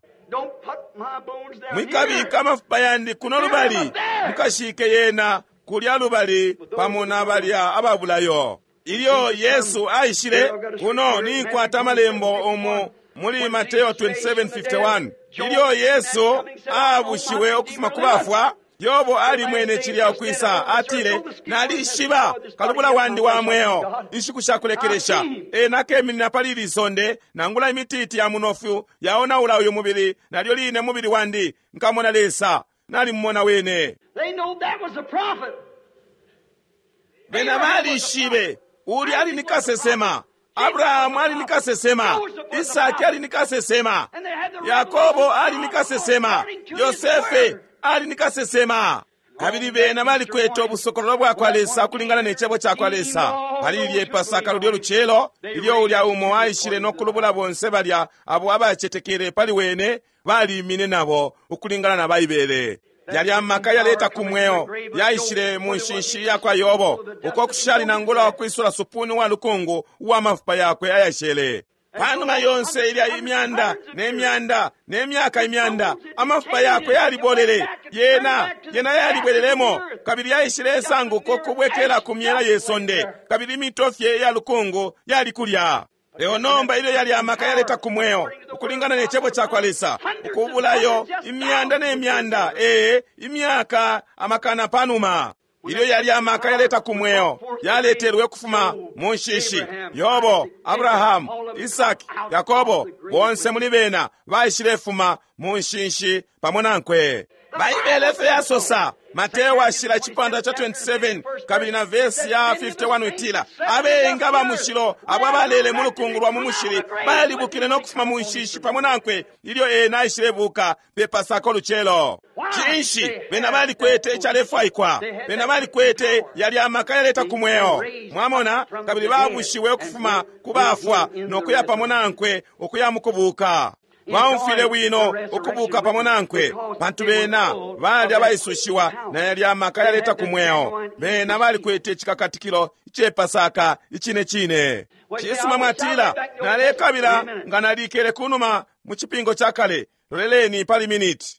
Mwikabika amafupa yandi kuno lubali, mukashike yena kulya lubali pamo na balya ababulayo. Ilyo Yesu aishile kuno, ninkwata amalembo umu muli Mateo twenty-seven fifty-one. Ilyo Yesu abushiwe ukufuma ku bafwa, Yobo alimwene cilya ukwisa, atile, nalishiba kalubula wandi wa mweo, inshiku shakulekelesha ena akeminina pali ili sonde, nangula imititi ya munofu yaonaula uyu mubili, nalyo line mubili wandi nkamona Lesa, nalimumona wene. Bena balishibe uli ali ni kasesema. Abrahamu ali ni kasesema, Isaki ali ni kasesema, Yakobo ali ni kasesema, Yosefe ali ni kasesema. Kabili bena balikwete obusokololo bwa kwa Lesa kulingana ne cebo ca kwa Lesa. Pali lilye Pasaka lulyo lucelo, ilyo ulya umo aishile no kulubula bonse balya abo abacetekele pali wene, balimine nabo ukulingana na Baibele. Yali amaka yaleta ku mweo yaishile mu nshinshi ya kwa Yobo, uko kushali nangula wakwisula supuni wa lukungu uwa mafupa yakwe ayashele. Panuma yonse ilya imyanda ne myanda ne myaka imyanda, amafupa yakwe yalibolele, yena yena yalibwelelemo, kabili yaishile esanguko kubwekela ku myela ye sonde, kabili imitofye ya lukungu yali kulya. Lelo nomba ilyo yali amaka yaleta ku mweo ukulingana ne cebo cakwa Lesa, ukubulayo imyanda ne myanda, ee, imyaka amakana panuma, ilyo yali amaka yaleta ku mweo yaletelwe ukufuma mu nshishi. Yobo, Abrahamu, Isaki, Yakobo, bonse muli bena baishilefuma mu nshishi pamo nankwe. Baibele efyo yasosa. Mateo washila icipandwa cha twenty-seven kabili na vesi ya fifty-one itila, abengi aba mushilo abo abalele mu lukungu lwa mu mushili balibukile no kufuma mu nshishi pamo nankwe ilyo ena aishilebuka pe Pasaka ulucelo. Cinshi? Bena balikwete icalefwaikwa. Bena balikwete yali amaka yaleta ku mweo, mwamona, kabili babushiwe ukufuma ku bafwa no kuya pamo nankwe ukuya mu kubuka. Baumfwile bwino ukubuka pamo nankwe, pantu bena bali abaisushiwa na yali amaka yaleta ku mweo. Bena balikwete icikakatikilo icepasaka icine cine. Cisuma, mwatila, nalekabila nga nalikele kunuma mu cipingo ca kale. Loleleni pali miniti.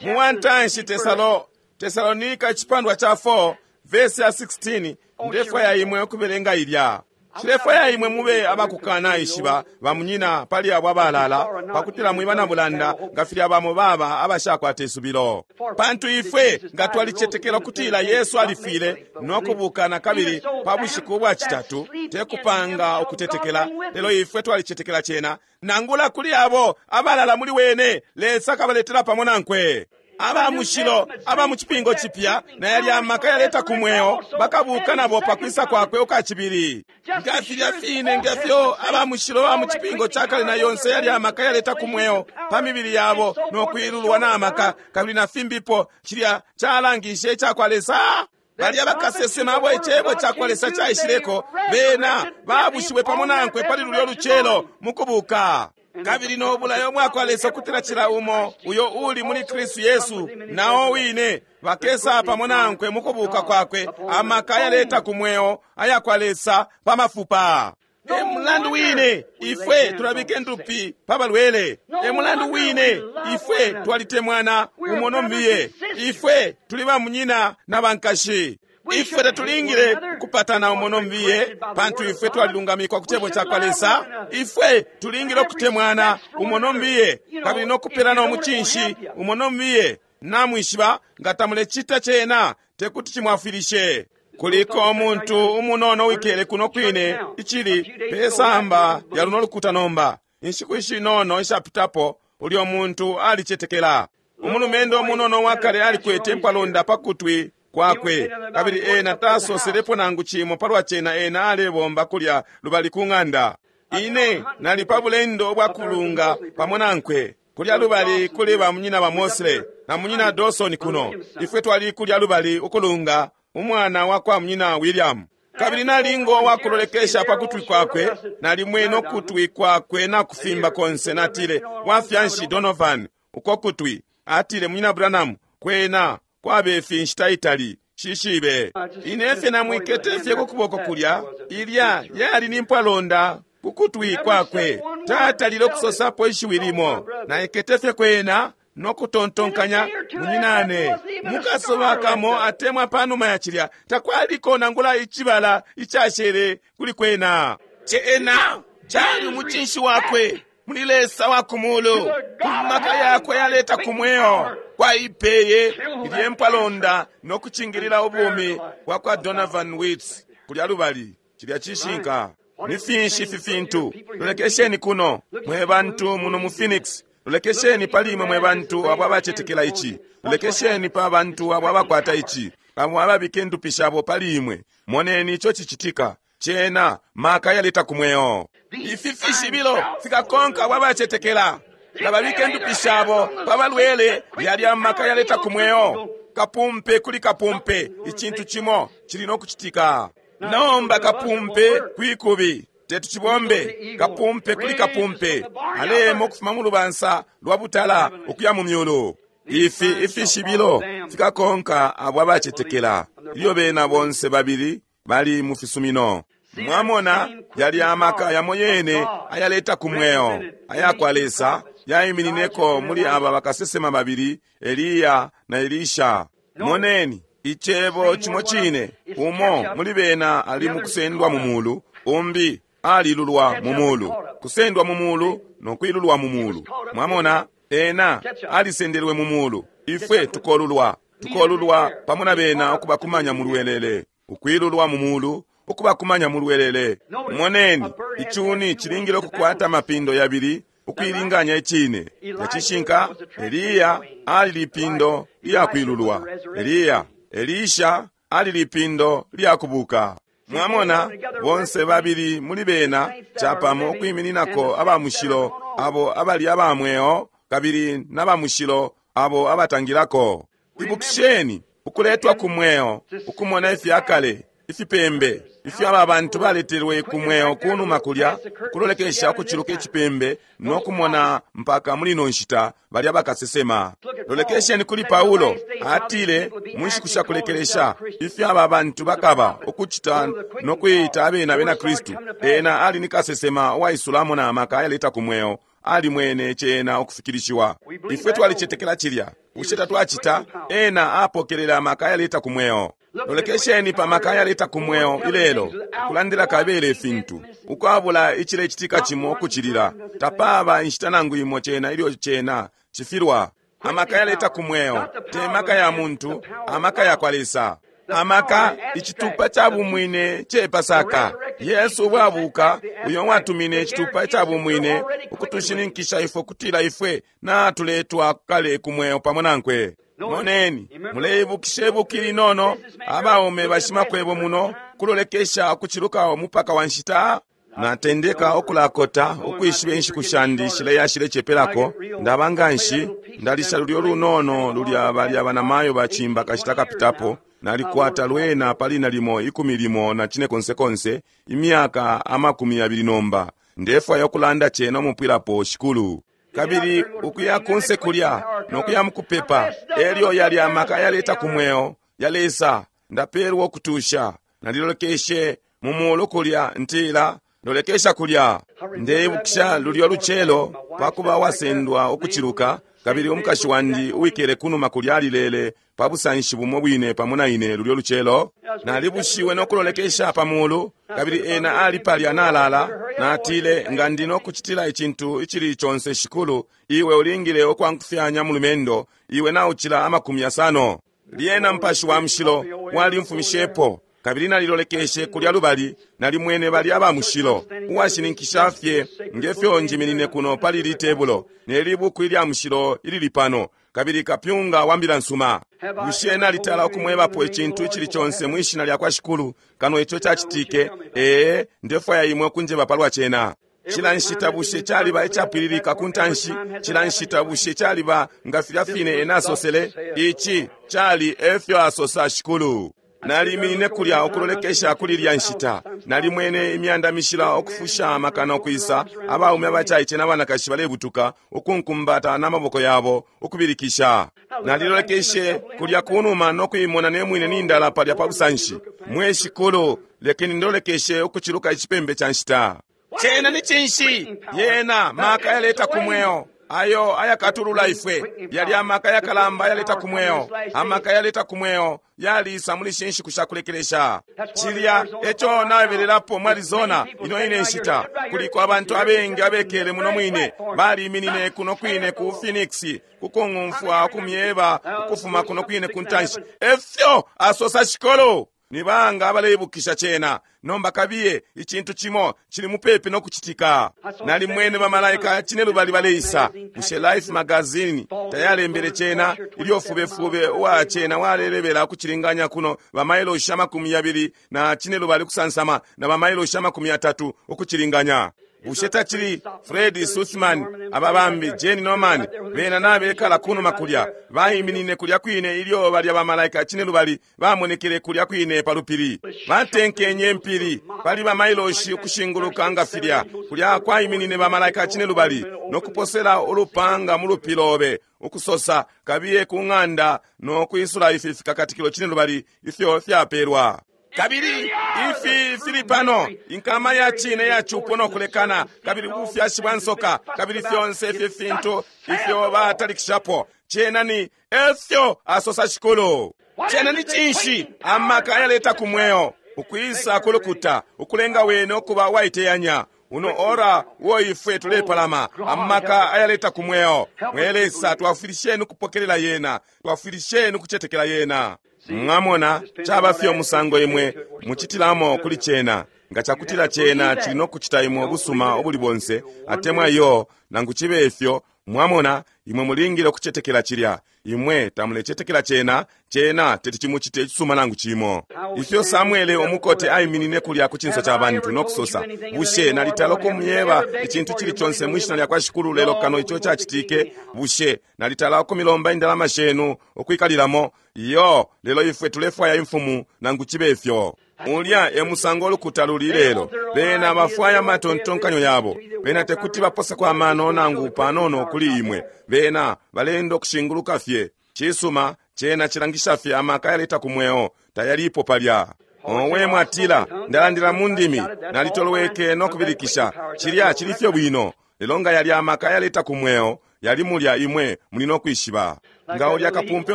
Mu wantanshi Tesalo Tesalonika icipandwa cha four verse ya sixteen, ndefwaya imwe ukubelenga ilya. Nshilefwaya imwe mube abakukana ishiba bamunyina pali abo abalala, pakutila mwiba na bulanda nga filya bamo baba abashakwata isubilo. Pantu ifwe nga twalicetekela ukutila Yesu alifwile no kubuka na kabili pa bushiku bwa citatu, te kupanga ukutetekela, lelo ifwe twalicetekela cena, nangula kuli abo abalala muli wene, Lesa akabaletela pamo nankwe. Aba mushilo aba mu cipingo cipya na yali amaka yaleta ku mweo bakabuka nabo pakwisa kwakwe ukacibili. Nga filya fine nga fyo aba mushilo ba mu cipingo ca kale na yonse yali amaka yaleta ku mweo pa mibili yabo no kwilulwa na amaka kabili na fimbipo, cilya calangishe icakwa Lesa. Balya bakasesema abo icebo cakwa Lesa caishileko, bena babushiwe pamo nankwe pali lulyo lucelo mu kubuka. Kabili no bulayo mwakwa Lesa kutila cila umo uyo uli muli Kristu Yesu nao wine bakesa pamo nankwe mu kubuka kwakwe, amaka yaleta ku mweo ayakwa Lesa pa mafupa. E mulandu wine ifwe tulabika endupi pa balwele. E mulandu wine ifwe twalitemwana umo no mbiye. Ifwe tuli bamunyina na bankashi. Ifwe tatulingile kupatana umo no mbiye, pantu ifwe twalilungamikwa ku cebo cakwa Lesa. Ifwe tulingile ukutemwana umo no mbiye, kabili no kupelana umucinshi umo no mbiye. Namwishiba nga tamulecita cena tekuti cimwafwilishe. Kuliko umuntu umunono wikele kuno kwine icili pesamba ya luno lukuta nomba. Inshiku ishinono ishapitapo ulyo muntu alicetekela. Umulumendo umunono wakale alikwete mpalonda pakutwi kwakwe, kabili ena tasoselepo nangu cimo palwa cena. Ena alebomba kulya lubali ku ng'anda. Ine nali pa bulendo bwa kulunga pamo nankwe kulya lubali kuli ba munyina ba Mosley na munyina Dawson kuno. Ifwe twali kulya lubali ukulunga umwana wa kwa munyina William. Kabili nalingo wakulolekesha pakutwi kwakwe, nalimwene ukutwi kwakwe na kufimba konse. Natile, wafyanshi Donovan uko kutwi? Atile, munyina Branham, kwena kwabefi nshita itali shishibe. Ine fye namwikete fye ku kuboko kulya, ilya yali ni mpwalonda ku kutwi kwakwe. Tatalile ukusosapo ishiwi limo. Naikete fye kwena no kutontonkanya, munyinane, mukasoba kamo atemwa panuma ya cilya takwaliko nangula icibala icashele kuli kwena. Cena cali umucinshi wakwe muli Lesa wa kumulu, ku maka yakwe yaleta ku mweo kwaipeye ilye mpwalonda no kucingilila ubumi bwa kwa Donovan Witts kulya lubali. Cilya cishinka. Ni finshi ifi fintu? Lolekesheni kuno mwe bantu muno mu Phoenix. Lolekesheni pali imwe mwe bantu abo abacetekela ici. Lolekesheni pa bantu abo abakwata ici, abo ababika endupi shabo pali imwe. Moneni ico cicitika. Cena maka yaleta ku mweo. Ifi fishibilo fikakonka abo abacetekela. Nga babika endupi shabo pa balwele, yali amaka yaleta ku mweo. Kapumpe kuli kapumpe, icintu cimo cili no kucitika. Nomba kapumpe kwikubi tetucibombe. Kapumpe kuli kapumpe alemo ukufuma mu lubansa lwa butala ukuya mu myulu. Ifi ifishibilo fikakonka abo abacetekela ilyo bena bonse babili bali mu fisumino. Mwamona yali amaka yamo yene ayaleta ku mweo ayakwa Lesa yaiminineko muli aba bakasesema babili, Eliya na Elisha. Moneni icebo cimo cine, umo muli bena ali mu kusendwa mu mulu, Umbi alilulwa mu mulu, kusendwa mu mulu no kwilulwa mu mulu. Mwamona, ena alisendelwe mu mulu. Ifwe tukolulwa, tukolulwa pamo na bena ukubakumanya mu lwelele, ukwilulwa mu mulu, ukubakumanya mu lwelele. Moneni, icuni cilingile ukukwata amapindo yabili ukuilinganya icine. Nacishinka, Eliya ali lipindo lyakwilulwa. Eliya, Elisha ali lipindo lyakubuka. Mwamona, bonse babili muli bena capamo ukwimininako abamushilo abo abali abamweo kabili n'abamushilo abo abatangilako. Ibukisheni ukuletwa ku mweo, ukumona ifyakale, ifipembe ifyo aba bantu baletelwe ku mweo kunuma kulya, kulolekesha ukuciluka icipembe no kumona mpaka muli ino nshita balya bakasesema. Lolekesheni kuli Paulo, atile mu nshiku sha kulekelesha ifyo aba bantu bakaba ukucita no kuita abena abena Kristu. Ena ali ni kasesema uwaisulamo na maka ayaleta ku mweo, alimwene cena ukufikilishiwa. Ifwe twalicetekela cilya. Bushe tatwacita? Ena apokelela amaka ayaleta ku mweo. Lolekesheni pa maka ayaleta ku mweo ilelo, kulandila kabele ifintu ukwabula icilecitika cimo ukucilila. Tapaba inshita nangu imo cena ilyo cena cifilwa. Amaka yaleta ku mweo te maka ya muntu, amaka ya kwa Lesa. Amaka icitupa ca bumwine ce Pasaka. Yesu bwabuka uyo watumine icitupa ca bumwine ukutushininkisha ifwe kutila ifwe natuletwa kale ku mweo pamo nankwe. Moneni, muleibukisha ibuki linono abaume bashimakwebo muno kulolekesha ukuciluka umupaka wa nshita. Natendeka ukulakota ukwishiba inshiku shandi shileya shilecepelako. Ndaba nganshi ndalisha lulyo lunono lulya balya banamayo bacimba kashita kapitapo. Nalikwata lwena pali nalimo ikumi limo na cine konsekonse imyaka amakumi yabili nomba. Ndefwaya ukulanda cena umupwilapo, Shikulu. Kabili ukuya kunse kulya nokuya mukupepa, elyo yali amaka yaleta ku mweo yalesa. Ndapelwa ukutusha. Nalilolekeshe mu mulu kulya ntila lolekesha kulya. Ndeibukisha lulyo lucelo pakuba wasendwa ukuciluka, kabili umukashi wandi uwikele kunuma kulya alilele pa busanshi bumo bwine pamo na ine lulyo lucelo. Nalibushiwe nokulolekesha pa mulu, kabili ena ali palya nalala. Natile, nga ndi nokucitila icintu icili conse Shikulu, iwe ulingile ukwankufyanya mulumendo, iwe naucila amakumi yasano. Lyena Mupashi wa Mushilo walimfumishepo, kabili nalilolekeshe kulya lubali, nalimwene bali abamushilo uwashininkisha fye ngefyo njiminine kuno pali litebulo ne libuku ilya mushilo ilili pano, kabili kapyunga wa mbila nsuma. Bushe nalitala ukumwebapo icintu icili conse mwishina lya kwa Shikulu kano ico cacitike? Ee, ndefwaya imwe kunjeba palwa cena. Cila nshita bushe caliba icapwililika ku ntanshi? Cila nshita bushe caliba nga filya fine ena asosele? Ici cali efyo asosa Shikulu. Naliminine kulya ukulolekesha kuli lya nshita. Nalimwene imyanda mishila ukufusha amakana ukwisa, abaume abacaice n'abanakashi balebutuka ukunkumbata n'amaboko yabo ukubilikisha. Nalilolekeshe kulya kunuma nokuimona nemwine nindala palya pa busanshi. Mwe Shikulu, lekeni ndolekeshe ukuciluka icipembe ca nshita. Cena ni cinshi? Yena maka yaleta ku mweo ayo ayakatulula ifwe. Yali amaka yakalamba yaleta ku mweo. Amaka yaleta ku mweo yalisa muli shinshiku sha kulekelesha. Cilya eco nabelelapo mu Arizona ino ine nshita. Kuliko abantu abengi abekele muno mwine baliminine kuno kwine ku Phoenix kukung'umfwa ukumyeba ukufuma kuno kwine ku ntanshi. Efyo asosa Shikulu. Ni banga abaleibukisha cena? Nomba kabiye, icintu cimo cili mupepi nokucitika. Nalimwene bamalaika cine lubali baleisa. Bushe Life magazine tayalembele cena? Ilyo fubefube uwa cena walelebela ukucilinganya kuno bamailoshi amakumi yabili na cine lubali kusansama na bamailoshi amakumi yatatu ukucilinganya. Bushe tacili Fred Sussman, ababambi Jane Norman, bena nabekala kunuma kulya baiminine kulya kwine ilyo balya bamalaika cine lubali bamonekele kulya kwine pa lupili. Batenkenye mpili pali bamailoshi ukushinguluka nga filya. Kulya kwaiminine bamalaika cine lubali nokuposela ulupanga mu lupilobe ukusosa kabiye ku ng'anda nokwisula ifi fikakatikilo cine lubali ifyo fyapelwa. Kabili ifi fili pano inkama ya cine ya cupo nokulekana, kabili ubufyashi bwa nsoka, kabili fyonse ifi fintu ifyo batalikishapo. Cena ni efyo asosa Shikulu. Cena ni cinshi? Amaka ayaleta ku mweo. ukwisa kulukuta, ukulenga wene ukuba uwaiteyanya. Uno ora uo ifwe tulepalama, amaka ayaleta ku mweo. Mwe Lesa, twafwilisheni ukupokelela yena, twafwilisheni ukucetekela yena. Mwamona, caba fye umusango imwe mucitilamo kuli cena. Nga cakutila cena cili nokucita imwe ubusuma ubuli bonse, atemwa iyo, nangu cibe ifyo, mwamona, imwe mulingile ukucetekela cilya. Imwe tamulecetekela cena, cena teti chimuchite icisuma nangu chimo. Ifyo Samuele umukote aiminine kulya ku cinso ca bantu nokusosa, bushe nalitala ukumyeba icintu cili conse mwishina lya kwa Shikulu lelo kano ico cacitike? Bushe nalitala ukumilomba indalama shenu ukwikalilamo? Iyo, lelo ifwe tulefwaya imfumu nangu cibe ifyo. Ulya e musango olukuta luli lelo. Bena bafwaya amatontonkanyo yabo. Bena tekuti baposeko amano nangu panono kuli imwe. Bena balenda okushinguluka fye. Cisuma, cena cilangisha fye amaka yaleta ku mweo, tayalipo palya. Owe mwatila, ndalandila mu ndimi, nalitolweke nokubilikisha. Cilya cili fye bwino. Lelo nga yali amaka yaleta ku mweo, yali mulya imwe muli nokwishiba. Nga ulya kapumpe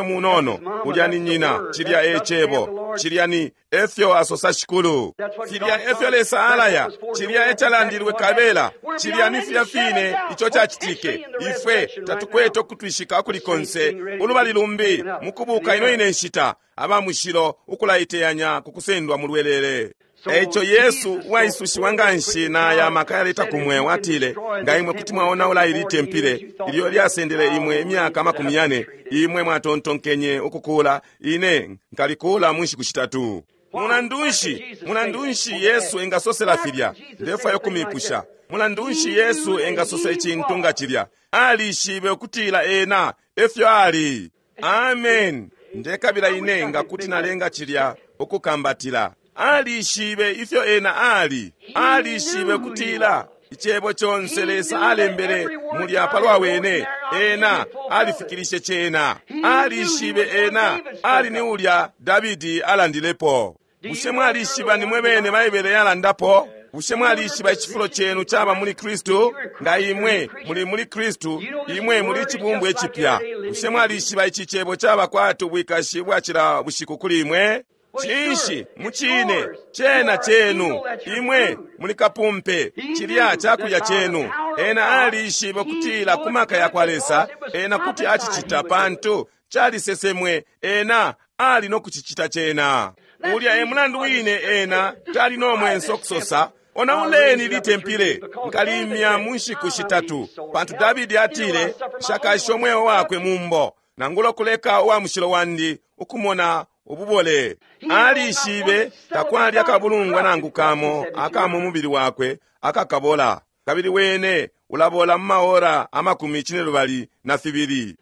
munono, ulya ni nyina, cilya e cebo, cilya ni efyo asosa Shikulu. Cilya efyo Lesa alaya, cilya ecalandilwe kabela, cilya ni filya fine ico cacitike. Ifwe tatukwete ukutwishika ukuli konse, ulubali lumbi mukubuka ino ine nshita, aba mushilo ukulaiteyanya ku kusendwa mu lwelele. Eico Yesu uwaisushiwa nganshi na aya maka yaleta ku mweo atile, nga imwe kuti mwaonaula ili tempile ilyo lyasendele imwe imyaka makumi yane, imwe mwatontonkenye ukukula, ine nkalikula mu nshiku shitatu. Mulandu nshi, mulandu nshi Yesu engasosela filya? Ndefwaya ukumipusha. Mulandu nshi Yesu engasosa icintu nga cilya? Alishibe ukutila ena efyo ali. Amen. Ndekabila ine nga kuti nalenga cilya ukukambatila. Alishibe ifyo ena ali. Alishibe kutila icebo conse Lesa alembele mulya palwa wene, ena alifikilishe cena. Alishibe ena ali ni ulya Davidi alandilepo. Bushe mwalishiba ni mwe bene Baibele yalandapo? Bushe mwalishiba icifulo cenu caba muli Kristu? Nga imwe muli muli Kristu, imwe muli icibumbwa icipya. Bushe mwalishiba ici cebo caba kwati ubwikashi bwa cila bushiku kuli imwe? Cinshi mucine cena chenu, imwe muli kapumpe, cilya cakulya chenu. Ena alishibe kutila ku maka ya kwa Lesa, ena kuti acicita pantu calisesemwe, ena ali nokucicita cena. Ulya e mulandu wine ena tali no mwenso kusosa, onauleni litempile, nkalimya mu nshiku shitatu, pantu Davidi atile, nshakashe umweo wakwe mumbo, nangula kuleka uwa mushilo wandi ukumona ububole. Alishibe takwali akabulungwa nangu kamo aka mu mubili wakwe akakabola, kabili wene ulabola mu maora amakumi cinelubali na fibili.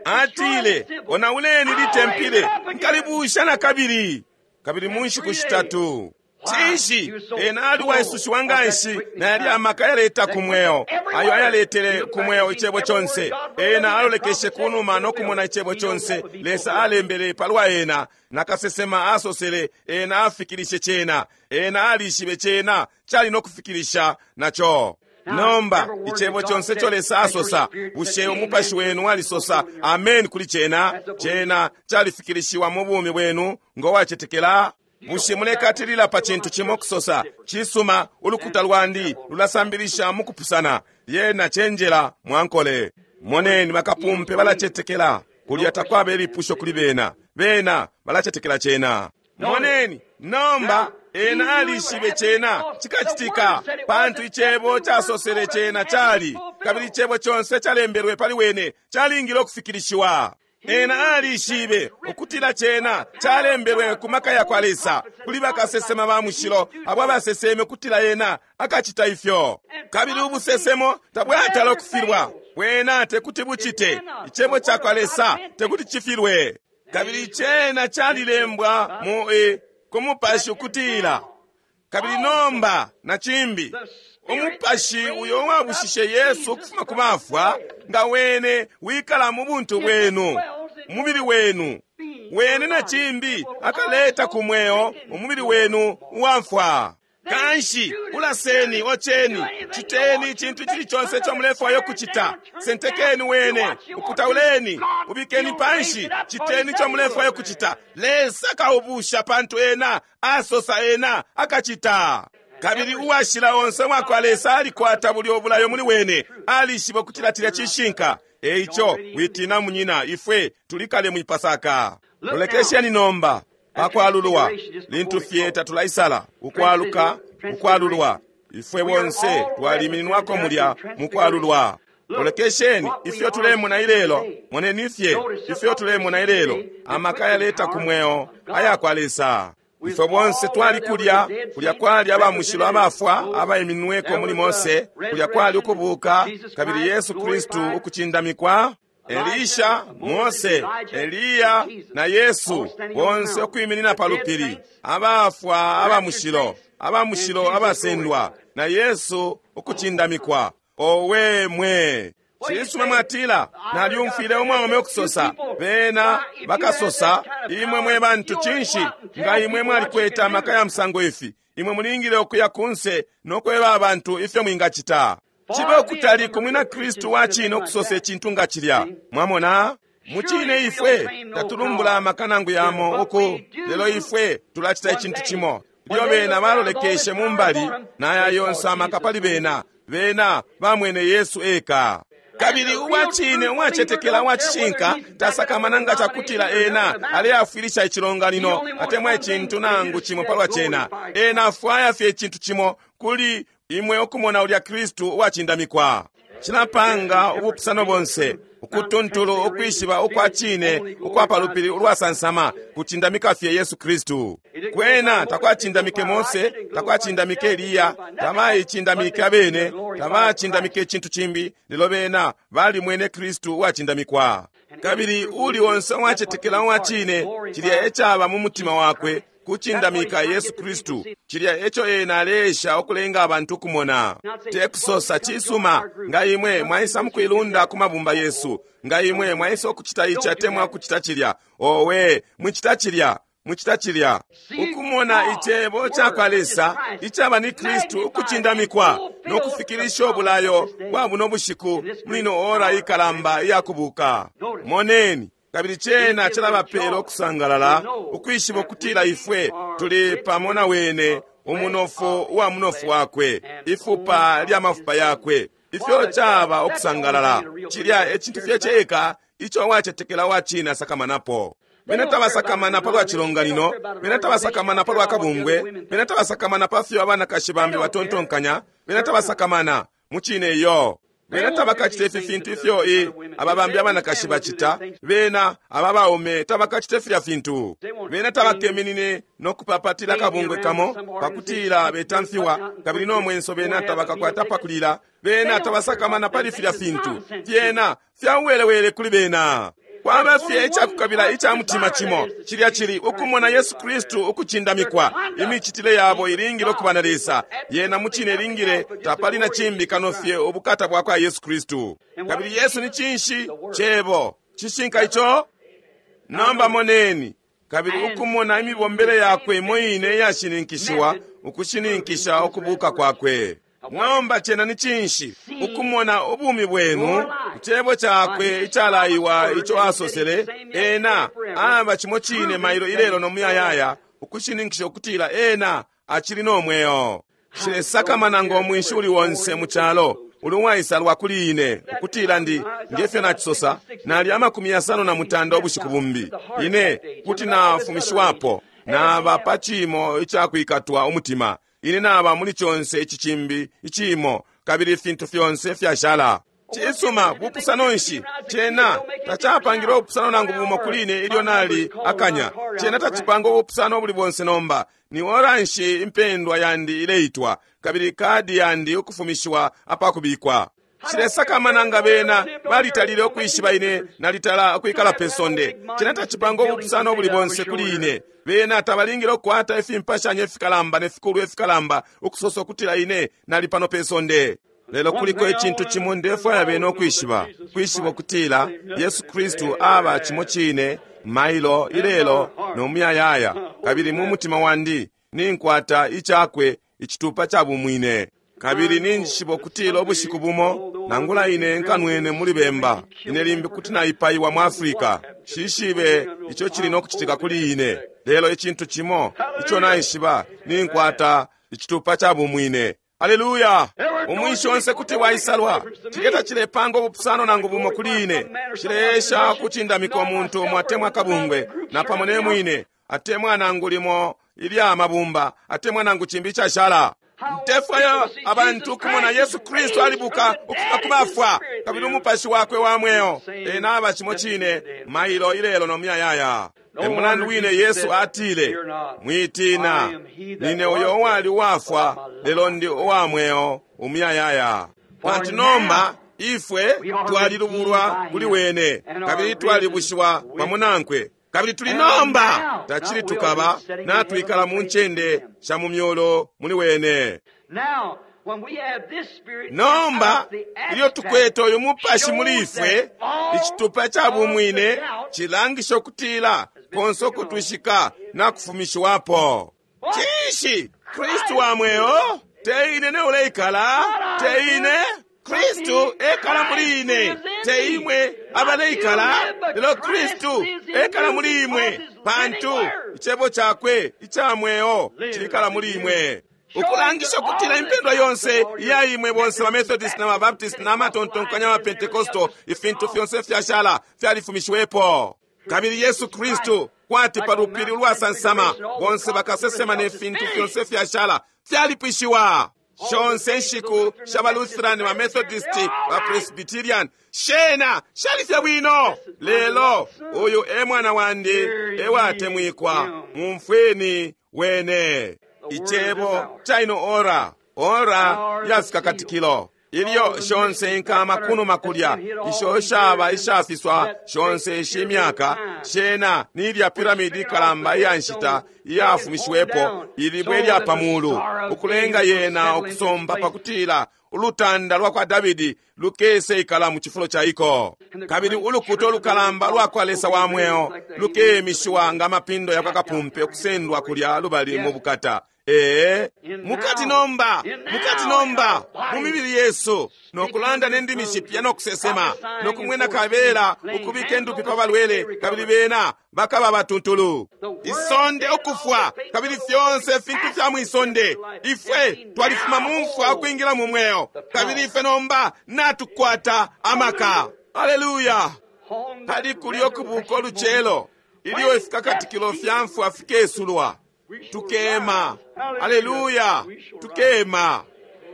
Atile, onauleni litempile, nkalibusha na kabili, kabili mu nshiku shitatu. Cinshi ena ali waisushiwa nganshi na yali amaka yaleta ku mweo, ayo ayaletele ku mweo icebo conse. Ena alolekeshe kunuma nokumona icebo conse Lesa alembele palwa ena, na kasesema asosele, ena afikilishe cena. Ena alishibe cena cali nokufikilisha naco. Nomba icebo conse ico Lesa asosa, bushe umupashi wenu walisosa amen kuli cena? Cena califikilishiwa mu bumi bwenu ngo wacetekela? Bushe mulekatilila pa cintu cimo kusosa, cisuma, ulukuta lwandi lulasambilisha mukupusana, lyena cenjela mwankole. Moneni bakapumpe balacetekela, kulya takwaba ilipusho kuli bena, bena balacetekela cena. Moneni nomba ena alishibe cena cikacitika, pantu icebo casosele cena cali, kabili icebo conse calembelwe pali wene calingile ukufikilishiwa. Ena alishibe ukutila cena calembelwe ku maka ya kwa Lesa kuli bakasesema ba mushilo abo abaseseme ukutila ena akacita ifyo. Kabili ubusesemo tabwatala ukufilwa, bwena tekuti bucite. Icebo ca kwa Lesa tekuti cifilwe. Kabili cena calilembwa mu e ku mupashi ukutila, kabili nomba na cimbi umupashi uyo wabushishe Yesu ukufuma ku bafwa, nga wene wikala mu buntu bwenu, umubili wenu, wene na cimbi akaleta ku mweo umubili wenu uwafwa. Kanshi ulaseni, ocheni, chiteni icintu icili conse ico mulefwaya ukucita. Sentekeni wene, uputauleni, ubikeni panshi, chiteni ico mulefwaya ukucita. Lesa kaubusha pantu ena asosa ena akacita. Kabili uwashila onse wakwa Lesa alikwata buli obulayo muli wene, alishiba ukutila cilya cishinka. Eico witina munyina, ifwe tulikale mwipasaka. Lolekesheni nomba pakwalulwa, lintu fye tatulaisala ukwaluka, ukwalulwa. Ifwe bonse twalimininwako mulya mukwalulwa. Lolekesheni ifyo tulemona ilelo, moneni fye ifyo tulemona ilelo, amaka yaleta ku mweo ayakwa Lesa. Ifwe bonse twali kulya, kulya kwali abamushilo abafwa abaiminweko muli Mose, kulya kwali ukubuka, kabili Yesu Kristu ukucindamikwa. Elisha, Mose, Eliya na Yesu bonse ukwiminina pa lupili, abafwa abamushilo, abamushilo abasendwa, na Yesu ukucindamikwa. Owe mwe! Cisuma mwatila, nalyumfwile umwaume ukusosa, bena bakasosa, imwe mwe bantu cinshi, nga imwe mwalikwete amaka ya musango ifi, imwe mulingile ukuya kunse nokweba abantu ifyo mwingacita. Cibe ukutali ku mwina Kristu wa cine ukusosa icintu nga cilya. Mwamona? Mucine ifwe tatulumbula amaka nangu yamo uku, lelo ifwe tulacita icintu cimo. Ilyo bena balolekeshe mu mbali, naya yonse amaka pali bena, bena bamwene Yesu eka. Kabili uwacine uwacetekela uwacishinka tasakamana nga cakutila ena aleafwilisha icilonganino atemwa icintu nangu cimo palwa cena. Ena afwaya fye icintu cimo kuli imwe ukumona ulya Kristu uwacindamikwa. Cilapanga ubupusano bonse, ukutuntulu ukwishiba ukwa cine ukwa palupili ulwasansama kucindamika fye Yesu Kristu. Kwena takwacindamike Mose, takwacindamike Eliya, tabaicindamike abene, tabacindamike icintu cimbi, lelo bena balimwene Kristu uwacindamikwa. Kabili uli onse uwacetekela uwa cine, cilya ecaba mu mutima wakwe, kucindamika Yesu Kristu. Cilya eco ena aleesha ukulenga abantu ukumona. Tekusosa cisuma, nga imwe mwaisa mukuilunda ku mabumba yesu, nga imwe mwaisa ukucita ici atemwa ukucita cilya. Owe, mwicita cilya, mwicita cilya. Ukumona icebo cakwa Lesa icaba ni Kristu ukucindamikwa no kufikilisha ubulayo bwa buno bushiku muli ino ora ikalamba iyakubuka. Moneni. Kabili cena cilabapela ukusangalala, ukwishiba ukutila ifwe tuli pamo na wene, umunofu uwa munofu wakwe, ifupa lya mafupa yakwe. Ifyo caba ukusangalala, cilya ecintu fye ceka ico uwacetekela uwa cine asakamanapo. Bena tabasakamana palwa cilonganino, bena tabasakamana palwa kabungwe, bena tabasakamana pa fyo abanakashi bambi batontonkanya, bena tabasakamana mucine iyo. Bena tabakacita ifi fintu ifyo i aba bambi abanakashi bacita, bena aba baume tabakacita filya fintu. Bena tabakeminine no kupapatila kabungwe kamo pakutila betamfiwa, kabili no mwenso bena tabakakwata pakulila. Bena tabasakamana pali filya fintu, fyena fyauwelewele kuli bena. Kwaba fye icakukabila ica mutima cimo, cilya cili ukumona Yesu Kristu ukucindamikwa. Imicitile yabo ilingile ukuba na Lesa, yena mucine ilingile, tapali na cimbi kano fye ubukata bwa kwa Yesu Kristu. Kabili Yesu ni cinshi? Cebo. Cishinka ico? Nomba moneni. Kabili ukumona imibombele yakwe imo ine iyashininkishiwa, ukushininkisha ukubuka kwakwe. Nomba cena ni cinshi? Ukumona ubumi bwenu, icebo cakwe icalaiwa ico asosele, ena aba cimo cine mailo ilelo no muyayaya, ukushininkisha ukutila ena acili no mweo. Nshilesakamana ngo mwinshi uli onse mu calo uli uwaisalwa kuli ine, ukutila ndi ngefyo nacisosa, nali amakumi yasano na mutanda ubushiku bumbi, ine kuti nafumishiwapo, naba pa cimo icakwikatwa umutima. Ine naba muli conse ici cimbi icimo, kabili ifintu fyonse fyashala. Cisuma, bupusano nshi? Cena tacapangile ubupusano nangu bumo kuli ine ilyo nali akanya. Cena tacipanga ubupusano buli bonse nomba. Ni ora nshi impendwa yandi ileitwa, kabili kadi yandi ukufumishiwa apakubikwa. Nshilesakamana nga bena balitalile ukwishiba ine nalitala ukwikala pe sonde. Cena tacipanga ubupusano buli bonse kuli ine. Bena tabalingile ukukwata ifimpashanya ifikalamba ne fikulu ifikalamba ukusosa ukutila ine nali pano pe sonde. Lelo kuliko icintu cimo ndefwaya bena ukwishiba, kwishiba ukutila Yesu Kristu aba cimo cine mailo ilelo no muyayaya, kabili mu mutima wandi ninkwata icakwe icitupa ca bumwine. Kabili ninjishiba ukutila ubushiku bumo nangula ine nkanwene muli bemba, ine limbi kuti naipaiwa mu Afrika. Shishibe ico cili nokucitika kuli ine, lelo icintu cimo ico naishiba, ninkwata icitupa ca bumwine. Aleluya! Umwinshi onse kuti waisalwa. Cilya cilepanga ubupusano nangu bumo kuli ine. Cileesha ukucindamika umuntu umo atemwa akabungwe, napamo ne mwine, atemwa nangu limo ilya mabumba, atemwa nangu cimbi icashala. Ntefwayo abantu kumona Yesu Kristu alibuka ukufuma ku bafwa, kabili umupashi wakwe wa mweo ena aba cimo cine mailo, ilelo no muyayaya. E mulandu wine Yesu atile, mwitina, nine uyo uwali uwafwa, lelo ndi uwa mweo umuyayaya. Pantu nomba ifwe twalilubulwa kuli wene, kabili twalibushiwa pamo nankwe, kabili tuli nomba tacili tukaba natwikala mu ncende sha mu myolo muli wene. Nomba ilyo tukwete uyu mupashi muli ifwe, icitupa ca bumwine cilangisha ukutila konse ukutwishika nakufumishiwapo. Cinshi? Kristu wa mweo, te ine ne uleikala, te ine Kristu ekala muli ine, te imwe abaleikala, lelo Kristu ekala muli imwe, pantu icebo cakwe ica mweo cilikala muli imwe. Ukulangisha ukutila impendwa yonse iya imwe bonse ba Methodist na ba Baptist na matontonkanya ba Pentecostal, ifintu fyonse fyashala fyalifumishiwepo. Kabili Yesu Kristu kwati pa lupili ulwasansama, bonse bakasesema ne fintu fyonse fyashala fyalipwishiwa. Shonse nshiku sha ba Lutheran, ba Methodist, ba Presbyterian, shena shalifye bwino. Lelo uyu e mwana wandi ewatemwikwa, mumfweni wene. Icebo caino ora, ora yafikakatikilo ilyo shonse inkama kunuma kulya isho shaba ishafiswa shonse ishi myaka, shena nilya piramidi ikalamba iya nshita iyafumishiwepo, ilibwe lya pamulu, ukulenga yena ukusomba pakutila ulutanda lwa kwa Davidi lukese ikala mu cifulo ca iko. Kabili ulukuta ulukalamba lwa kwa Lesa wa mweo lukemishiwa nga mapindo ya kwa kapumpe ukusendwa kulya lubali mu bukata. Ee, mukati nomba, mukati nomba, mu mibili yesu, nokulanda ne ndimi shipya nokusesema, nokumwena kabela ukubika endupi pa balwele, kabili bena bakaba batuntulu. Isonde ukufwa, kabili fyonse ifintu fya mwisonde, ifwe twalifuma mu mfwa ukwingila mu mweo, kabili ife nomba natukwata amaka. Aleluya! Pali kulyo kubuka ulucelo, ilyo ifikakatikilo fya mfwa fikesulwa, tukema. Aleluya, tukema.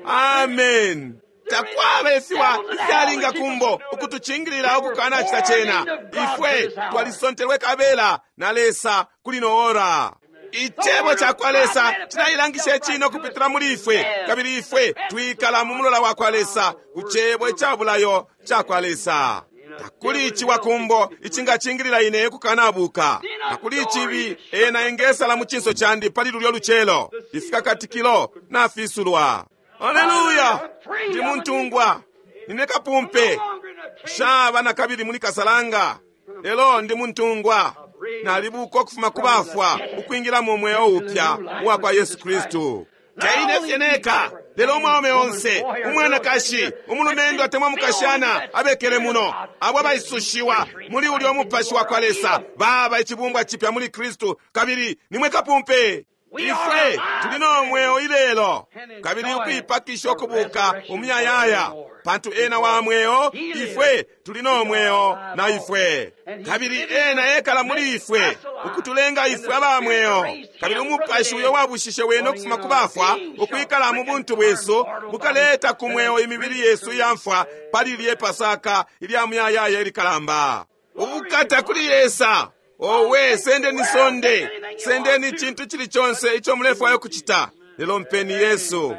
Amen. Takwaba ifiwa ifyalinga kumbo ukutucingilila ukukana cita cena. Ifwe twalisontelwe kabela na Lesa kuli no ora. Icebo ca kwa Lesa cinailangisha icine ukupitila muli ifwe, kabili ifwe twikala mu mulola wa kwa Lesa ku cebo icabulayo ca kwa Lesa. Takuli iciwa kumbo icingacingilila ine kukanabuka. Takuli icibi ena engesala mu cinso candi pali lulyo lucelo. Ifikakatikilo nafisulwa. Aleluya! Ndi muntungwa, nine kapumpe, shaba na kabili muli kasalanga, lelo ndi muntungwa. Nalibuka ukufuma ku bafwa ukwingila mu mweo upya uwa kwa Yesu Kristu. Teine fye neka, lelo umwaume onse, umwanakashi, umulumendo atemwa mukashana abekele muno, abo abaisushiwa muli ulyo mupashi wa kwa Lesa, baba icibumbwa cipya muli Kristu, kabili nimwe kapumpe. Ifwe tuli no mweo ilelo, kabili ukuipakisha ukubuka umuyayaya, pantu ena wa mweo, ifwe tuli no mweo na ifwe, kabili ena ekala muli ifwe ukutulenga ifwe aba mweo. Kabili umupashi uyo wabushishe wene ukufuma ku bafwa ukwikala mu buntu bwesu bukaleta ku mweo imibili yesu iyamfwa pali lye Pasaka ilya muyayaya ilikalamba. Ubukata kuli Lesa! Owe, sendeni sonde, sendeni icintu cili conse ico mulefwayo kucita, lelo mpeni Yesu.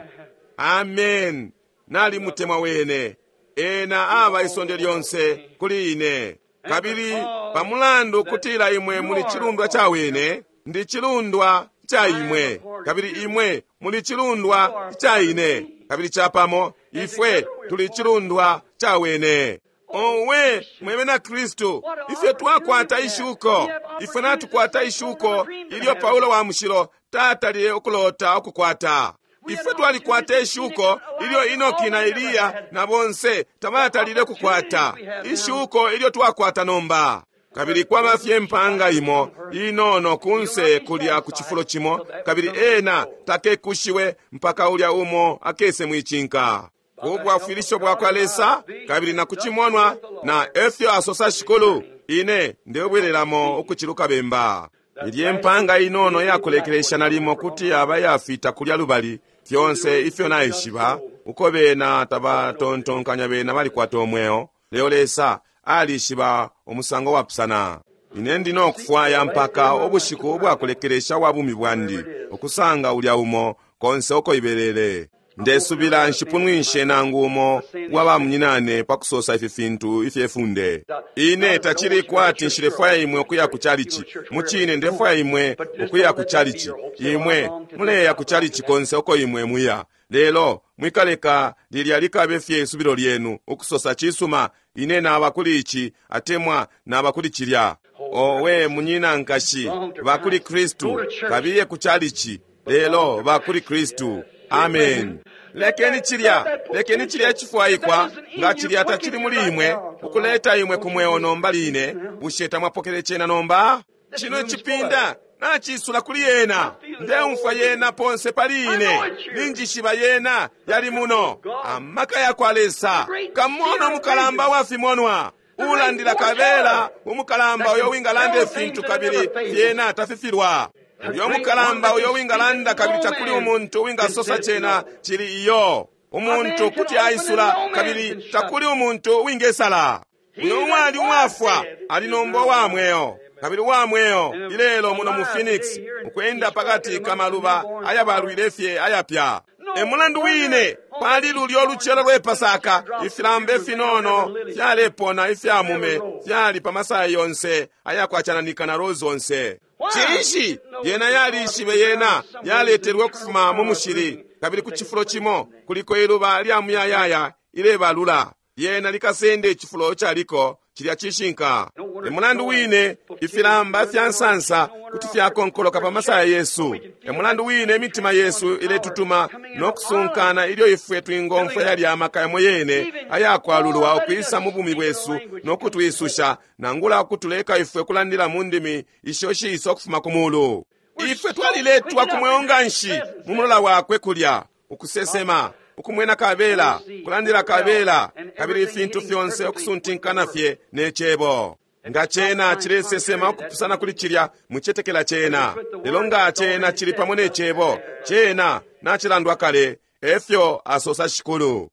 Amen. Nalimutemwa wene, ena aba isonde lyonse kuli ine. Kabili pamulandu kutila imwe muli cilundwa ca wene, ndi cilundwa ca imwe, kabili imwe muli cilundwa ca ine, kabili capamo ifwe tuli cilundwa ca wene. Owe, mwebe na Kristu, ifwe twakwata ishuko, ifwe natukwata ishuko ilyo Paulo wa mushilo tatalile ukulota ukukwata. Ifwe twalikwata ishuko ilyo Enoki na Eliya na bonse tabatalile kukwata, ishuko ilyo twakwata nomba. Kabili kwaba fye mpanga imo inono kunse kulya ku cifulo cimo, kabili ena takekushiwe mpaka ulya umo akese mwicinka. Ubwafwilisho bwakwa Lesa kabili na kucimonwa na efyo asosa Shikulu, ine ndebwereramo ukuciluka bemba. Ilye mpanga inono yakulekelesha nalimo kuti yaba yafita kulya lubali, fyonse ifyo naishiba uko bena tabatontonkanya bena balikwata omweo, lelo Lesa alishiba umusango wapusana. Ine ndi nokufwaya mpaka ubushiku ubwakulekelesha wa bumi bwandi ukusanga ulya umo konse uko ibelele. Ndesubila nshipunwishe nangu umo wa bamunyinane pa kusosa ifi fintu ifyefunde. Ine tachili kwati nshilefwaya imwe ukuya ku chalichi. Muchine ndefwaya imwe ukuya ku chalichi. Imwe muleya ku chalichi konse uko imwe muya. Lelo mwikaleka lilya likabe fye isubilo lyenu ukusosa chisuma, ine naba kuli ichi atemwa naba kuli chilya. Owe munyina nkashi, bakuli Kristu, kabiye ku chalichi. Lelo bakuli Kristu. Amen. Lekeni chilya, lekeni chilya chifwaikwa nga chilya tachili muli imwe ukuleta imwe kumweo nomba line. Bushe tamwapokele chena nomba? Chino chipinda nachisula kuli yena, ndeumfwa yena ponse pali ine, ninjishiba yena yali muno. Amaka yakwa Lesa kamono mukalamba wafimonwa ulandila kabela umukalamba uyo wingalanda ifintu kabili yena tafifilwa. Uyo mukalamba uyo wingalanda kabili takuli umuntu wingasosa chena chili iyo. Umuntu kuti aisula kabili takuli umuntu wingesala. Uyo umwali umwafwa ali nombo wa mweo kabili wa mweo ilelo muno mu Phoenix ukwenda pakati kamaluba ayabalwile fye ayapya. Emulandu wine pali lulyo lucelo lwe Pasaka ifilambe finono fyalepona ifyamume fyali pa masaya yonse ayakwachananika na rose onse. Cinshi yena yalishibe yena yaletelwe ukufuma mu mushili kabili ku cifulo cimo kuliko iluba lya muyayaya ilebalula. Yena likasende icifulo caliko chilya cishinka. Emulandu wine ifilamba fya nsansa kuti fyakonkoloka pa masaya yesu. Emulandu wine imitima yesu iletutuma nokusunkana ilyo ifwe twingomfwa yali amaka yamo yene ayakwalulwa ukwisa mu bumi bwesu nokutwisusha nangula ukutuleka ifwe kulandila mu ndimi isho shiisa ukufuma ku mulu. Ifwe twaliletwa ku mweo nganshi mu mulola wakwe kulya ukusesema, ukumwena kabela, kulandila kabela, kabili ifintu fyonse okusuntinkana fye ne chebo. Nga chena chilesesema okupusana kuli chilya muchetekela chena. Lelo nga chena chili pamo ne chebo, chena nachilandwa kale, efyo asosa Shikulu.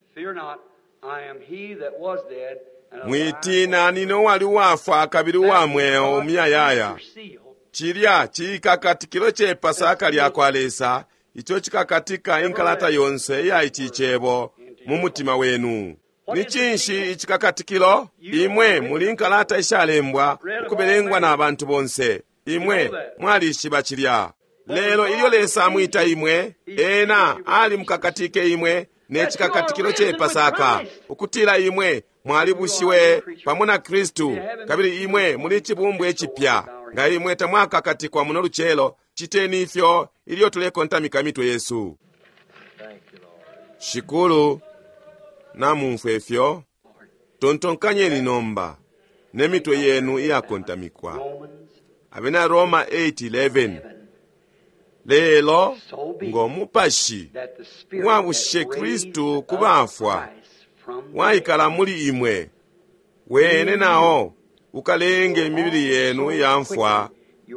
Mwitina nine uwali uwafwa kabili uwa mweo umuyayaya. Chilya chikakatikilo che Pasaka lyakwa Lesa, icho chikakatika inkalata yonse iya ichi chebo mu mutima wenu. Ni cinshi ichikakatikilo? Imwe muli inkalata ishalembwa ukubelengwa na bantu bonse. Imwe mwalishiba chilya. Lelo ilyo Lesa amwita imwe, ena ali mukakatike imwe ne chikakatikilo che Pasaka, ukutila imwe mwalibushiwe pamo na Kristu, kabili imwe muli chibumbwe echipya. Nga imwe tamwakakatikwa muno lucelo, chiteni ifyo ilyo tulekontamika mitwe yesu. Shikulu, namumfwe ifyo, tontonkanyeni nomba ne mitwe yenu iyakontamikwa. Abena Roma eight eleven. Lelo ngomupashi wabushe Kristu kubafwa waikala muli imwe, wene nao ukalenge imibili yenu iyamfwa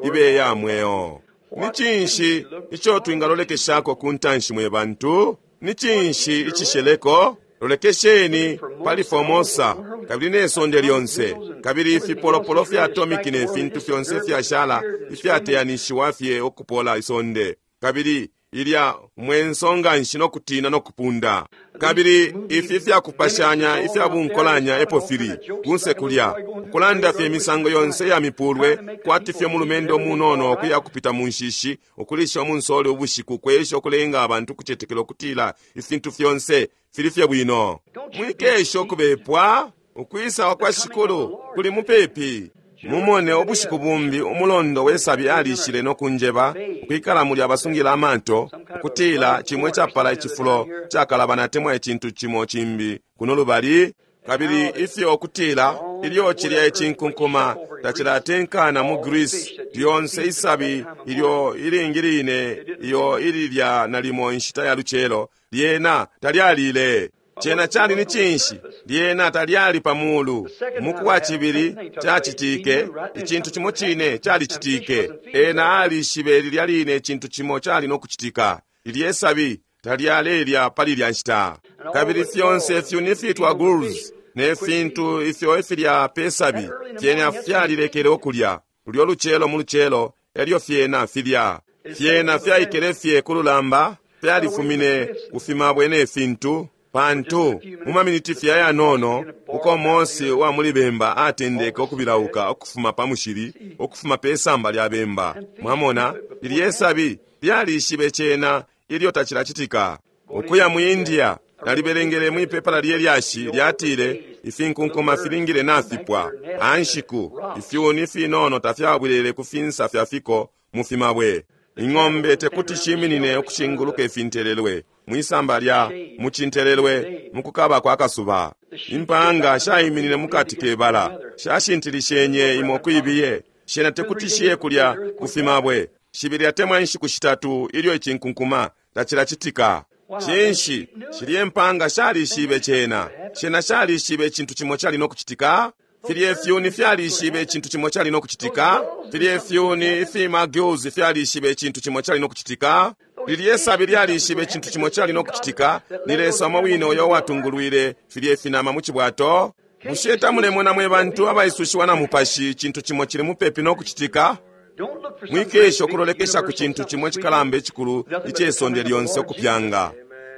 ibe ya mweo. Ni cinshi ico twingalolekeshako ku ntanshi mwe bantu? Ni cinshi icisheleko? Lolekesheni pali Formosa kabili ne sonde lyonse, kabili ifipolopolo fya atomiki ne fintu fyonse fyashala ifyateyanishiwa fye okupola isonde, kabili ilya mwenso nganshi nokutina nokupunda. Kabili ifi fyakupashanya ifya bunkolanya epo fili kunse kulya ukulanda fye imisango yonse ya mipulwe, kwati fye mulumendo munono okuya kupita mu nshishi ukulisha umunsole ubushiku, kwesha okulenga abantu kucetekela okutila ifintu fyonse fili fye bwino. Mwikesha okubepwa, ukwisa kwa Shikulu kuli mupepi. Mumone ubushiku bumbi umulondo wesabi alishile nokunjeba ukwikala mulya abasungila amato ukutila cimwe capala icifulo cakalabana atemwa icintu cimo cimbi kuno lubali. Kabili ifyo ukutila ilyo cilya icinkunkuma tacilatenkana mu Greece, lyonse isabi ilyo ilingi line iyo ililya nalimo inshita ya lucelo lyena talyalile. Cena cali ni cinshi? Lyena talyali pa mulu. Muku wa cibili cacitike icintu cimo cine calicitike. Ena alishibe lilya line icintu cimo cali no kucitika. Lilye sabi talyalelya pali lya nshita. Kabili fyonse fyuni fitwa gulls ne fintu ifyo ifilya pe sabi fyena fyalilekele ukulya lulyo lucelo mu lucelo elyo fyena filya fyena fyaikele fye ku lulamba, fyalifumine kufimabwe ne fintu. Pantu mu maminiti fye ayanono uko Mose wa muli bemba atendeke ukubilauka ukufuma pa mushili, ukufuma pe samba lya bemba. Mwamona, lilye sabi lyalishibe cena ilyo tacilacitika. Ukuya mu India, nalibelengele mwipepala lye lyashi lyatile ifinkunkuma filingile nafipwa anshiku, ifyuni finono tafyabwelele ku finsa fya fiko mu fimabwe. Ing'ombe tekuti shiminine ukushinguluka ifintelelwe mwisamba lya mucintelelwe mukukaba kwa kasuba. Impanga shaiminine mukati kebala, shashintilishenye imo kwibiye, shena tekuti shiye kulya kufimabwe. Shibili atemwa inshiku shitatu ilyo icinkunkuma tacilacitika. Cinshi shilye mpanga shalishibe cena, shena shalishibe icintu cimo cali no kucitika. Filye fyuni fyalishibe icintu cimo cali no kucitika. Filye fyuni ifima gills fyalishibe icintu cimo cali no kucitika. Lilye sabi lyalishibe icintu cimo cali no kucitika. Ni Lesa umo wine uyo watungulwile filye finama mu cibwato. Bushe tamulemona mwe bantu abaisushiwa na mupashi icintu cimo cili mupepi no kucitika? Mwikesha ukulolekesha ku cintu cimo cikalamba icikulu icesonde lyonse ukupyanga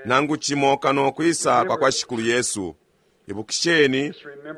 nangu cimo kano kwisa kwa kwa Shikulu Yesu. Ibukisheni,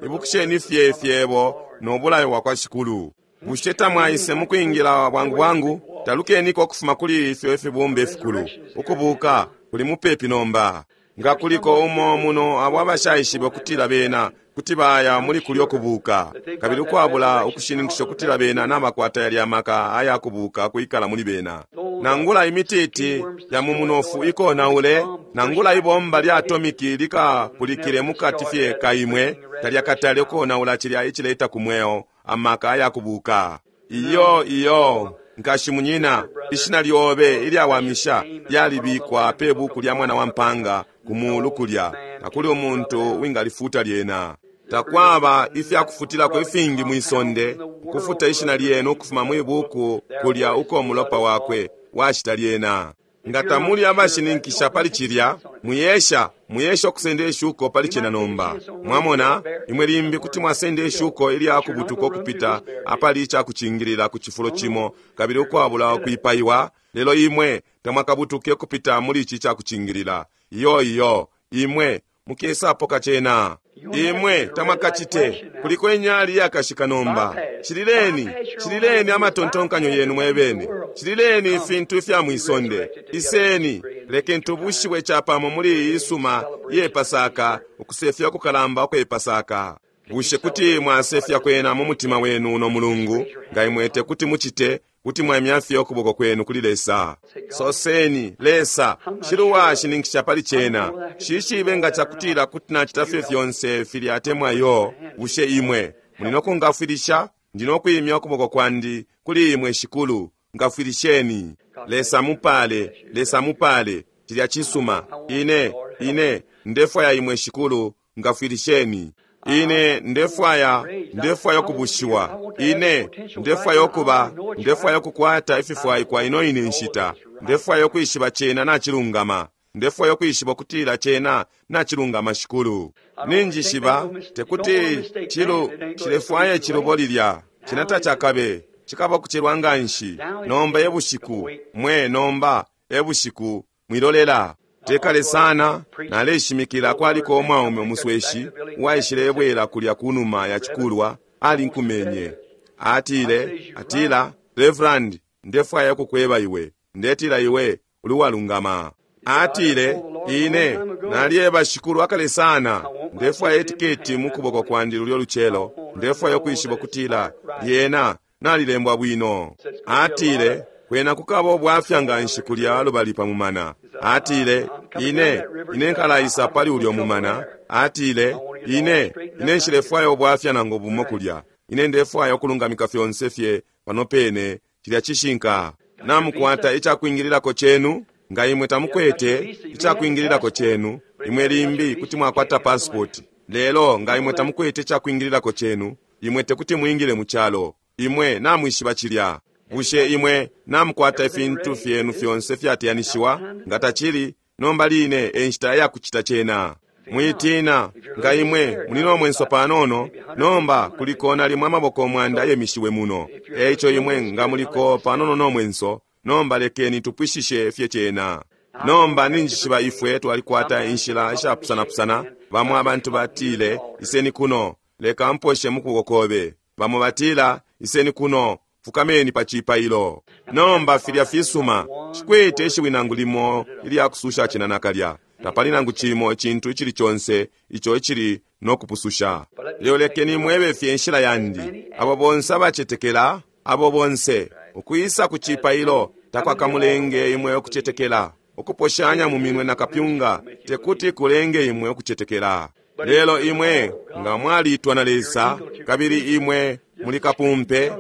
ibukisheni fye fyebo no bulayo bwa kwa Shikulu. Bushe tamwaise mukwingila bwangu bwangu? Talukeniko ukufuma kuli ifyo ifibumba ifikulu. Ukubuka kuli mupepi nomba. Nga kuliko umo muno abo abashaishibe ukutila bena kuti baya muli kulyo kubuka, kabili ukwabula ukushininkisha ukutila bena nabakwata yalya maka aya kubuka kwikala muli bena. Nangula imititi ya mu munofu ikonaule, nangula ibomba lya atomiki likapulikile mukati fye kaimwe, talyakatale ukonaula cilya icileta ku mweo amaka aya kubuka. Iyo iyo nkashi munyina, ishina lyobe ilyawamisha lyalibikwa pe buku lya mwana wa mpanga ku mulu kulya, takuli umuntu wingalifuta lyena. Takwaba ifyakufutilako ifingi mwisonde ukufuta ishina lyenu ukufuma mwi buku kulya uko mulopa wakwe washita lyena. Nga tamuli abashininkisha pali cilya, muyesha muyesha ukusenda ishuko pali cena nomba. Mwamona, imwe limbi kuti mwasenda ishuko ilya kubutuka ukupita apali icakucingilila ku cifulo cimo kabili ukwabula ukwipaiwa, lelo imwe tamwakabutuke ukupita muli ici icakucingilila. Iyo iyo imwe mukesapoka cena. Imwe tamwakacite. Kuliko inyali yakashika nomba. Cilileni, cilileni amatontonkanyo yenu mwebene. Cilileni ifintu ifya mwisonde. Iseni, lekeni tubushiwe capamo muli iyi isuma ye Pasaka, ukusefya kukalamba ukwe Pasaka. Bushe kuti mwasefya kwena mu mutima wenu uno mulungu? Nga imwe tekuti mucite, kuti mwaimya fye ukuboko kwenu kuli Lesa. Soseni, Lesa, shiluwa shininkisha pali cena. Shishibe nga cakutila kuti nacita fye fyonse filya atemwa yo. Bushe imwe muli no kungafwilisha? Ndi no kwimya ukuboko kwandi kuli imwe Shikulu, ngafwilisheni. Lesa mupale, Lesa mupale, cilya cisuma. Ine, ine, ndefwaya imwe Shikulu, ngafwilisheni. Ine ndefwaya, ndefwaya ukubushiwa. Ine ndefwaya ukuba, ndefwaya ukukwata ififwaikwa ino ine nshita. Ndefwaya ukwishiba cena nacilungama. Ndefwaya ukwishiba ukutila cena nacilungama Shikulu. Ninjishiba tekuti chilu chilefwaya icilubo lilya. Cena tacakabe, cikaba ukucelwa nganshi. Nomba ebushiku, mwe nomba ebushiku, mwilolela. Tekale sana naleshimikila kwaliko umwaume umusweshi uwaishile ebwela kulya kunuma ya cikulwa, alinkumenye. Atile, atila, Reverend, ndefwaya ukukweba iwe, ndetila iwe uli walungama. Atile, Ine nalyeba Shikulu akale sana, ndefwaya etiketi mukuboko kwandi lulyo lucelo, ndefwaya ukwishiba ukutila lyena nalilembwa bwino. Atile, kwena kukaba ubwafya nganshi kulya lubali pa mumana. Atile, ine ine nkalaisa pali ulyo mumana. Atile, ine ine nshilefwaya ubwafya nangu bumo kulya. Ine ndefwaya ukulungamika fyonse fye pano pene. Cilya cishinka. Namukwata icakwingililako chenu? Nga imwe tamukwete icakwingililako chenu, imwe limbi kuti mwakwata passport. Lelo nga imwe tamukwete icakwingililako chenu, imwe tekuti mwingile mu calo. Imwe namwishiba cilya. Bushe imwe namukwata ifintu fyenu fyonse fyateyanishiwa? Nga tacili, nomba line enshita yakucita cena. Mwitina, nga imwe muli no mwenso panono, nomba kuliko nalimwe amaboko mwanda yemishiwe muno. Eico imwe nga muliko panono no mwenso, nomba lekeni tupwishishe fye cena. Nomba ninjishiba ifwe twalikwata inshila ishapusanapusana. Bamwe abantu batile, iseni kuno, leka mposhe mukuboko kobe. Bamwe batila, iseni kuno, fukameni pa cipailo. Nomba filya fisuma, shikwete ishiwi nangu limo ilyakususha cena nakalya. Tapali nangu cimo icintu icili conse ico icili nokupususha. Lelo lekeni mwebe fye inshila yandi. Abo bonse abacetekela, abo bonse ukwisa ku cipailo takwakamulenge imwe ukucetekela. Ukuposhanya mu minwe na kapyunga tekuti kulenge imwe ukucetekela. Lelo imwe nga mwalitwa na Lesa, kabili imwe muli kapumpe,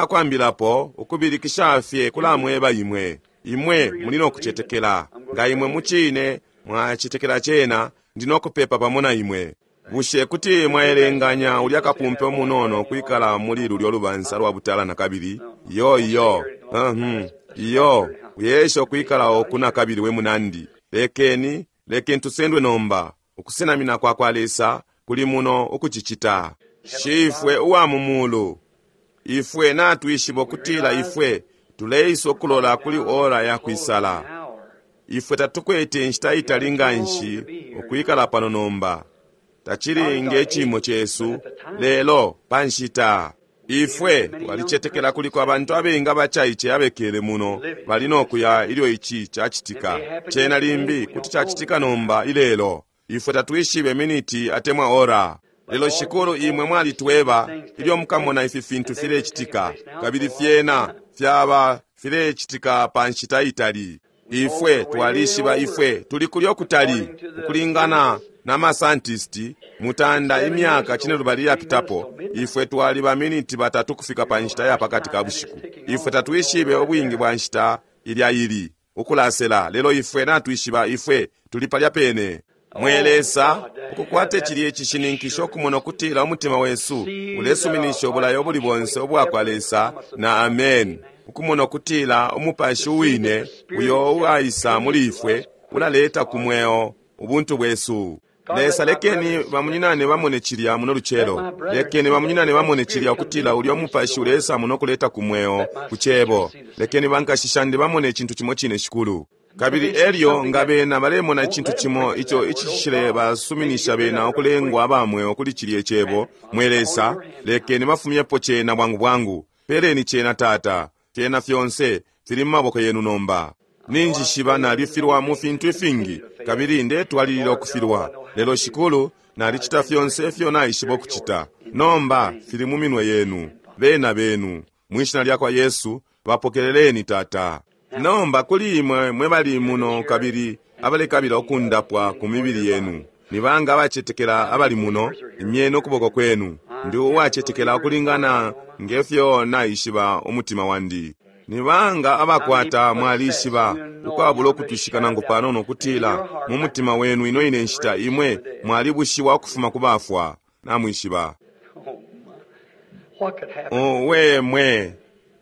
icakwambilapo ukubilikisha fye kulamweba imwe. Imwe muli nokucetekela. Nga imwe mucine mwacetekela cena, ndi nokupepa pamo na imwe. Bushe kuti mwaelenganya ulya kapumpe umunono kwikala muli lulyo lubansa lwa butala na kabili? Iyo iyo, uhum, iyo, uyesha ukwikala oku na kabili we munandi. Lekeni, lekeni tusendwe nomba. Ukusenamina kwa kwa Lesa kuli muno ukucicita. Shifwe uwa mu mulu, ifwe natwishiba ukutila ifwe tuleisa ukulola kuli ora ya kwisala. Ifwe tatukwete inshita itali nganshi ukwikala pano nomba. Tacili nge cimo cesu, lelo pa nshita. Ifwe twalicetekela kuliko abantu abengi abacaice abekele muno bali nokuya ilyo ici cacitika. Cena limbi kuti cacitika nomba ilelo. Ifwe tatwishibe miniti atemwa ora. Lelo Shikulu, imwe mwalitweba ilyo mukamona ifi fintu filecitika, kabili fyena fyaba filecitika pa nshita itali. Ifwe twalishiba ifwe tuli kulyo kutali ukulingana na masantisti mutanda imyaka cinelubali yapitapo. Ifwe twali ba miniti batatu kufika pa nshita ya pakati ka bushiku. Ifwe tatwishibe ubwingi bwa nshita ilya ili ukulasela, lelo ifwe natwishiba ifwe tuli palya pene. Mwe Lesa, ukukwate cilye cishininkisho okumona ukutila umutima wesu ulesuminisha ubulayo buli bonse ubwa kwa Lesa na amen. Ukumona ukutila umupashi uwine uyo uwaisa muli ifwe ulaleta ku mweo ubuntu bwesu. Lesa, lekeni bamunyinane bamone cilya muno lucelo. Lekeni bamunyinane bamone cilya ukutila ulya umupashi ulesa muno kuleta ku mweo ku cebo. Lekeni bankashishandi bamone icintu cimo cine, Shikulu. Kabili elyo nga bena balemona icintu cimo ico icishile basuminisha bena ukulengwa abamweo kuli cilye cebo, mwe Lesa, lekeni bafumyepo cena bwangu bwangu. Peleni cena, Tata. Fyena fyonse fili mu maboko yenu nomba. Ninjishiba nalifilwa mu fintu ifingi, kabili ndetwalilila ukufilwa. Lelo Shikulu, nalicita fyonse ifyo naishiba ukucita. Nomba fili mu minwe yenu, bena benu. Mwishina lya kwa Yesu, bapokeleleni, Tata. Nomba kuli imwe mwe bali muno kabili abalekabila ukundapwa ku mibili yenu, ni banga abacetekela abali muno, imyeni ukuboko kwenu. Ndi uwacetekela ukulingana ngefyo naishiba umutima wandi. Ni banga abakwata mwalishiba ukwabula ukutwishika nangu panono ukutila mu mutima wenu ino ine nshita imwe mwalibushiwa ukufuma ku bafwa. Namwishiba. Owe mwe,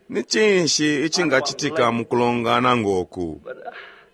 ni cinshi icingacitika mu kulongana ngoku?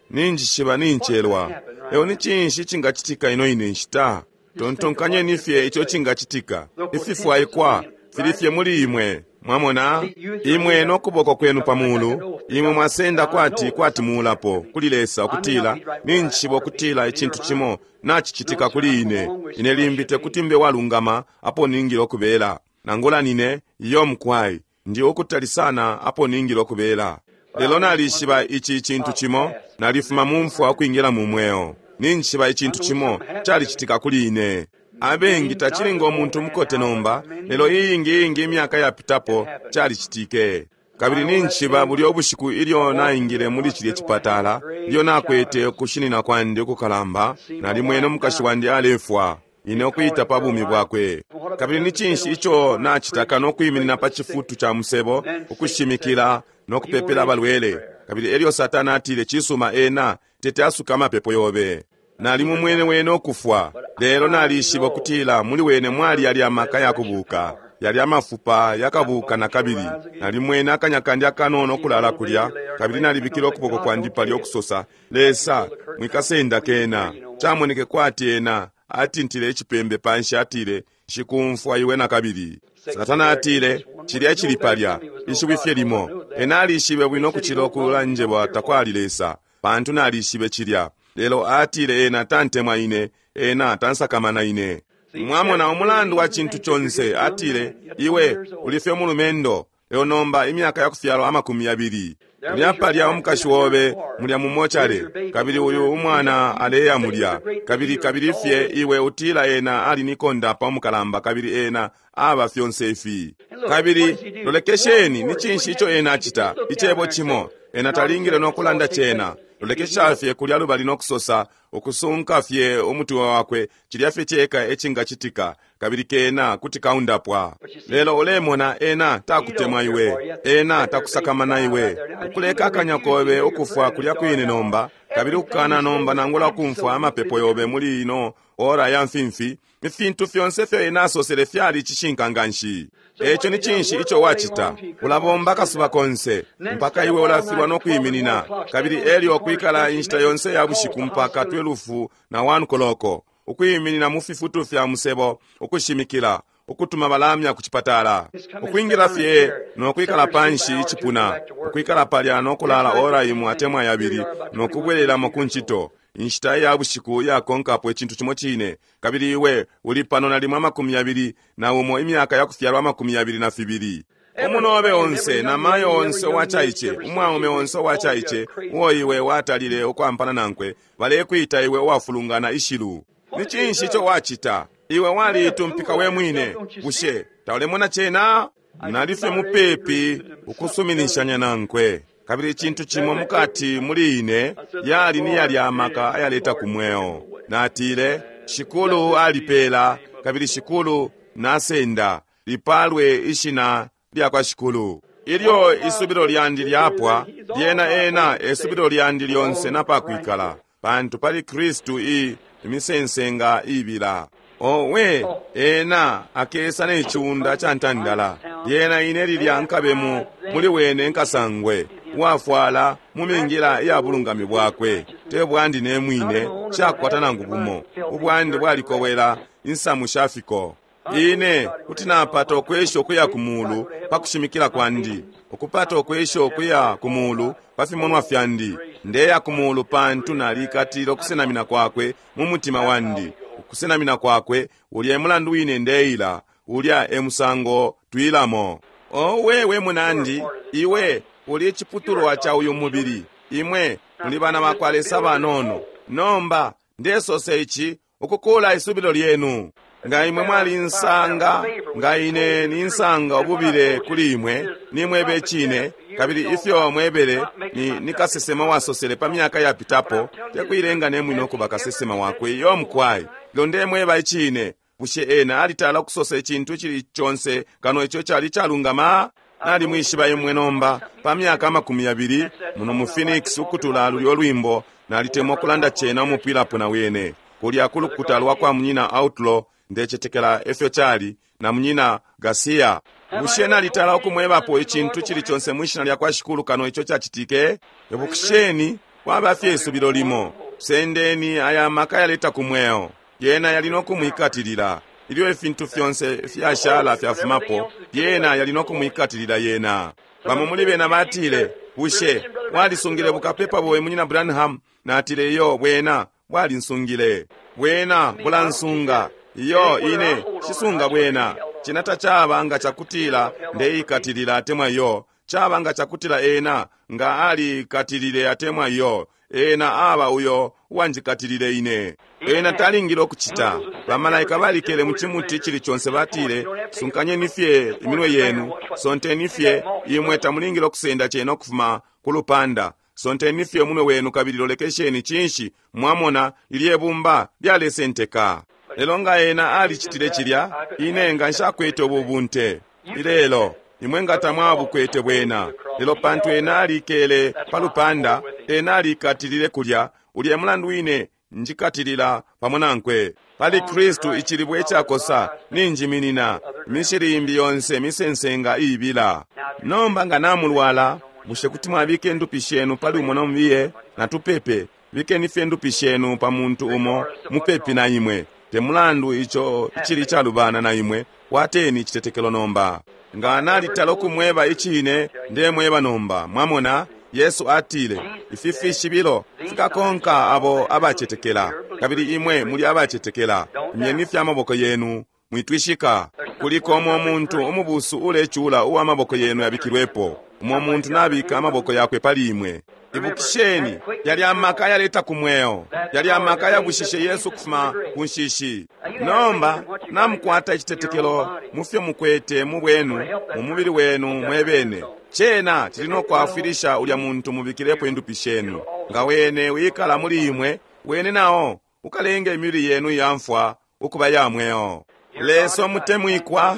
Ninjishiba nincelwa. Lelo ni cinshi icingacitika ino ine nshita? Tontonkanyeni fye ico cingacitika. Ififwaikwa fili fye muli imwe. Mwamona, imwe nokuboko kwenu pamulu, imwe mwasenda kwati kwati muulapo kuli Lesa ukutila ninjishiba ukutila icintu cimo nacicitika kuli ine. Ine limbi tekuti mbe walungama apo ningile ukubela. Nangula nine iyo mukwai, ndi ukutali sana apo ningile ukubela. Lelo nalishiba ici icintu cimo, nalifuma mu mfwa ukwingila mu mweo. Ninjishiba icintu cimo calicitika kuli ine. Abengi tacilinga umuntu mukote nomba, lelo iyingi iyingi imyaka yapitapo calicitike. Kabili ninjishiba bulya ubushiku ilyo naingile muli cilye cipatala, ilyo nakwete ukushinina kwandi ukukalamba, nalimwene umukashi wandi alefwa, ine ukwita pa bumi bwakwe. Kabili ni cinshi ico nacitaka no kwiminina pa cifutu ca musebo, ukushimikila no kupepela abalwele. Kabili elyo Satana atile, cisuma, ena tete asuka amapepo yobe. Nalimumwene wene ukufwa, lelo nalishiba ukutila muli wene mwali yali amaka yakubuka, yali amafupa yakabuka na kabili. Nalimwene akanya kandi akanono okulala kulya, kabili nalibikile ukuboko kwandi palya ukusosa, Lesa, mwikasenda kena. Camoneke kwati ena atintile icipembe panshi, atile, nshikumfwa iwe na kabili. Satana atile, cilya cili palya, ishiwi fye limo. Ena alishibe bwino kucila ukulanjebwa takwali Lesa, pantu nalishibe cilya. Lelo atile ena tantemwa ine, ena tansakamana ine. Mwamona umulandu wa cintu conse, atile, iwe uli fye umulumendo, lelo nomba imyaka yakufyalwa amakumi yabili. Mulya palya umukashi wobe mulya mumochale, kabili uyu umwana aleya mulya, kabili kabili fye iwe utila ena ali nikonda pa umukalamba, kabili ena aba fyonse ifi. Kabili lolekesheni ni cinshi ico ena acita, icebo cimo, ena talingile no kulanda cena. Lolekesha fye kulya lubali no kusosa, ukusunka fye umutwe wakwe, cilya fye ceka ecingacitika, kabili kena kuti kaundapwa. Lelo ulemona ena takutemwa iwe, ena takusakamana iwe, ukuleka akanya kobe ukufwa kulya kwine nomba, kabili ukukana nomba nangula ukumfwa amapepo yobe muli ino ora ya mfimfi. Ifintu fyonse fyo ena asosele fyali cishinka nganshi. Eco ni cinshi ico wacita? Ulabomba akasuba konse mpaka iwe ulafilwa no kwiminina, kabili elyo kwikala inshita yonse ya bushiku mpaka twelufu na wanu koloko, ukwiminina mu fifutu fya musebo, ukushimikila, ukutuma balamya ku cipatala, ukwingila fye no kwikala panshi icipuna, ukwikala palya no kulala ora imwe atemwa yabili, no kubwelelamo ku ncito inshita ya bushiku yakonkapo icintu cimo cine. Kabili iwe uli pano nalimo amakumi yabili na umo, imyaka yakufyalwa amakumi yabili na fibili. Umunobe onse na mayo onse uwacaice, umwaume onse uwacaice uo iwe watalile ukwampana nankwe, balekwita iwe uwafulungana ishilu. Ni cinshi ico wacita? Iwe waliitumpika we mwine. Bushe taulemona cena? Nalifye mupepi ukusuminishanya nankwe. Kabili icintu cimo mukati muli ine yali ni yali amaka ayaleta ku mweo. Natile, Shikulu alipela, kabili Shikulu nasenda, lipalwe ishina lya kwa Shikulu. Ilyo isubilo lyandi lyapwa, lyena ena esubilo lyandi lyonse napakwikala, pantu pali Kristu i imisensenga ibila. Owe, ena akesa ne ciunda ca ntandala, lyena ine lilya nkabemu muli wene nkasangwe, uwafwala mu mingila iya bulungami bwakwe. Te bwandi ne mwine, shakwata nangu bumo, ubwandi bwalikowela insamu shafiko. Ine kuti napata ukwesha ukuya ku mulu pa kushimikila kwandi, ukupata ukwesha ukuya ku mulu pa fimonwa fyandi. Ndeya ku mulu pantu nalikatile ukusenamina kwakwe mu mutima wandi. Ukusenamina kwakwe ulya emulandu wine ndeila, ulya emusango twilamo. Owe we munandi, iwe uli iciputulwa ca uyu mubili, imwe muli bana bakwa Lesa banono. Nomba ndesose ici ukukula isubilo lyenu. Nga imwe mwalinsanga, nga ine ninsanga ububile kuli imwe, nimwebe icine, kabili ifyo mwebele ni, ni kasesema wasosele pa myaka yapitapo, tekuilenga nemwine ukuba kasesema wakwe iyo mukwai. Lelo ndemweba icine, bushe ena alitala ukusosa icintu icili conse kano ico cali calungama? Nalimwishiba imwe nomba pa myaka amakumi yabili muno mu Phoenix, ukutula lulyo lwimbo nalitemwa ukulanda cena umupwilapo na wene kulya kulukuta lwa kwa munyina Outlaw, ndecetekela efyo cali na munyina Garcia. Bushe nalitala ukumwebapo icintu cili conse mwishina lya kwa Shikulu kano ico cacitike? Ibukisheni, kwaba fye isubilo limo. Sendeni aya maka yaleta ku mweo, yena yali no kumwikatilila. Ilyo ifintu fyonse fyashala fyafumapo, yena yali no kumwikatilila yena. Bamo muli bena batile, bushe walisungile bukapepa bowe munyina Branham? Natile, iyo, bwena bwalinsungile, bwena bulansunga. Iyo ine shisunga bwena. Cena tacaba nga cakutila ndeikatilila atemwa iyo, caba nga cakutila ena nga alikatilile atemwa iyo. Ena aba uyo uwanjikatilile ine. Ena talingile ukucita. Bamalaika balikele mu cimuti cili conse, batile, sunkanyeni fye iminwe yenu, sonteni fye, imwe tamulingile ukusenda cena ukufuma ku lupanda. Sonteni fye umunwe wenu kabili lolekesheni cinshi, mwamona lilye bumba lyalesenteka. Lelo nga ena alicitile cilya, ine nga nshakwete ubu bunte ilelo, imwe nga tamwabukwete bwena. Lelo pantu ena alikele pa lupanda, ena alikatilile kulya, ulye mulandu wine njikatilila pamo nankwe. Pali Kristu icilibwe icakosa ninjiminina, imishili imbi yonse misensenga iibila. Nomba nga namulwala, bushe kuti mwabika indupi shenu pali umo nomubiye? Natupepe. Bikeni fye indupi shenu pa muntu umo mupepi na imwe. Te mulandu ico icili calubana na imwe, kwateni icitetekelo nomba. Nga nalitala ukumweba icine, ndemweba nomba. Mwamona, Yesu atile, ifi fishibilo fikakonka abo abacetekela. Kabili imwe muli abacetekela. Imyeni fye amaboko yenu, mwitwishika. Kuliko umo muntu umubusu ulecula uwa maboko yenu yabikilwepo. Umo muntu nabika amaboko yakwe pali imwe. Ibukisheni, yali amaka yaleta ku mweo, yali amaka yabushishe Yesu kufuma ku nshishi. Nomba namukwata icitetekelo mufyo mukwete mu bwenu, mu mubili wenu mwebene. Cena cili no kwafwilisha ulya muntu mubikilepo indupi shenu. Nga wene wikala muli imwe, wene nao ukalenga imibili yenu iyamfwa ukuba ya mweo. Leso mutemwikwa,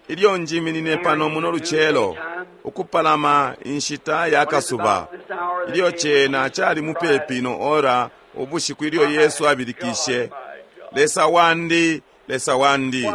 ilyo njiminine pano muno lucelo, ukupalama inshita ya kasuba, ilyo cena cali mupepi no ora ubushiku ilyo Yesu abilikishe, Lesa wandi, Lesa wandi,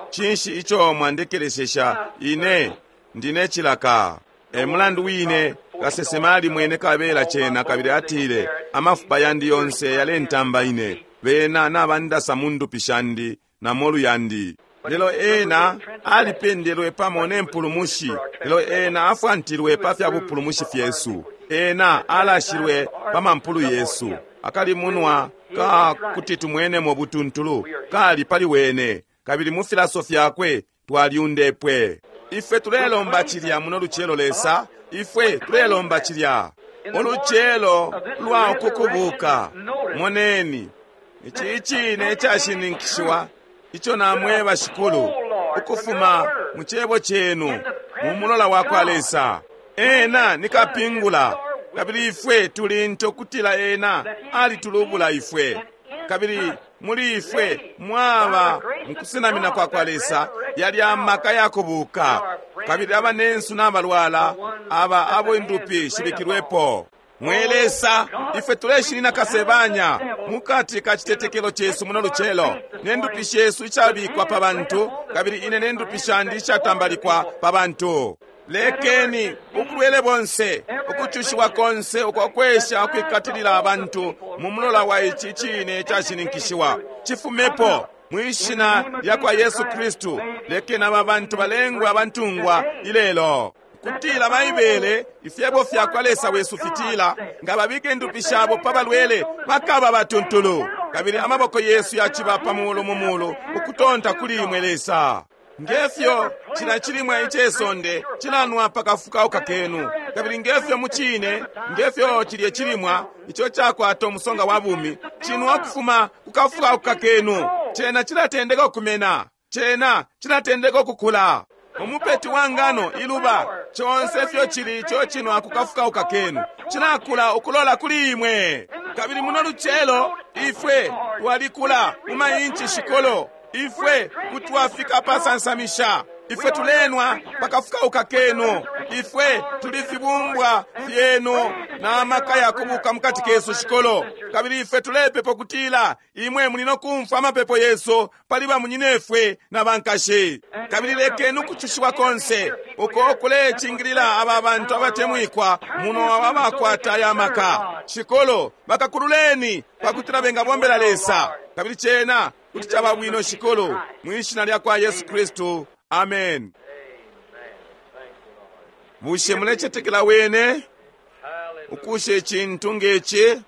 cinshi ico mwandekeleshesha ine ndine cilaka? E mulandu wine kasesema alimwene kabela cena, kabili atile, amafupa yandi yonse yalentamba ine, bena nabandasa mu ndupi shandi na molu yandi. Lelo ena alipendelwe pamo ne mpulumushi, lelo ena afwantilwe pa fya bupulumushi fyesu, ena alashilwe pa mampulu yesu. Akalimunwa ka kuti tumwenemo butuntulu kali pali wene, kabili mu filaso fyakwe twalyundepwe. Ifwe tulelomba cilya muno lucelo, Lesa, ifwe tulelomba cilya ulucelo lwa ukukubuka. Moneni ici icine icashininkishiwa ico namweba Shikulu, ukufuma mu cebo cenu mu mulola wa kwa Lesa. Ena ni kapingula, kabili ifwe tuli nte ukutila ena alitulubula ifwe, kabili muli ifwe mwaba mukusenamina kwa kwa Lesa yali amaka yakubuka, kabili abanensu n'abalwala aba abo indupi shibikilwepo. Mwe Lesa, ifwe tuleshinina kasebanya mukati ka citetekelo chesu muno lucelo, ne ndupi shesu icabikwa pa bantu, kabili ine ne ndupi shandi ishatambalikwa pa bantu. Lekeni ubulwele bonse, ukucushiwa konse ukwakwesha ukwikatilila abantu mu mulola wa ici cine cashininkishiwa chifumepo mwishina lya kwa Yesu Kristu. Lekeni aba bantu balengwe abantungwa ilelo, kutila Baibele ifyebo fya kwa Lesa wesu fitila, nga babike indupi shabo pa balwele bakaba batuntulu, kabili amaboko yesu yaciba pa mulu mu mulu ukutonta kuli imwe Lesa. Ngefyo cila chilimwa icesonde cilanwa pakafukauka kenu, kabili ngefyo mucine ngefyo cilye chilimwa ico cakwata umusonga wa bumi cinwa kufuma kukafukauka kenu, cena cilatendeka ukumena, cena cilatendeka ukukula. Umupeti wa ngano iluba conse fyo cili ico cinwa kukafukauka kenu cinakula ukulola kuli imwe. Kabili muno lucelo ifwe twalikula mu mainchi shikolo, ifwe kutwafika pasansamisha, ifwe tulenwa pakafukauka kenu, ifwe tuli fibumbwa fyenu na maka yakubuka mukati kesu shikolo. Kabili ifwe tulepepo kutila imwe muli nokumfwa amapepo yesu pali bamunyinefwe na bankashi. Kabili lekeni ukucushiwa konse uko kulecingilila aba bantu abatemwikwa muno abakwata aya maka shikolo, bakakululeni pakutila bengabombela Lesa. Kabili cena kuti caba bwino shikolo, mwishina lya kwa Yesu Kristu, amen. Bushe mulecetekela wene ukusha icintu ngeci?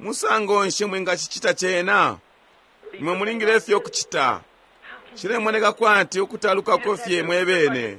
Musango nshi mwingacicita cena? Imwe mulingile fye ukucita. Cilemoneka kwati ukutalukako fye mwebene.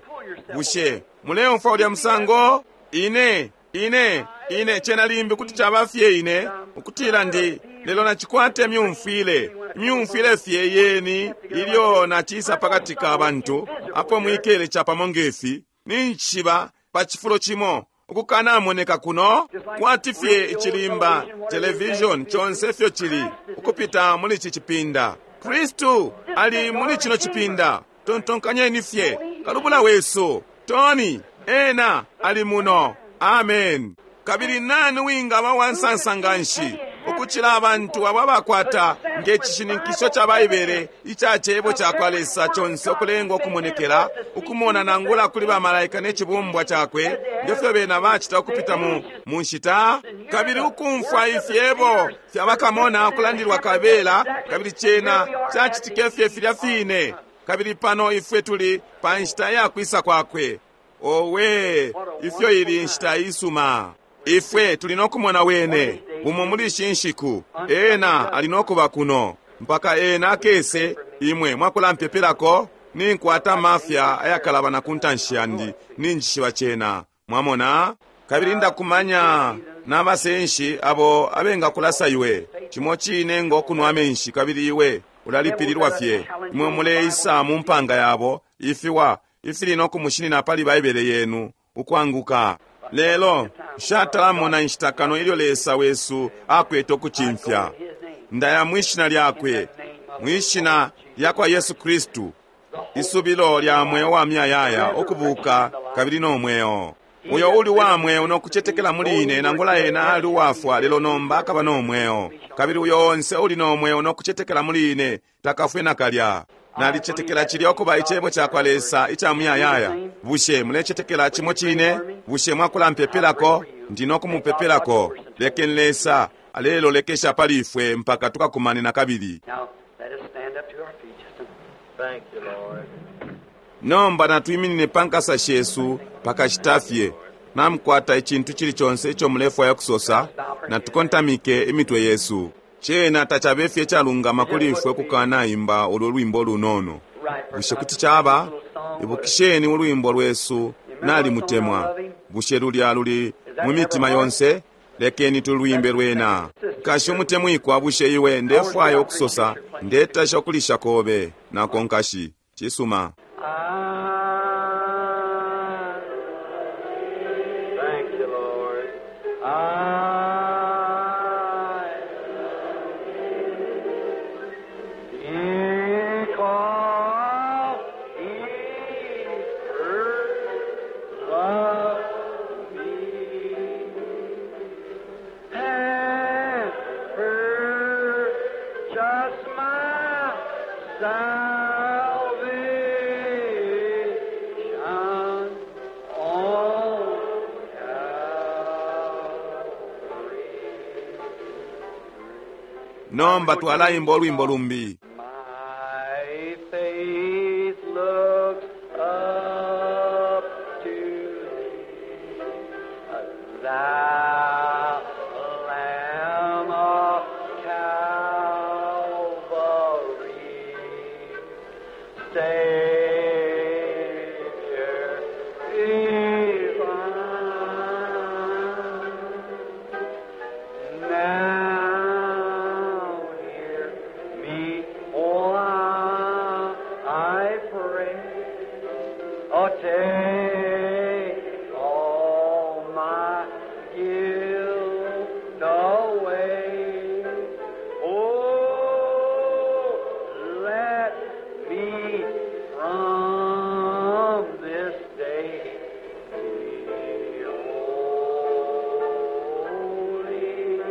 Bushe muleumfwa ulya musango? Ine Ine, ine, cena limbi kuti caba fye ine, ukutila ndi, lelo nacikwata imyumfwile, imyumfwile fye yeni, ilyo nacisa pakati ka bantu, apo mwikele capamo ngefi, ninjishiba pa cifulo cimo, ukukanamoneka kuno, kwati fye icilimba, television, conse fyo cili, ukupita muli ici cipinda. Kristu ali muli cino cipinda. Tontonkanyeni fye, kalubula wesu, Tony, ena ali muno. Amen. Kabili nani wingaba wansansa nganshi ukucila abantu abo abakwata nge cishininkisho ca Baibele ica cebo ca kwa Lesa conse ukulengwa ukumonekela, ukumona nangula kuli bamalaika ne cibumbwa cakwe, ngefyo bena bacita ukupita mu, mu nshita, kabili ukumfwa ifyebo fya bakamona ukulandilwa kabela, kabili cena cacitike fye filya fine. Kabili pano ifwe tuli pa nshita ya kwisa kwakwe. Owe, ifyo ili nshita isuma. Ifwe tuli nokumona wene bumo muli ishi nshiku. Ena ali nokuba kuno mpaka ena akese. Imwe mwakulampepelako, ninkwata mafya ayakalabana ku ntanshi yandi, ninjishiba cena. Mwamona? Kabili ndakumanya n'abasenshi abo abengakulasa iwe cimo cine ngo kunwa amenshi, kabili iwe ulalipililwa fye. Imwe muleisa mu mpanga yabo ifiwa ifili nokumushinina pali Baibele yenu ukwanguka. Lelo nshatalamona inshita kano ilyo Lesa wesu akwete ukucimfya. Ndaya mwishina lyakwe, mwishina lya kwa Yesu Kristu, isubilo lya mweo wa myayaya, ukubuka kabili no mweo. Uyo uli wa mweo nokucetekela muli ine, nangula ena ali uwafwa, lelo nomba akaba no mweo. Kabili uyo onse uli no mweo nokucetekela muli ine takafwe nakalya. Nalicetekela cilya ukuba icebo ca kwa Lesa ica muyayaya. Bushe mulecetekela cimo cine? Bushe mwakulampepelako? Ndi nokumupepelako. Lekeni Lesa alelolekesha pali ifwe mpaka tukakumane na kabili. Now, let us stand up to our feet just a Thank you, Lord. Nomba natwiminine pa nkasa shesu pakashita fye. Namukwata icintu cili conse ico mulefwaya kusosa, natukontamike imitwe yesu. Cena tacabe fye calungama kuli ifwe kukanaimba ulwo lwimbo lunono. Bushe kuti caba? Ibukisheni ulwimbo lwesu nalimutemwa. Bushe lulya luli mu mitima yonse? Lekeni tulwimbe lwena. Kashi umutemwikwa, bushe iwe ndefwaya ukusosa, ndetasha ukulisha kobe nako nkashi. Cisuma. I Thank you, Lord. I because he first loved me and purchased my salvation on Calvary. Nomba twalaimba olwimbo lumbi. My faith looks up to thee, thou Lamb of Calvary, Savior divine. Now hear me, O I pray. Oh, take all my guilt away. Oh, let me from this day be holy.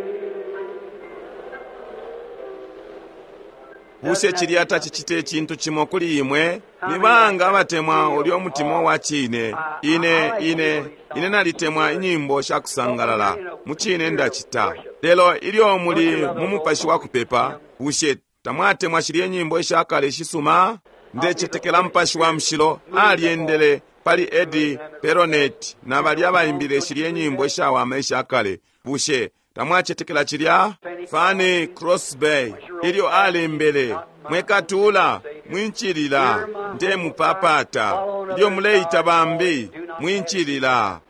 Bushe cilya tacicite icintu cimo kuli imwe? Ni banga abatemwa ulyo umutima wa cine? Ine, ine, ine nalitemwa inyimbo sha kusangalala. Mu cine ndacita. Lelo ilyo muli mu mupashi wa kupepa, bushe tamwatemwa shilye nyimbo ishakale ishisuma? Ndecetekela mupashi wa mushilo alyendele pali Eddie Peronet na balya abaimbile shilye nyimbo ishawama ishakale. Bushe tamwacetekela cilya? Fanny Crosby ilyo alembele, mwekatula mwincilila, ndemupapata. Ilyo muleita bambi mwincilila.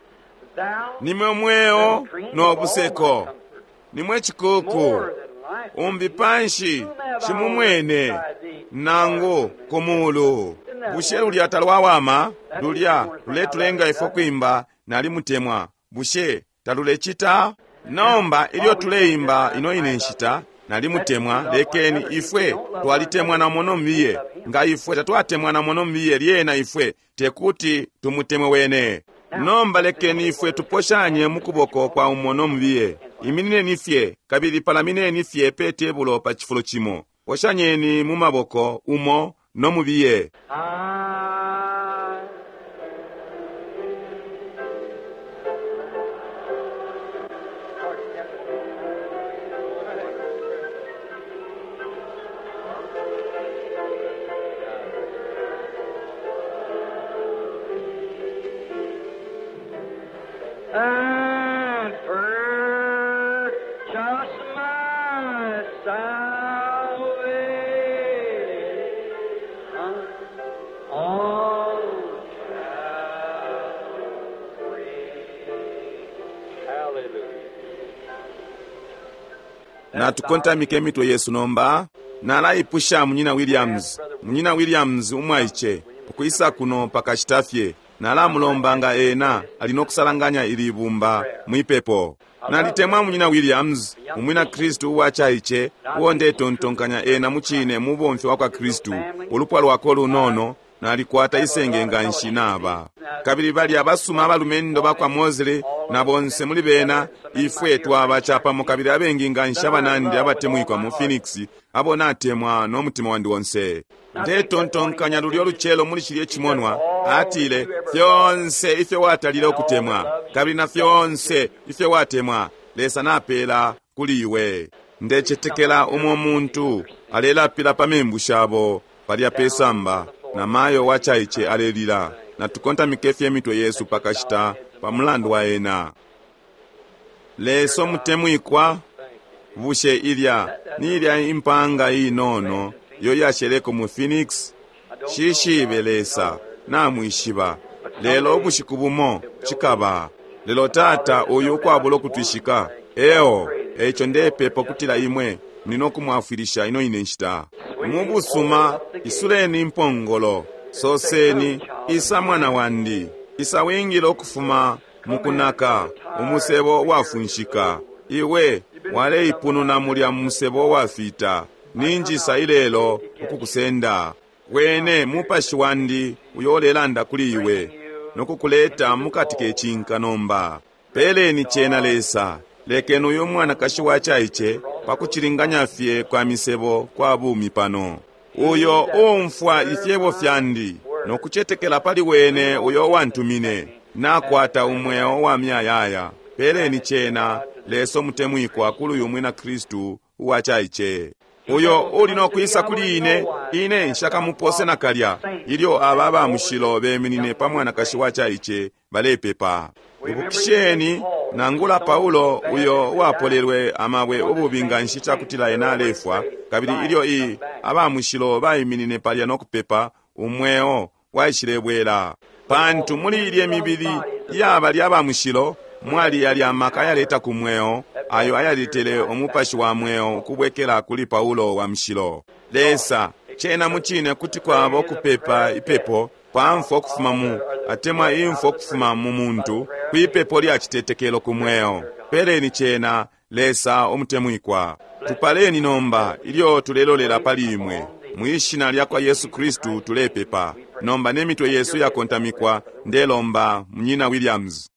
Nimwe mweo no buseko, nimwe cikuku, umbi panshi shimumwene nangu ku mulu. Bushe lulya talwawama? Lulya luletulenga ifwe kwimba nalimutemwa. Bushe talulecita? Nomba ilyo tuleimba ino ine nshita nalimutemwa, lekeni ifwe twalitemwana muno mbiye. Nga ifwe tatwatemwana muno mbiye, lyena ifwe tekuti tumutemwe wene. Nomba lekeni ifwe tuposhanye mu kuboko kwa umo mbiye. Iminineni fye kabili palamineni fye pe tebulo pa cifulo cimo. Poshanyeni mu maboko umo no mubiye. And purchase my salvation on Calvary. Hallelujah. Natukontamike imitwe yesu nomba. Nalaipusha munyina Williams, munyina Williams umwaice, ukwisa kuno pakashita fye. Nalamulomba nga ena ali nokusalanganya ili bumba mwipepo. Nalitemwa munyina Williams, umwina Kristu uwacaice, uo ndetontonkanya ena mucine mubomfi wa kwa Kristu. Ulupwa lwako lunono nalikwata isenge nga nshi naba. Kabili bali abasuma abalumendo bakwa Mosley na bonse muli bena, ifwe twaba capamo kabili abengi nga nshi abanandi abatemwikwa mu Phoenix, abo natemwa n'omutima wandi wonse. Ndetontonkanya lulyo lucelo muli cilye cimonwa, atile, fyonse ifyo watalile ukutemwa, kabili na fyonse ifyo watemwa, Lesa napela kuli iwe. Ndecetekela umwe muntu alelapila pa membu shabo palya pesamba, na mayo wacaice alelila. Natukontamike fye emitwe yesu pakashita pa mulandu wa ena. Lesa omutemwikwa, bushe ilya ni ilya impanga inono iyo yasheleko mu Phoenix? Shishibe Lesa, namwishiba. Lelo ubushiku bumo cikaba. Lelo tata uyu ukwabula ukutwishika eo, eico ndepepa ukutila imwe muli nokumwafwilisha ino ine nshita. Mu busuma isuleni impongolo, soseni, isa mwana wandi, isa wingile ukufuma mukunaka umusebo wafunshika. Iwe waleipununa mulya musebo wafita, ninjisa ilelo ukukusenda. Wene mupashi wandi uyo ulelanda kuli iwe nokukuleta mukati kecinka nomba. Peleni cena Lesa, lekeni uyu mwanakashi wacaice pakucilinganya fye kwa misebo kwa bumi pano. Uyo uumfwa ifyebo fyandi nokucetekela pali wene uyo wantumine, nakwata umweo wa myayaya. Peleni cena Lesa omutemwikwa kuli uyu mwina Kristu uwacaice. Uyo uli nokwisa kuli ine, ine nshakamupose nakalya. Ilyo aba aba mushilo beminine pa mwanakashi wacaice balepepa. Ibukisheni nangula Paulo uyo uwapolelwe amabwe ububi nga nshi cakutila ena alefwa, kabili ilyo i aba mushilo baiminine palya nokupepa, umweo waishilebwela. Pantu muli ilye mibili iyaba lya ba mushilo mwali yalya amaka ayaleta ku mweo, ayo ayaletele umupashi wa mweo ukubwekela kuli Paulo wa mushilo. Lesa, cena mucine kuti kwaba ukupepa ipepo pa mfwa ukufuma mu, atemwa imfwa ukufuma mu muntu, kwipepo lya citetekelo ku mweo. Peleni cena Lesa omutemwikwa. Tupaleni nomba ilyo tulelolela pali imwe. Mwishina lya kwa Yesu Kristu tulepepa. Nomba ne mitwe yesu yakontamikwa, ndelomba munyina Williams.